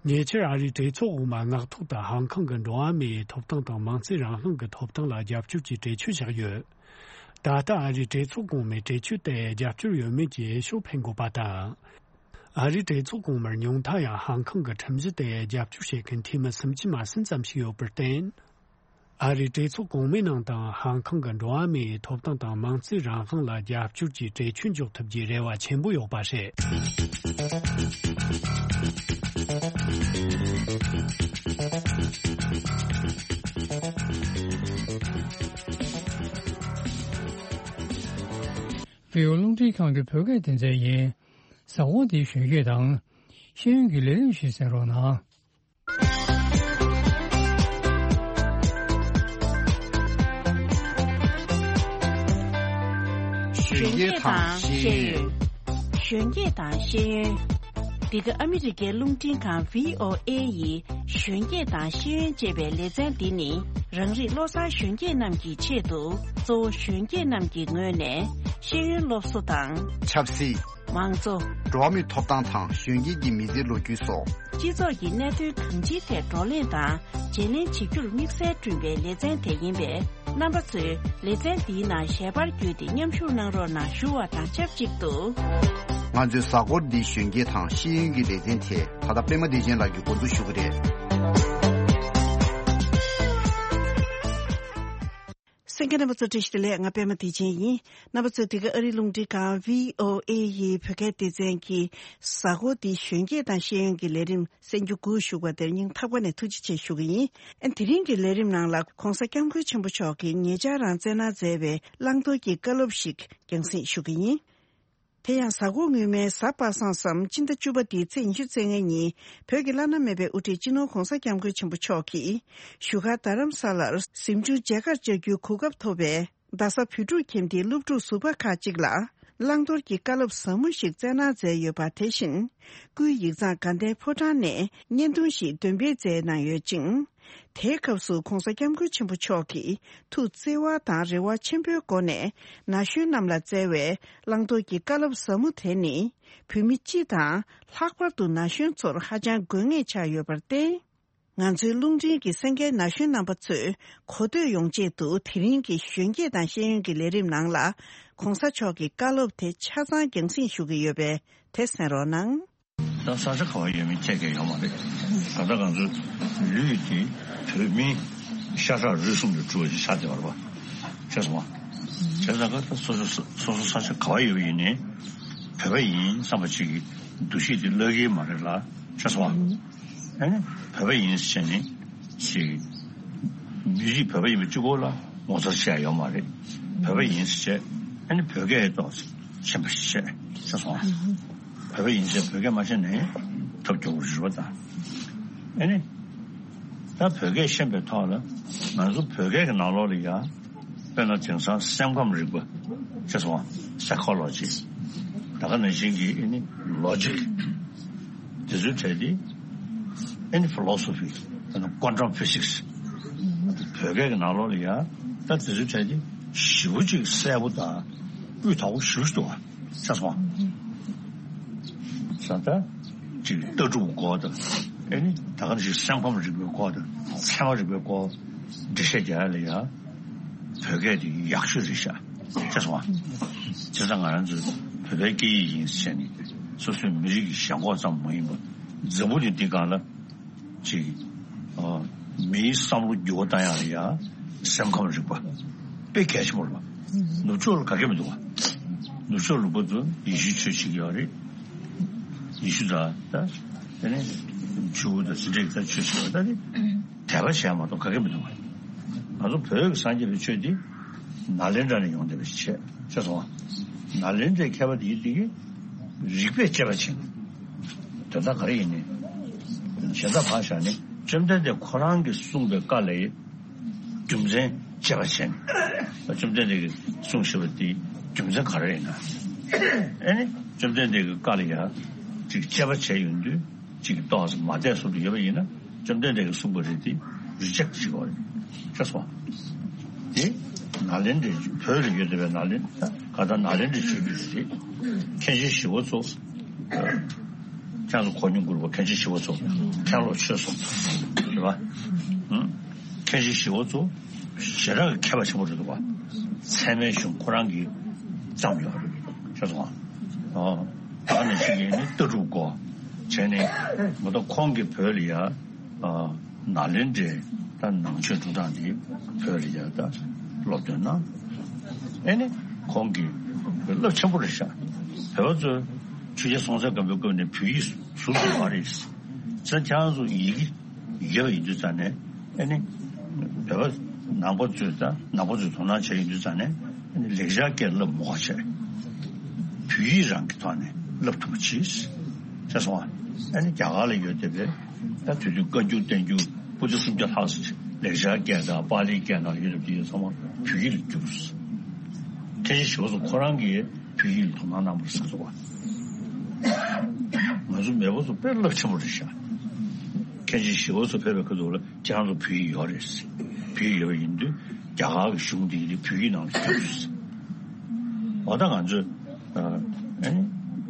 ཉེ་ཆར་ཨ་རིའི་གྲོས་ཚོགས་འོག་མ་མངགས་ཐོག་ཏུ་ཧང་ཀོང་གི་འགྲོ་བ་མིའི་ཐོབ་ཐང་དང་མང་གཙོའི་རང་དབང་གི་ཐོབ་ཐང་ལ་རྒྱབ་སྐྱོར་གྱི་གྲོས་ཆོད་བཞག་ཡོད། ད་ལྟ་ཨ་རིའི་གྲོས་ཚོགས་གོང་མས་གྲོས་ཆོད་དེར་རྒྱབ་སྐྱོར་ཡོད་མེད་ཀྱི་འོས་ཤོག་འཕེན་དགོས་པ་དང་། ཨ་རིའི་གྲོས་ཚོགས་གོང་མར་ཉུང་མཐའ་ཡང་ཧང་ཀོང་གི་ཁྲིམས་གཞི་དེར་རྒྱབ་སྐྱོར་བྱེད་མཁན་འཐུས་མི་སུམ་ཅུ་མ་ཟིན་ཙམ་ཞིག་ཡོད་པར་བརྟེན། ཨ་རིའི་གྲོས་ཚོགས་གོང་མའི་ནང་དུའང་ཧང་ཀོང་གི་འགྲོ་བ་མིའི་ཐོབ་ཐང་དང་མང་གཙོའི་རང་དབང་ལ་རྒྱབ་སྐྱོར་གྱི་གྲོས་ཆོད་འཇོག་ཐུབ་རྒྱུའི་རེ་བ་ཆེན་པོ་ཡོད་པ་རེད། བོད་རླུང་འཕྲིན་ཁང་གི་བོད་སྐད་སྡེ་ཚན་ཡིན། གཟའ་འཁོར་འདིའི་གཞོན་སྐྱེས་དང་ཤེས་ཡོན་གྱི་ལས་རིམ་ཞིག་གསན་རོགས་གནང་། གཞོན་སྐྱེས་དང་ཤེས་ཡོན། གཞོན་སྐྱེས་དང་ཤེས་ཡོན། འདི་ག་ཨ་མི་རི་ཀའི་རླུང་འཕྲིན་ཁང་བྷི་ཨོ་ཨེ་ཡི་གཞོན་སྐྱེས་དང་ཤེས་ཡོན་ཅེས་པའི་ལེ་ཚན་འདི་ནི། རང་རིགས་བློ་བཟང་གཞོན་སྐྱེས་རྣམས་ཀྱི་ཆེད་དུ། གཙོ་བོ་གཞོན་སྐྱེས་རྣམས་ཀྱི་ངོས་ནས་ཤེས་ཡོན་སློབ་གསོ་དང་། ཆབ་སྲིད། མང་གཙོ། འགྲོ་བ་མིའི་ཐོབ་ཐང་དང་གཞོན་སྐྱེས་ཀྱི་མི་ཚེའི་ལོ་རྒྱུས་སོགས། སྤྱི་ཚོགས་ཀྱི་གནད་དོན་གང་ཅིའི་ཐད་བགྲོ་གླེང་དང་བརྗེ་ལེན་བྱེད་རྒྱུར་དམིགས་བསལ་བསྐྲུན་པའི་ལེ་ཚན་དེ་ཡིན་པས། རྣམ་པ་ཚོས་ལེ་ཚན་འདིའི་ནང་ཞལ་པར་བརྒྱུད་དེ་མཉམ་ཞུགས་གནང་རོགས་གནང་ཞུ་བ་དང་ཆབས་ཅིག་ཏུ། ང་ཚོའི་གཟའ་འཁོར་འདིའི་གཞོན་སྐྱེས་དང་ཤེས་ཡོན་གྱི་ལེ་ཚན་དེ་ད་ལྟ་པད་མ་བདེ་ཆེན་ལགས་ཀྱིས་འགོ་འཛུགས་ཞུ་གི་རེད། གསན་མཁན་རྣམ་པ་ཚོ་བཀྲ་ཤིས་བདེ་ལེགས། ང་པད་མ་བདེ་ཆེན་ཡིན། རྣམ་པ་ཚོས་འདི་ག་ཨ་རིའི་རླུང་འཕྲིན་ཁང་བྷི་ཨོ་ཨེ་ཡི་བོད་སྐད་སྡེ་ཚན་གྱི་གཟའ་འཁོར་འདིའི་གཞོན་སྐྱེས་དང་ཤེས་ཡོན་གྱི་ལས་རིམ་གསན་རྒྱུ་སྒུག་བཞུགས་པ་དེར་སྙིང་ཐག་པ་ནས་ཐུགས་རྗེ་ཆེ་ཞུ་གི་ཡིན། ཨ། དེ་རིང་གི་ལས་རིམ་ནང་ལ་༧གོང་ས་༧སྐྱབས་མགོན་ཆེན་པོ་མཆོག་གིས་ཉེ་ཆར་རང་བསྩལ་གནང་མཛད་པའི་བླང་དོར་གྱི་བཀའ་སློབ་ཞིག་རྒྱང་སྲིང་ཞུ་གི་ཡིན། དེ་ཡང་གཟའ་འཁོར་སྔོན་མའི་གཟའ་པ་སངས་སམ་སྤྱི་ཟླ་བཅུ་པ་འདིའི་ཚེས་ཉི་ཤུ་རྩ་ལྔ་ཉིན་བོད་ཀྱི་བླ་ན་མེད་པའི་དབུ་ཁྲིད་སྤྱི་ནོར་༧གོང་ས་༧སྐྱབས་མགོན་ཆེན་པོ་མཆོག་གིས་བཞུགས་སྒར་རྡ་རམ་ས་ལར་གཟིམ་ཆུང་མཇལ་ཁར་བཅར་རྒྱུའི་གོ་སྐབས་ཐོབ་པས། རྡ་ས་བོད་ཕྲུག་ཁྱིམ་སྡེའི་སློབ་ཕྲུག་ཟུར་པ་ཁག་ཅིག་ལ་བླང་དོར་གྱི་བཀའ་སློབ་ཟབ་མོ་ཞིག་བསྩལ་གནང་མཛད་ཡོད་པ། དེ་བཞིན་སྐུའི་ཡིག་ཚང་དགའ་ལྡན་ཕོ་བྲང་ནས་བརྙན་ཐུང་ཞིག་འདོན་སྤེལ་མཛད་གནང་ཡོད་ཅིང་། དེའི་སྐབས་སུ་༧གོང་ས་༧སྐྱབས་མགོན་ཆེན་པོ་མཆོག་གིས་ཐུགས་བརྩེ་བ་དང་རེ་བ་ཆེན་པོའི་སྒོ་ནས་ན་གཞོན་རྣམས་ལ་བསྩལ་བའི་བླང་དོར་གྱི་བཀའ་སློབ་ཟབ་མོ་དེ་ནི། བོད་མི་སྤྱི་དང་ལྷག་པར་དུ་ན་གཞོན་ཚོར་ཧ་ཅང་དགོས་ངེས་ཆགས་ཡོད་པར་བརྟེན། ང་ཚོའི་རླུང་འཕྲིན་གྱི་གསན་མཁན་ན་གཞོན་རྣམ་པ་ཚོས་གོ་ཐོས་ཡོང་ཆེད་དུ། དེ་རིང་གི་གཞོན་སྐྱེས་དང་ཤེས་ཡོན་གྱི་ལས་རིམ་ནང་ལ་༧གོང་ས་མཆོག་གི་བཀའ་སློབ་དེ་ཆ་ཚང་རྒྱང་སྲིང་ཞུ་གི་ཡོད་པས། དེ་གསན་རོགས་གནང་། ད་ས་ཆ་ག་བ་ཡོད་མེད་ཁྱད་ཀྱང་ཡོད་མ་རེད། ད་ལྟ་ང་ཚོའི་ལུས་དེ་བོད་མིའི་ཤ་ཁྲག་རུས་གསུམ་དུ་གྲུབ་པ་ཞིག་ཆགས་བསྡད་པ་རེད་པ། ཤེས་སོང་ང་། བྱས་ཙང་ཀ་ད་སོ་སོ་སོ་སོ་ས་ཆ་ག་བ་ཡོད་པ་ཡིན་ནའི་བོད་པ་ཡིན་བསམ་པ་ཅིག་གི་འདུ་ཤེས་དེ་བརླག་གི་མ་རེད་ལ། ཤེས་སོང་ཨ། ཨ་ནི་བོད་པ་ཡིན་ཟེར་ནས་ཅིག་མི་རིགས་བོད་པ་ཡིན་པ་གཅིག་པོ་ལ་ངོ་མཚར་བྱས་ཡོད་མ་རེད། བོད་པ་ཡིན་ཟེར་བྱས་ཨ་ནི་བོད་སྐད་ཐོག་ཤེས་པ་ཤེས་ཤེས་སོང་ཨ། བོད་པ་ཡིན་ཟེར་བོད་སྐད་མ་ཤེས་ནའི་ཐབས་སྐྱོ་པོ་རེད་པ་ད། ཨ་ནི་ད་བོད་སྐད་ཤེས་པའི་ཐོག་ལ་ང་ཚོ་བོད་སྐད་ཀྱི་ནང་ལོགས་ལ་ཡ། དཔེར་ན་དེང་སང་སེམས་ཁམས་རིག་པ་ཅེས་སོང་བ། Psychology། ད་ག་ནང་བཞིན་གྱི་ཨ་ནི་Logic། དེ་ཚོའི་གྲས་དེ་ཨ་ནི་Philosophy། ད་ནི་Quantum Physics། བོད་སྐད་ཀྱི་ནང་ལོགས་ལ་ཡ་ད་དེ་ཚོའི་གྲས་དེ་ཞེ་པོ་ཅིག་གསལ་པོ་དང་དབུས་མཐོ་པོ་ཞེ་པོ་ཅིག་འདུག་བ། ཤེས་སོང་བ། ས་ད་ཅིག་ལྟ་གྲུབ་སྐོར་དང་ཨ་ནི་ད་ག་ནང་བཞིན་སེམས་ཁམས་རིག་པའི་སྐོར་དང་ཚད་མ་རིག་པའི་སྐོར་འགྲེལ་བཤད་རྒྱག་ཡ་ལ་ཡ། བོད་སྐད་དེ་ཡག་ཤོས་རེད་ཤག་ཤེས་སོང་ཨ། བྱས་ཙང་ང་རང་ཚོ་བོད་པའི་སྐད་ཡིག་ཡིན་ཟེར་ནས་སོ་སོའི་མི་རིགས་ཀྱི་ཞེན་ཁོག་ཙམ་མ་ཡིན་པར་འཛམ་བུ་གླིང་འདི་སྒང་ལ་ཅིག་ཨ། མིའི་བསམ་བློ་འགྱུར་བ་བཏང་ཡག་ལ་ཡ་སེམས་ཁམས་རིག་པ་དཔེ་གལ་ཆེན་པོ་རེད་པ། ནུབ་ཕྱོགས་ལ་ག་གེ་མི་འདུག་བ། ནུབ་ཕྱོགས་ལ་ཁོ་ཚོ་ཡེ་ཤུའི་ཆོས་བྱེད་ཀྱི་ཡོད་རེད། ཡེ་ཤུ་དང་ད་དེ་ནས་ཇུའུ་དང་དེ་འདྲའི་ད་ཆོས་བྱེད་པ་ད་ནི། དད་པ་བྱས་མ་གཏོགས་ག་གེ་མི་འདུག་བ། ང་ཚོ་བོད་ཀྱི་སངས་རྒྱས་པའི་ཆོས་འདི་ནཱ་ལེནྡྲ་ནས་ཡོང་བསྡད་པ་ཞིག་བྱས་ཤེས་སོང་བ། ནཱ་ལེནྡྲའི་མཁས་པ་དེ་ཡིན་དེ་གིས་རིགས་པས་དཔྱད་པ་བྱས་ནས་དོན་དག་ག་རེ་ཡིན་ནའི་གཞན་དག་ཕར་བཞག་ནས་བཅོམ་ལྡན་འདས་ཁོ་རང་གིས་གསུངས་པའི་བཀའ་ལ་རྒྱུ་མཚན་དཔྱད་པ་བྱས་ནས་བཅོམ་ལྡན་འདས་ཀྱིས་གསུངས་བཞག་པ་དེ་རྒྱུ་མཚན་ག་རེ་ཡིན་ན། ཨེ་ནི་བཅོམ་ལྡན་འདས་ཀྱི་བཀའ་ལ་ཡང་ཅིག་དཔྱད་པ་བྱས་ཡོང་དུས། གཅིག་ཏོག་ཙམ་མ་བདེ་སོང་དུ་ཡོད་པ་ཡིན་ན་བཅོམ་ལྡན་འདས་ཀྱིས་གསུངས་པ་རེད་དེ་རི་ཇེག་བྱེད་དགོས་རེད། ཤེས་སོང་། དེ་ནཱ་ལེནྡྲའི་བོད་ལ་ཡོད་བསྡད་པའི་ནཱ་ལེནྡྲ་ག་ད་ནཱ་ལེནྡྲའི་ཆོས་བརྒྱུད་རེད། མཁན་ཆེན་ཞི་བ་འཚོ། ཁྱེད་ཚོ་གོ་མྱོང་གི་རེད་པ། མཁན་ཆེན་ཞི་བ་འཚོ་མཁན་སློབ་ཆོས་གསུམ་རེད་པ། མཁན་ཆེན་ཞི་བ་འཚོ་ཞེ་དྲག་གི་མཁས་པ་ཆེན་པོ་རེད་འདུག་པ། ཚད་མའི་གཞུང་ཁོ་རང་གིས་བརྩམས་ཡོད་རེད། ཤེས་སོང་ཨ། ད་ནི་ཞིག་ཡིན་ནི་ལྟ་གྲུབ་སྐོར་བྱས་ནས་མ་གཏོགས་ཁོང་གིས་བོད་ལ་ཡ་ནཱ་ལེནྡྲའི་ད་ནང་ཆོས་སྒྲུབ་སྟངས་དེ་བོད་ལ་ཡ་ད་སློབ་སྟོན་གནང་། ཨེ་ནི་ཁོང་གིས་རླབས་ཆེན་པོ་རེད་ཤག་བོད་པ་ཚོས་ཆོས་རྒྱལ་སྲོང་བཙན་སྒམ་པོའི་སྐབས་ནས་བོད་ཡིག་ཟུར་དུ་མ་རེད། ཚེ་ཁྱེད་རང་ཚོ་ཡི་གེ་ཡོད་པ་ཡིན་དུས་ཙང་ནས། ཨ་ནི། བོད་པ་ནང་པ་ཚོས་དང་ནང་པ་ཚོས་དོ་སྣང་བྱས་ཡོང་དུས་ཙང་ནས། ཨ་ནི་ལེགས་སྦྱར་སྐད་བསླབ་མ་དགོས་བྱས། བོད་ཡིག་རང་གི་ཐོག་ནས་བསླབ་ཐུབ་པ་བྱས། ཤེས་སོང་ཨ། ཨ་ནི་རྒྱ་གར་ལ་ཡོད་བསྡད་པའི་ད་དུས་རྒྱུན་བཀའ་འགྱུར་བསྟན་འགྱུར་པོ་ཏི་སུམ་བརྒྱ་ལྷག་ཙམ་ལེགས་སྦྱར་སྐད་དང་པཱ་ལིའི་སྐད་ནང་ཡོད་བསྡད་པ་དེ་ཚང་མ་བོད་ཡིག་ལ་བསྒྱུར། མཁན་ཆེན་ཞི་བ་འཚོ་ཁོ་རང་གིས་བོད་ཡིག་ལ་དོ་སྣང་གནང་བ་རེད་ཟེར་གི་འདུག་བ། ང་ཚོ་མེས་པོ་ཚོ་དཔེ་རླབས་ཆེན་པོ་རེད་ཤག་མཁན་ཆེན་ཞི་བ་འཚོ་ཕེབས་པའི་ཁ་ཐུག་ལ་ཁྱེད་རང་ཚོ་བོད་ཡིག་ཡོད་རེད། བོད་ཡིག་ཡོད་པ་ཡིན་དུས་རྒྱ་གར་གྱི་གཞུང་འདི་གི་བོད་ཡིག་ནང་ལ་བསྒྱུར། འོ་ད་ང་ཚོས་ཨ་ནི་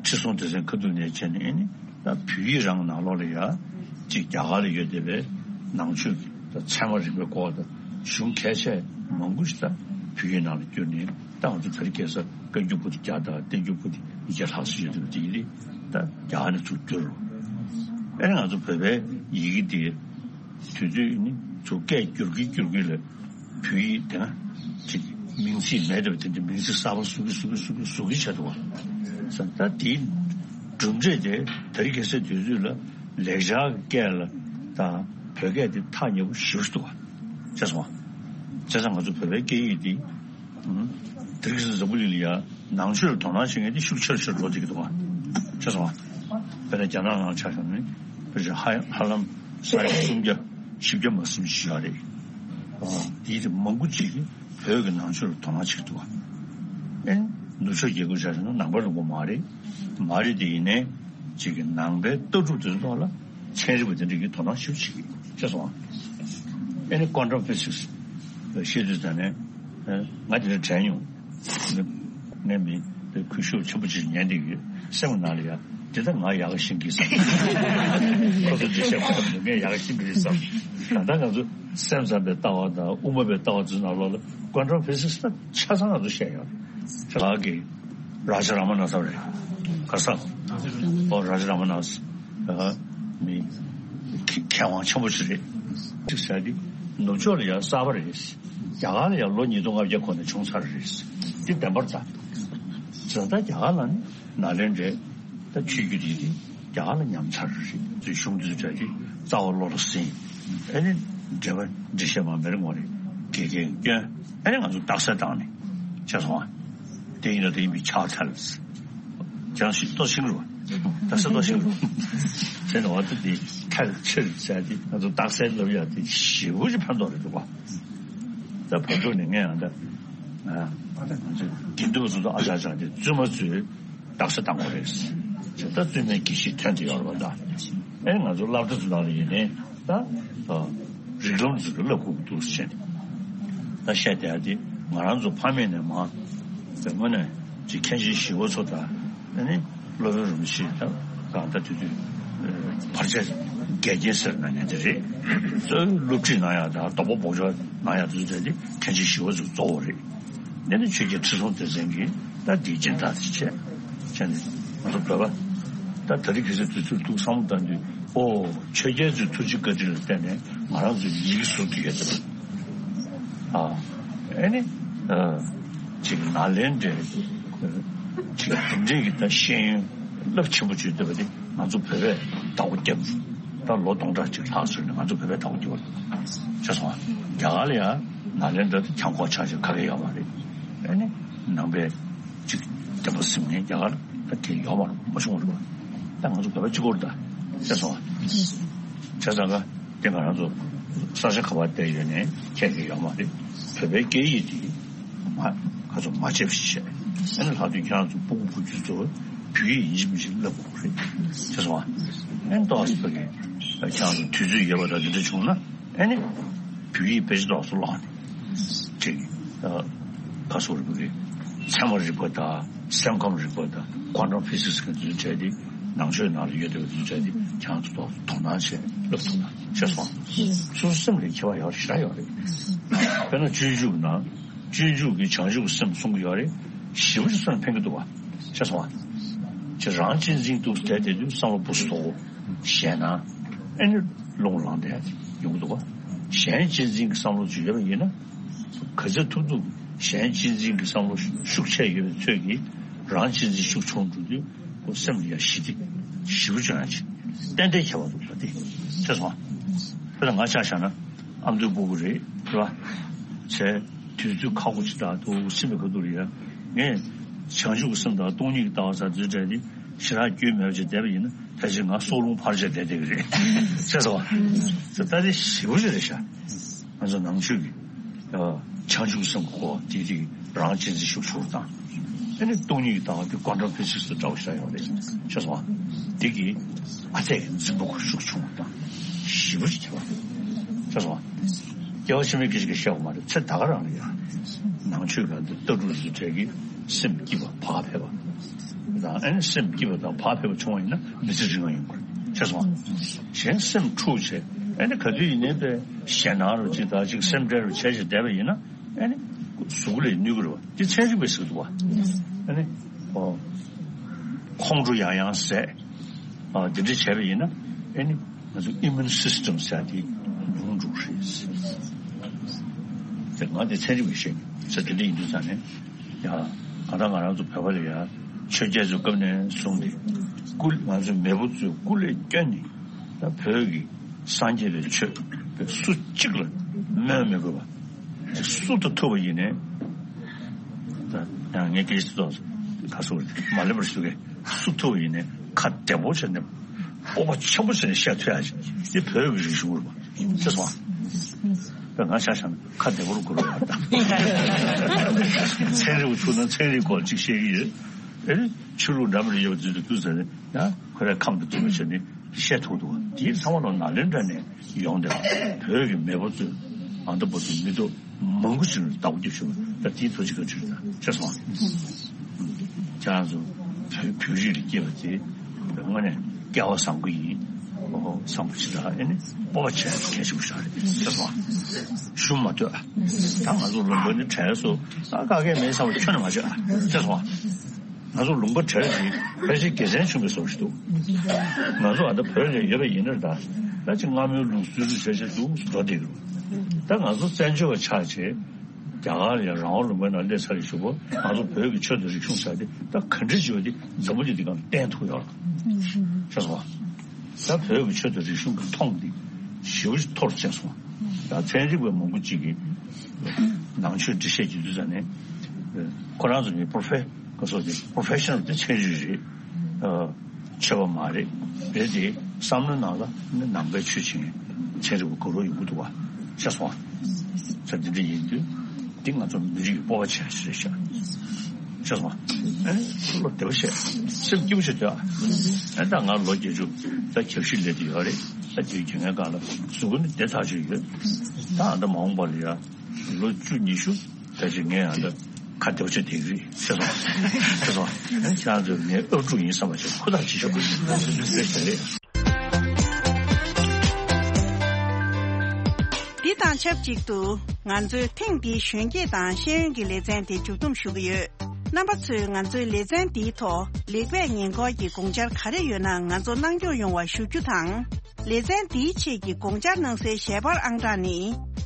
ཁྲི་སྲོང་ལྡེ་བཙན་ཁ་ཐུག་ནས་བྱས་ནས་ཨ་ནི་ད་བོད་ཡིག་རང་ནང་ལོགས་ལ་ཡ་གཅིག་རྒྱ་གར་ལ་ཡོད་བསྡད་པའི་ནང་ཆོས་ཀྱི་ད་ཚད་མ་རིག་པའི་སྐོར་དང་གཞུང་གལ་ཆེ་མང་པོ་ཞིག་ད་བོད་ཡིག་ནང་ལ་བསྒྱུར་ནས། ད་ང་ཚོ་དེ་རིང་ཁ་སང་བཀའ་འགྱུར་པོ་ཏི་བརྒྱ་དང་བསྟན་འགྱུར་པོ་ཏི་ཉིས་བརྒྱ་ལྷག་ཙམ་ཡོད་འདུག་དེ་ཡིན་དུས་ད་རྒྱ་གར་ནས་ཚུར་བསྒྱུར་རོ། ཨ་ནི་ང་ཚོ་བོད་པའི་ཡི་གེ་འདི་དུས་ཚོད་ནི་ཚུར་སྐད་བསྒྱུར་གྱིན་བསྒྱུར་གྱིན་ལ་བོད་ཡིག་དེ་ན་ཅིག་མིང་ཚིག་མེད་འདྲ་བ་དེ་འདྲ་མིང་ཚིག་གསར་པ་བཟོ་གི་བཟོ་གི་བཟོ་གི་བཟོ་གི་བྱས་འདུག་བ། ད་དེའི་གྲུབ་འབྲས་དེ་དེ་རིང་ཁ་སང་དུས་ཚོད་ལ་ལེགས་སྦྱར་སྐད་ལ་དང་བོད་སྐད་དེ་ཐག་ཉེ་པོ་ཞེ་པོ་ཅིག་འདུག་བ། ཤེས་སོང་བ། བྱས་ཙང་ང་ཚོ་བོད་པའི་སྐད་ཡིག་འདི། དེ་རིང་ཁ་སང་འཛམ་བུ་གླིང་ལ་ཡ་ནང་ཆོས་ལ་དོ་སྣང་བྱེད་མཁན་དེ་ཤུགས་ཆེ་རུ་ཆེ་རུ་འགྲོ་བསྡད་ཀྱི་འདུག་ག་ཤེས་སོང་ང་། དཔེར་ན་རྒྱ་ནག་ནང་ཆ་བཞག་ན་ཕལ་ཆེར་ཧ་ཧ་ལམ་ས་ཡ་སུམ་བརྒྱ་བཞི་བརྒྱ་མ་ཟིན་ཞིག་ཡོད་རེད། དེའི་མང་པོ་ཅིག་གིས་བོད་ཀྱི་ནང་ཆོས་ལ་དོ་སྣང་བྱེད་ཀྱི་འདུག་ག་ཨེ་ནུབ་ཕྱོགས་རྒྱལ་ཁབ་ཆ་བཞག་ན་ནང་པ་རིན་པོ་མ་རེད། མ་རེད་དེ་ཡིན་ནའི་ཅིག་གི་ནང་པའི་ལྟ་གྲུབ་དེ་ཚོ་ཐོག་ལ་ཚན་རིག་པ་དེ་འདྲ་གིས་དོ་སྣང་ཞེ་པོ་བྱེད་ཀྱི་ཤེས་སོང་ང་། ཨེ་ནི་ཀོན་ཊམ་ཕི་སིག་སི་བཤད་དུས་ཙང་ནས། ང་དེ་འདྲ་དྲན་ཡོང་། ངས་མི་དེ་གུས་ཞབས་ཆེན་པོ་ཅིག་ཉན་བསྡད་ཡོད། སེམས་ནང་ལ་ཡ་དེ་ད་ང་ཡག་ག་ཤེས་ཀྱི་བསམ། ཁོ་ཚོ་ཅིག་བཤད་པ་ཙམ་དུ་ངས་ཡག་ག་ཤེས་ཀྱི་རེད་བསམ། ད་ལྟ་ང་ཚོ་སེམས་ཙམ་པའི་ལྟ་བ་དང་དབུ་མ་པའི་ལྟ་བ་ཚོའི་ནང་ལོགས་ལ་ཀོན་ཊམ་ཕི་སིག་སི་ད་ཆ་ཚང་ང་ཚོ་བཤད་ཡོད་རེད། ཁྱེད་ལགས་ཀྱིས་རཱ་ཇ་ར་མ་ན་ས་རེད། ག་ས། ཨོ་རཱ་ཇ་ར་མ་ན་ས། ཨ་མི་མཁས་དབང་ཆེན་པོ་ཞིག་རེད། ཅིག་ཟེར་དེ་ནུབ་ཕྱོགས་ལ་ཡང་གསར་པ་རེད། རྒྱ་གར་ལ་ཡང་ལོ་ཉིས་སྟོང་ལྔ་བརྒྱ་གོང་ནས་བྱུང་ཚར་རེད། དེ་བདེན་པར་ད། ད་ལྟ་རྒྱ་གར་ལ་ནི་ནཱ་ལེནྡྲའི་ད་ཆོས་བརྒྱུད་དེ་དེ་ རྒྱ་གར་ལ་ཉམས་ཚར་རེད། དེ་གཞུང་དེ་ཚོ་གྲས་ཀྱི་རྩ་བ་བློ་ལ་ཟིན། ཨེ་ནི་འགྲེལ་པ་འགྲེལ་བཤད་མ་མེར་ངོ་རེ་དགེ་རྒན་སྐྱོན། ཨེ་ནི་ང་ཚོ་རྟགས་གསལ་བཏང་ནས་བྱས་སོང་ཨ། དེ་ཡིན་ན་དེ་ཡིན་པའི་ཕྱག་ཐལ། ཅང་ཞིག་ཏོ་ཤིང་རུ། ད་ས་ཏོ་ཤིང་རུ། ཟེར་ནས་བ་ད་དེ་ཐལ་ཕྱིར་ཟེར་ཏེ་ང་ཚོ་རྟགས་གསལ་ལབ་ཡ་དེ་ཞེ་པོ་ཅིག་ཕན་ཐོགས་རེད་འདུག་བ། ད་བར་དུ་ནས་ངས་ཡང་ད་ང་ཚོ་དགེ་འདུན་པ་ཚོ་ད་ཨ་ཅག་ཅག་དེ་བཙུན་མ་ཚོས་རྟགས་གསལ་བཏང་བ་རེད། ད་བཙུན་མའི་དགེ་བཤེས་ཐོན་དེ་ཡོད་རེད་བ། ད་ཨེ་ང་ཚོ་སློབ་གྲྭ་ཚོ་ནང་ལ་ཡིན་ནའི་ད་རིགས་ལམ་ཚོ་གི་བསླབ་དགོས་ཀྱི་འདུག་ཟེར་ནས་ད་བཤད་བསྡད་ཡ་དེ་ང་རང་ཚོ་ཕ་མེས་ནས་མ་དེ་དངོས་གནས་ཅིག་མཁན་ཆེན་ཞི་བ་འཚོ་དང་ཨ་ནི་སློབ་དཔོན་རིན་པོ་ཆེ་དང་གང་ལྟར་དུས་དུས་བར་ཆད་འགལ་རྐྱེན་ཟེར་ན་ནི་དེ་རེད། གཙོ་བོ་སློབ་ཁྲིད་གནང་ཡ་དང་དོགས་པ་སྦོམ་ཆོག་གནང་ཡ་དེ་ཚོ་དེ་མཁན་ཆེན་ཞི་བ་འཚོ་གཙོ་བོ་རེད། དེ་ནི་ཆོས་རྒྱལ་ཁྲི་སྲོང་ལྡེ་བཙན་གྱིས་ད་འདིའི་སྦྱིན་བདག་དེ་བྱས་བྱས་ནས་ང་ཚོ་བོད་པ་ད་ད་རེས་ཁ་སང་དུས་ཚོད་འདུག་བསམ་བློ་བཏང་དུས་ཨོ་ཆོས་རྒྱལ་ཚོའི་ཐུགས་རྗེ་བཀའ་དྲིན་ལ་བརྟེན་ནས་ང་རང་ཚོའི་ཡི་གེ་ཟུར་དུ་ཡོད་ཚེ། ཨ་ཨེ་ནི་ཨ་ཅིག་ནཱ་ལེནྡྲའི་ཅིག་དེ་འདྲའི་གི་ད་ཤེས་ཡོན་རླབས་ཆེན་པོ་བརྗོད་བསྡད་པ་དེ་ང་ཚོ་བོད་པས་བདག་པོ་བརྒྱབ། ད་ལོ་སྟོང་ཕྲག་གཅིག་ལྷག་ཙམ་ནས་ང་ཚོ་བོད་པས་བདག་པོ་བརྒྱབ་པ་རེད། ཤེས་སོང་ཨ། རྒྱ་གར་ལ་ཡང་ནཱ་ལེནྡྲ་དེ་གྱང་ཁོག་ཆགས་ཆགས་ག་གེ་ཡོད་མ་རེད། ཨེ་ནི་ནང་པའི་ཅིག་བསྟན་པ་སྲུང་མཁན་རྒྱ་གར་ད་དེ་ཡོད་མ་རེད། མ་བྱུང་བ་རེད། ད་ང་ཚོ་བོད་པ་གཅིག་པོ་རེད་ད། ཤེས་སོང་ཨ། བྱས་ཙང་ཀ་དེ་ང་རང་ཚོ་ས་ཆ་ག་པར་བསྡད་ཡོད་ནའི་ཁྱད་ཀྱི་ཡོད་མ་རེད། བོད་པའི་སྐད་ཡིག་དེ་མ་ཁ་ཚོ་མ་བརྗེད་པ་ཞིག་བྱས། ཨ་ནི་ལྷག་དུས་ཁྱེད་རང་ཚོ་སྤུ་གུ་བུ་རྒྱུད་ཚོ་བོད་ཡིག་ཡིན་གཅིག་མིན་གཅིག་བསླབ་དགོས་རེད། ཤེས་སོང་ཨ། ཨ་ནི་ཏོག་ཙམ་ཕ་གི་ཁྱེད་རང་ཚོ་དུས་ཚོད་ཡོད་པ་དང་དེ་འདྲ་བྱུང་ན་ཨ་ནི་བོད་ཡིག་དཔེ་ཆ་ཏོག་ཙམ་བཀླགས་ནས་ཅིག་ཨ་ཁ་སོ་རིག་པ་གི་ཚད་མ་རིག་པ་དང་སེམས་ཁམས་རིག་པ་དང་ཀོན་ཊམ་ཕི་སིག་སི་གི་འདུས་བྱས་ཏེ་ནང་ཆོས་ནང་ལ་ཡོད་བསྡད་པ་འདུས་བྱས་ཏེ་ཁྱེད་རང་ཚོ་ཏོག་ཙམ་དོ་སྣང་བྱས་བསླབ་ཐུབ་ན་ཤེས་སོང་། སོ་སོ་སེམས་ལ་ཁྱད་པར་ཡོད་ཞེ་དྲག་ཡོད་རེད། དཔེར་ན་སྤྱོད་འཇུག་ནང་སྤྱོད་འཇུག་གི་བྱང་ཆུབ་སེམས་གསུང་གི་ཡོད་རེད། ཞེ་པོ་ཅིག་སོ་ནས་ཕན་གི་འདུག་བ། ཤེས་སོང་བ། ཁྱེད་རང་གཅེས་འཛིན་འདུག་བསྡད་དེ་དུས་བསམ་བློ་སྤུ་སུ་དོག་གོ། ཞེད་སྣང་། ཨེ་ནི་རླུང་ལངས་བསྡད་ཡོང་གི་འདུག་བ། གཞན་གཅེས་འཛིན་གྱི་བསམ་བློ་ཅིག་ཡོད་པ་ཡིན་ན། ག་ཚོད་ཐུབ་ཐུབ་གཞན་གཅེས་འཛིན་གྱི་བསམ་བློ་ཤུགས་ཆེ་ཡོད་པའི་ཚོད་ཀྱིས་རང་གཅེས་འཛིན་ཤུགས་ཆུང་འགྲོ་དུས་ཁོ་སེམས་ལ་ཡང་ཞི་བདེ་ཞེ་པོ་བྱུང་ཡ་ཅིག་ཏན་ཏན་ཁྱད་པར་འདུག་ལ་དེ་ཤེས་སོང་བ། དཔེར་ན་ང་ཆ་བཞག་ན་ཨ་མདོའི་སྤུ་གུ་རེད་རེད་བ། བྱས། དུས་ཚོད་ཁག་པོ་ཅིག་དང་དུ་སེམས་པའི་ཁ་ཐུག་ལ་ཡ། ངས་བྱང་ཆུབ་ཀྱི་སེམས་དང་སྟོང་ཉིད་ཀྱི་ལྟ་བ་ཟེར་འཛུལ་བྲལ་ནི་ཞེ་དྲག་རྒྱུས་མེད་པ་ཅིག་བསྡད་པ་ཡིན་ན་ཕལ་ཆེར་ང་སྲོག་རླུང་འཕར་བྱས་བསྡད་བསྡད་ཀྱི་རེད། ཤེས་སོང་བ། ད་དེ་ཞེ་པོ་ཅིག་རེད་ཤག་ང་ཚོ་ནང་ཆོས་ཀྱི་བྱང་ཆུབ་སེམས་ཁོ་དེ་དེ་རང་གཅེས་འཛིན་ཤུགས་ཆུང་དང་། ཨ་ནི་སྟོང་ཉིད་ཀྱི་ལྟ་བ་དེ་ཀོན་ཊམ་ཕི་སིག་སི་དང་འདྲ་བོ་ཞིག་ཡོད་རེད། ཤེས་སོང་བ། དེ་གི་ཨ་ཙེ་གི་འཛིན་པ་ཁོ་ཤུགས་ཆུང་བ་དང་ཞེ་པོ་ཅིག་ཁྱད་པར་འདུག་ཤེས་སོང་བ། སྐྱེ་བ་ཕྱི་མའི་སྐད་ཆ་གི་བཤད་དགོས་མ་རེད། ཚེ་ད་ག་རང་ལ་ཡང་ནང་ཆོས་ཀྱི་ལྟ་གྲུབ་རིགས་གྲས་ཀྱི་སེམས་སྐྱིད་པ་བག་ཕེབས་པ་དང་། ཨ་ནི་སེམས་སྐྱིད་པ་དང་བག་ཕེབས་པ་བྱུང་བ་ཡིན་ན་མི་ཚེ་རིང་བ་ཡོང་གི་རེད། ཤེས་སོང་བ། གཞན་སེམས་འཁྲུག་བྱས་ཨ་ནི་ག་དུས་ཡིན་ནའི་པའི་ཞེད་སྣང་རུ་ཅིག་དང་ཅིག་སེམས་ཁྲལ་རུ་བྱས་བྱས་བསྡད་པ་ཡིན་ན། ཨ་ནི་གཟུགས་ལ་གནོད་ཀྱི་རེད་བ། འདི་ཚན་རིག་པས་ཟེར་གྱི་འདུག་བ། ཨ་ནི་ཨོ་ཁོང་ཁྲོ་ཡང་ཡང་ཟད། ཨ་འདི་འདྲ་བྱས་པ་ཡིན་ན་ཨ་ནི་ང་ཚོ་ཨི་མིའུན་སིས་ཊམ་ཟེར་དེ་ཉུང་འགྲོ་གི་རེད་ཟེར། དེ་ང་དེ་ཚན་རིག་པས་བཤད་ཀྱི་ཟེར། དེ་འདྲ་ཡིན་དུས་ཙང་ནས་ཡ་གང་ལྟར་ང་རང་ཚོ་བོད་པ་ལ་ཡ་ཆོས་རྒྱལ་ཚོའི་སྐབས་ནས་བཟུང་སྟེ་སྐུ་ང་ཚོའི་མེས་པོ་ཚོས་སྐུ་ལས་བསྐྱོན་ནས་ད་བོད་ཀྱི་སངས་རྒྱས་པའི་ཆོས་སུ་གཅིག་ལ་སྨོན་མི་དགོས་པ། སུ་དང་ཐུག་པ་ཡིན་ནའི། ད་ཡང་ངས་སྐད་ཆ་ཏོག་ཙམ་ཁ་སོ་མ་ལེན་པར་ཞུ་གེ། སུ་ཐུག་པ་ཡིན་ནའི་ཁ་བདེ་པོ་བྱས་ནས་སྤོབས་པ་ཆེན་པོ་བྱས་ནས་བཤད་ཐུབ་ཡ་ཞིག་འདི་བོད་ཀྱི་རིག་གཞུང་རེད་པ། ཤེས་སོང་ཨ། ད་ང་ཆ་བཞག་ན་ཁ་བདེ་པོར་གོ་རུ་བ་དང་། ཚན་རིག་པ་ཚུགས་ན་ཚན་རིག་སྐོར་ཅིག་བཤད་ཀྱི་ཡོད། ཨེ་ཆོས་ལུགས་འདྲ་མི་འདྲ་ཡོད་པ་དུས་དུས་ཟེར་ནས་ཡང་ཁོ་རའི་ཁམས་དང་མཐུན་པ་བྱས་ནས། བཤད་ཐུབ་འདུག་དེའི་ཚང་མ་ལ་ནཱ་ལེནྡྲ་ནས་ཡོང་སྟེ་བོད་ཀྱི་མེས་པོ་ཚོས་ཨ་མདོ་བོད་དུ་མི་ཐོག་མང་པོ་ཞིག་ལ་བདག་པོ་རྒྱབ་བཞིན་པ་ད་དེའི་ཐུགས་རྗེ་བཀའ་དྲིན་དང་ཤེས་སོང་། ཁྱེད་རང་ཚོ་བོད་བོད་རིགས་ལ་སྐྱེས་པ་དེ་དངོས་གནས་སྐལ་བ་བཟང་པོ་ཡིན། ཨོ་བཟང་པོ་ཞིག་དང་ཨེ་ནི་སྤོབས་པ་བྱས་གལ་ཆེན་པོ་ཞིག་རེད་ཤེས་སོང་། ཞུམ་མ་སྡོད་ཨ། ད་ང་ཚོ་ལུང་པ་ནི་བྲལ་སོང་ཨ། དཀའ་ངལ་མེད་བསམ་པ་ཁྱོན་ནས་མ་བྱེད་ཨ། ཤེས་སོང་ཨ། ང་ཚོ་ལུང་པ་བྲལ་ཞིག་ཕལ་ཆེར་དགེ་མཚན་ཆུང་བའི་བཟོ་ཞིག་འདུག་ང་ཚོ་ཨ་ད་བོད་ལ་ཡོད་པ་ཡིན་ན་ད་ད་ཅིག་སྔ་མོའི་ལུགས་སྲོལ་རུ་བྱས་བྱས་འདུག་འགྲོ་བསྡད་ཀྱི་རེད། ད་ང་ཚོ་བཙན་བྱོལ་བ་ཆགས་བྱས་ རྒྱ་གར་ལ་ཡང་རང་དབང་ལུང་པའི་ནང་སླེབས་ཚར་རེད་ཞུ་བ། ང་ཚོ་བོད་ཀྱི་ཆོས་དང་རིག་གཞུང་ཟེར་དེ་ད་ག་འདྲ་བྱས་པ་དེ་འཛམ་བུ་གླིང་འདི་སྒང་ལ་བསྟན་ཐུབ་ཡོད་རེད། ཤེས་སོང་ང་། ད་བོད་ཀྱི་ཆོས་དང་རིག་གཞུང་གི་མཐོང་འདི་ཞེ་པོ་ཅིག་མཐོ་རུ་ཕྱིན་སོང་ང། ད་ཚན་རིག་པ་མང་པོ་ཅིག་གིས་ནང་ཆོས་འགྲེལ་བཤད་བྱེད་དུས་ཙམ་ནས་ཁོ་རང་ཚོ་ནི་པོ་རོ་ཕེ་ག་སོགས་དེ་པོ་རོ་ཕེ་ཤ་ནལ་དེ་ཚན་རིག་རེད། ཆོས་པ་མ་རེད། རེད་དེ་བསམ་བློའི་ནང་ལ་ནི་ནང་པའི་ཆོས་བྱེད་མཁན་ཚན་རིག་པ་དགའ་རབ་ཡོང་གི་འདུག་བ། ཤེས་སོང་ང་། ས་འདི་འདྲ་ཡིན་དུས་འདི་ང་ཚོ་མི་རིགས་ཀྱི་སྤོབས་པ་ཆེ་ཤོས་རེད་ཤག། ཤེས་སོང་ང་། ཨེ་བློ་བདེ་བོ་བྱས། སེམས་སྐྱིད་པོ་བྱས་སྡོད་ཨ། ཨེ་ད་ང་ལོ་བརྒྱད་ཅུ་ད་རྒྱབ་ཤིག་སླེབས་དུས་ཡོད་རེད། ད་དུས་རྒྱུན་ངའི་སྒང་ལ་གཟུགས་པོ་ནི་བདེ་ཐག་ཆོད་ཡོད། ད་ཨ་ད་མ་འོངས་པ་ལ་ཡ་ལོ་བཅུ་ཉི་ཤུ་ད་ཅིག་ངས་ཨ་ད་ཁ་བདེ་བོ་བྱས་བསྡད་ཀྱི་རེད། ཤེས་སོང་། ཤེས་སོང་། ཨེ་ཁྱེད་རང་ཚོས་ངའི་ཨབ་ཕྲུག་ཡིན་བསམ་པ་བྱས་ཧུར་ཐག་བྱེད་ཤོག། ཨེ་ཤ་རེད། འདི་དང་ཆབས་ཅིག་ཏུ་ང་ཚོས་ཐེངས་འདིའི་གཞོན་སྐྱེས་དང་ཤེས་ཡོན་གྱི་ལེ་ཚན་དེ་མཇུག་བསྡོམས་ཞུ་གི་ཡོད། རྣམ་པ་ཚོས་ང་ཚོའི་ལེ་ཚན་འདིའི་ཐོག་ལེགས་སྤེལ་ཉེས་འགོག་གི་དགོངས་འཆར་ག་རེ་ཡོད་ན་ང་ཚོ་གནང་སྐྱོང་ཡོང་བ་ཞུ་རྒྱུ་དང་། ལེ་ཚན་འདིའི་ཆེད་ཀྱི་དགོངས་འཆར་གནང་སའི་ཞལ་པར་ཨང་གྲངས་ནི།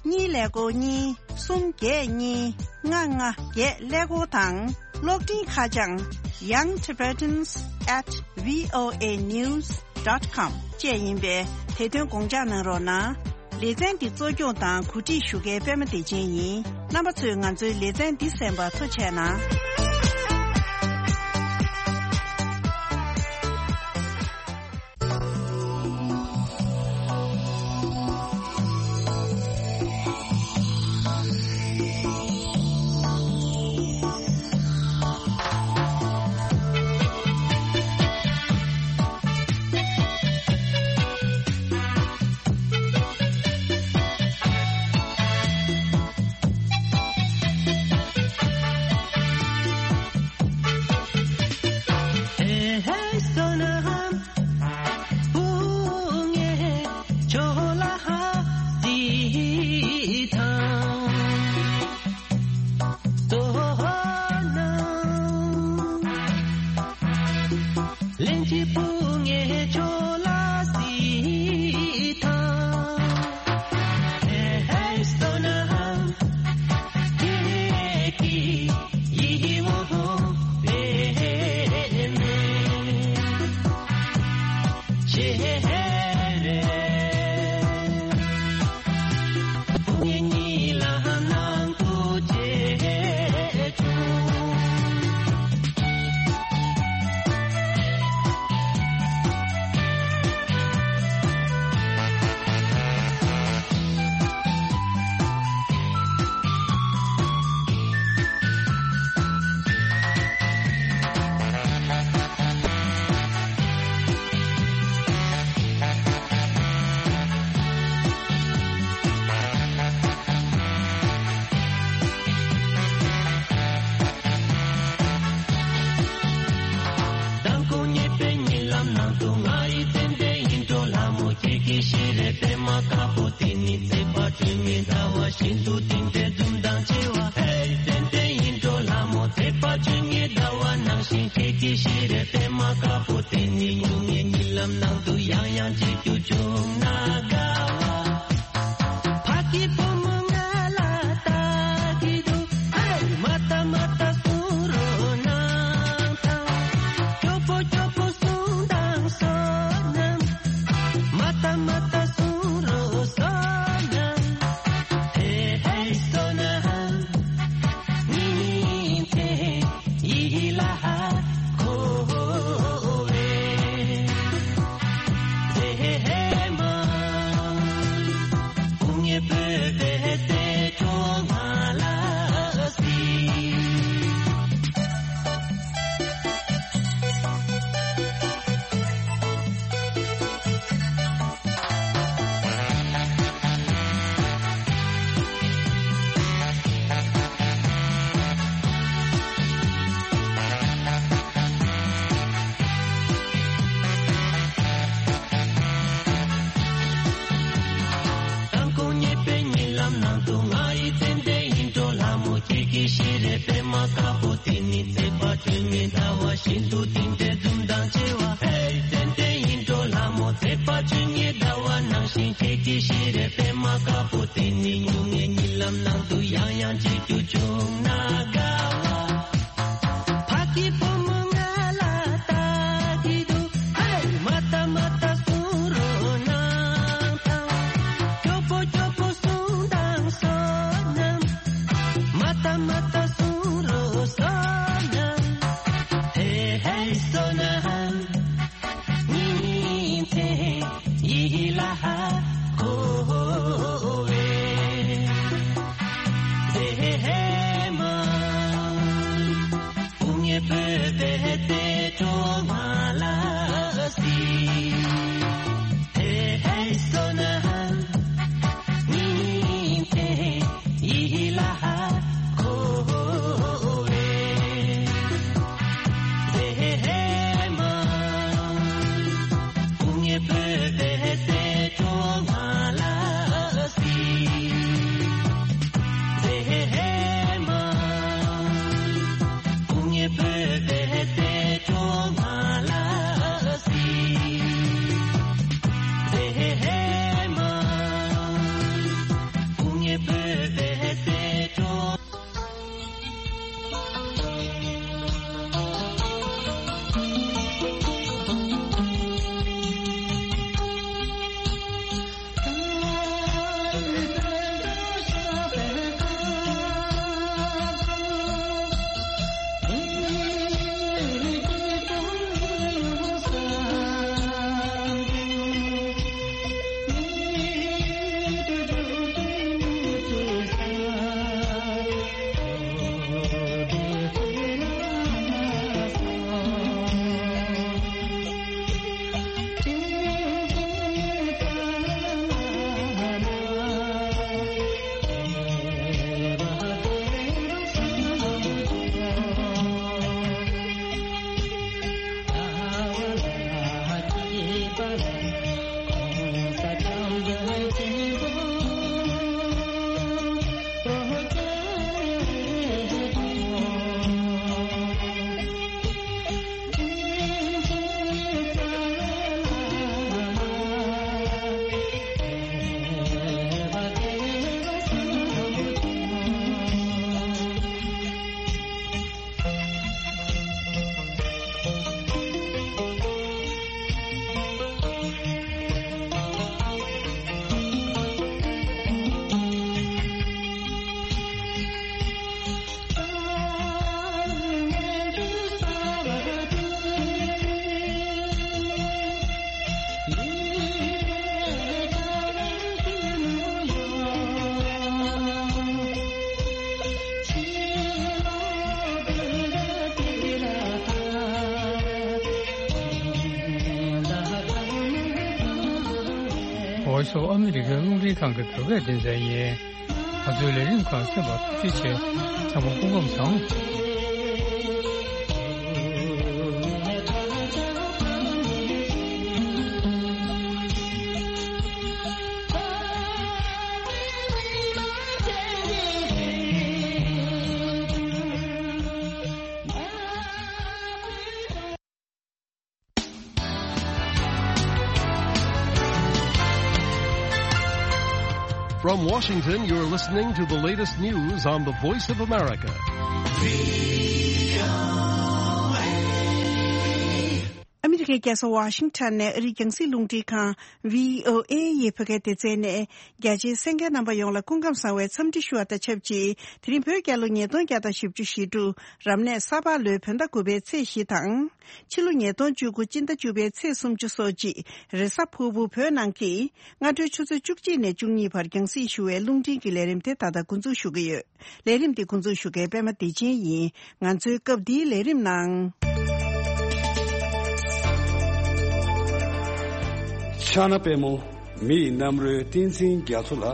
གཉིས་ཀླད་ཀོར་གཉིས། གསུམ་བརྒྱད་གཉིས། ལྔ་ལྔ་བརྒྱད་ཀླད་ཀོར་དང་། གློག་འཕྲིན་ཁ་བྱང་Young Tibetans at V O A news dot com བཅས་ཡིན་པས་དེ་དོན་དགོངས་འཇགས་གནང་རོགས་གནང་། ལེ་ཚན་འདི་གཙོ་སྐྱོང་དང་གོ་སྒྲིག་ཞུ་མཁན་པད་མ་བདེ་ཆེན་ཡིན། རྣམ་པ་ཚོས་ང་ཚོའི་ལེ་ཚན་འདི་གསན་པར་ཐུགས་རྗེ་གནང་། མདང་དགོང་ཉེས་པའི་ཉིན་ལམ་ནང་དུ་ང་ཡི་ཙན་དན་ཡིད་འཕྲོག་ལྷ་མོ་ཁྱེད་ཀྱི་ཤེས་རབ་པད་མ་དཀར་པོ་དེ་ནི་བརྩེགས་པ་སྤྲིན་མེད་ཟླ་བ་བཞིན་དུ་བསྟིམ་པའི་འཛུམ་མདངས་ཆེ་བ། ཧེ་ཙན་དན་ཡིད་འཕྲོག་ལྷ་མོ་བརྩེགས་པ་སྤྲིན་མེད་ཟླ་བ་ནང་བཞིན་ཁྱེད་ཀྱི་ཤེས་རབ་པད་མ་དཀར་པོ་དེ་ནི་སྙུང་གནས་ཉིན་ལམ་ནང་དུ་ཡང་ཡང་མཇལ་རྒྱུ་བྱུང་ན་དགའ་བ། ཕ་གི་བུ་མོ་ང་ལ་ལྟ་གི་འདུག་ཨེ། མ་ལྟ་མ་ལྟ་གསུང་རོགས་གནང་དང་། སྐྱོ་པོ་སྐྱོ་པོ་གསུང་དང་བསོད་ནམས། མ་ལྟ་མ་ལྟ་གསུང་རོགས་བསོད་ནམས། ཧེ་ཧེ་བསོད་ནམས། ཉིན་མཚན་ཡིད་ལ་འཁོར་བའི་མཛེས་མ། སྐུ་ངལ་བོད་པའི་སྲས་མཆོག་ང་ལ་གཟིགས། མདང་དགོང་ཉེས་པའི་ཉིན་ལམ་ནང་དུ་ང་ཡི་ཙན་དན་ཡིད་འཕྲོག་ལྷ་མོ་ཁྱེད་ཀྱི་ཤེས་རབ་པད་མ་དཀར་པོ་དེ་ནི་བརྩེགས་པ་སྤྲིན་མེད་ཟླ་བ་བཞིན་དུ་བསྟིམ་པའི་འཛུམ་མདངས་ཆེ་བ། ཧེ་ཙན་དན་ཡིད་འཕྲོག་ལྷ་མོ་བརྩེགས་པ་སྤྲིན་མེད་ཟླ་བ་ནང་ ཤིང་ཁྱེད་ཀྱི་ཤེས་རབ་པད་མ་དཀར་པོ་དེ་ནི་སྨྱུང་གནས་གཉིད་ལམ་ནང་དུ་ཡང་ཡང་བརྗེད་རྒྱུ་བྱུང་ན་དགའ་བ། ཕ་གི་བུ་མོ་ང་ལ་ལྟ་གི་འདུག་ཧེ། མ་ལྟ་མ་ལྟ་གསུང་རོགས་གནང་དང་། སྐྱོ་པོ་སྐྱོ་པོ་གསུང་དང་བསོད་ནམས། མ་ལྟ་མ་ལྟ་གསུང་རོགས་བསོད་ནམས། ཧེ་ཧེ་བསོད་ནམས། ཉིན་མཚན་ཡིད་ལ་ཧ་གོ་བའི་མཛེས་མ། སྐུ་ངལ་བོད་པའི་རྩེ་གྲོགས་ང་ལ་གཟིགས། ཧེ་ཧེ་བསོད་ནམས། ཉིན་མཚན་ཡིད་ལ་ཧ་གོ་བའི་མཛེས་མ། སྐུ་ངལ་བོད་པའི་རྩེ་གྲོགས་ང་ལ་གཟིགས། མཛེས་མ། སྐུ་ངལ་བོད་པའི་རྩེ་གྲོགས་ང་ལ་གཟིགས། མཛེས་མ། སྐུ་ངལ་བོད་པའི་རྩེ་གྲོགས། Voice of America རླུང་འཕྲིན་ཁང་གི་བོད་སྐད་སྡེ་ཚན་ཡིན། ང་ཚོའི་ལས་རིམ་ཁག་གསན་པར་ཐུགས་རྗེ་ཆེ། ཚང་མ་སྐུ་ཁམས་བཟང་། From Washington, you're listening to the latest news on the Voice of America. ཨ་མི་རི་ཀའི་རྒྱལ་ས་ཝ་ཤིང་ཊོན་ནས་ཨ་རིའི་རྒྱང་སྲིང་རླུང་འཕྲིན་ཁང་བྷི་ཨོ་ཨེ་ཡི་བོད་སྐད་སྡེ་ཚན་ནས། རྒྱ་ཆེའི་གསན་མཁན་རྣམ་པ་ཡོངས་ལ་སྐུ་ཁམས་བཟང་བའི་འཚམས་འདྲི་ཞུ་བ་དང་ཆབས་ཅིག་དེ་རིང་བོད་རྒྱལ་ལོ་ཉིས་སྟོང་བརྒྱ་དང་བཞི་བཅུ་ཞེ་དྲུག་རབ་གནས་ས་ཕག་ལོའི་བོད་ཟླ་དགུ་པའི་ཚེས་བཞི་དང་། ཕྱི་ལོ་ཉིས་སྟོང་བཅུ་དགུ་སྤྱི་ཟླ་བཅུ་པའི་ཚེས་སུམ་ཅུ་སོ་གཅིག་རེས་གཟའ་ཕུར་བུ་བོད་ནང་གི་སྔ་དྲོའི་ཆུ་ཚོད་བཅུ་གཅིག་ནས་བཅུ་གཉིས་བར་རྒྱང་སྲིང་ཞུ་བའི་རླུང་འཕྲིན་གྱི་ལས་རིམ་དེ་ད་ལྟ་འགོ་འཛུགས་ཞུ་གི་ཡོད། ལས་རིམ་འདི་འགོ་འཛུགས་ཞུ་མཁན་པད་མ་བདེ་ཆེན་ཡིན། ང་ཚོའི་སྐབས་འདིའི་ལས་རིམ་ནང་། ཕྱག་ན་པདྨོ། མི་ཡི་རྣམ་རོལ་བསྟན་འཛིན་རྒྱ་མཚོ་ལ།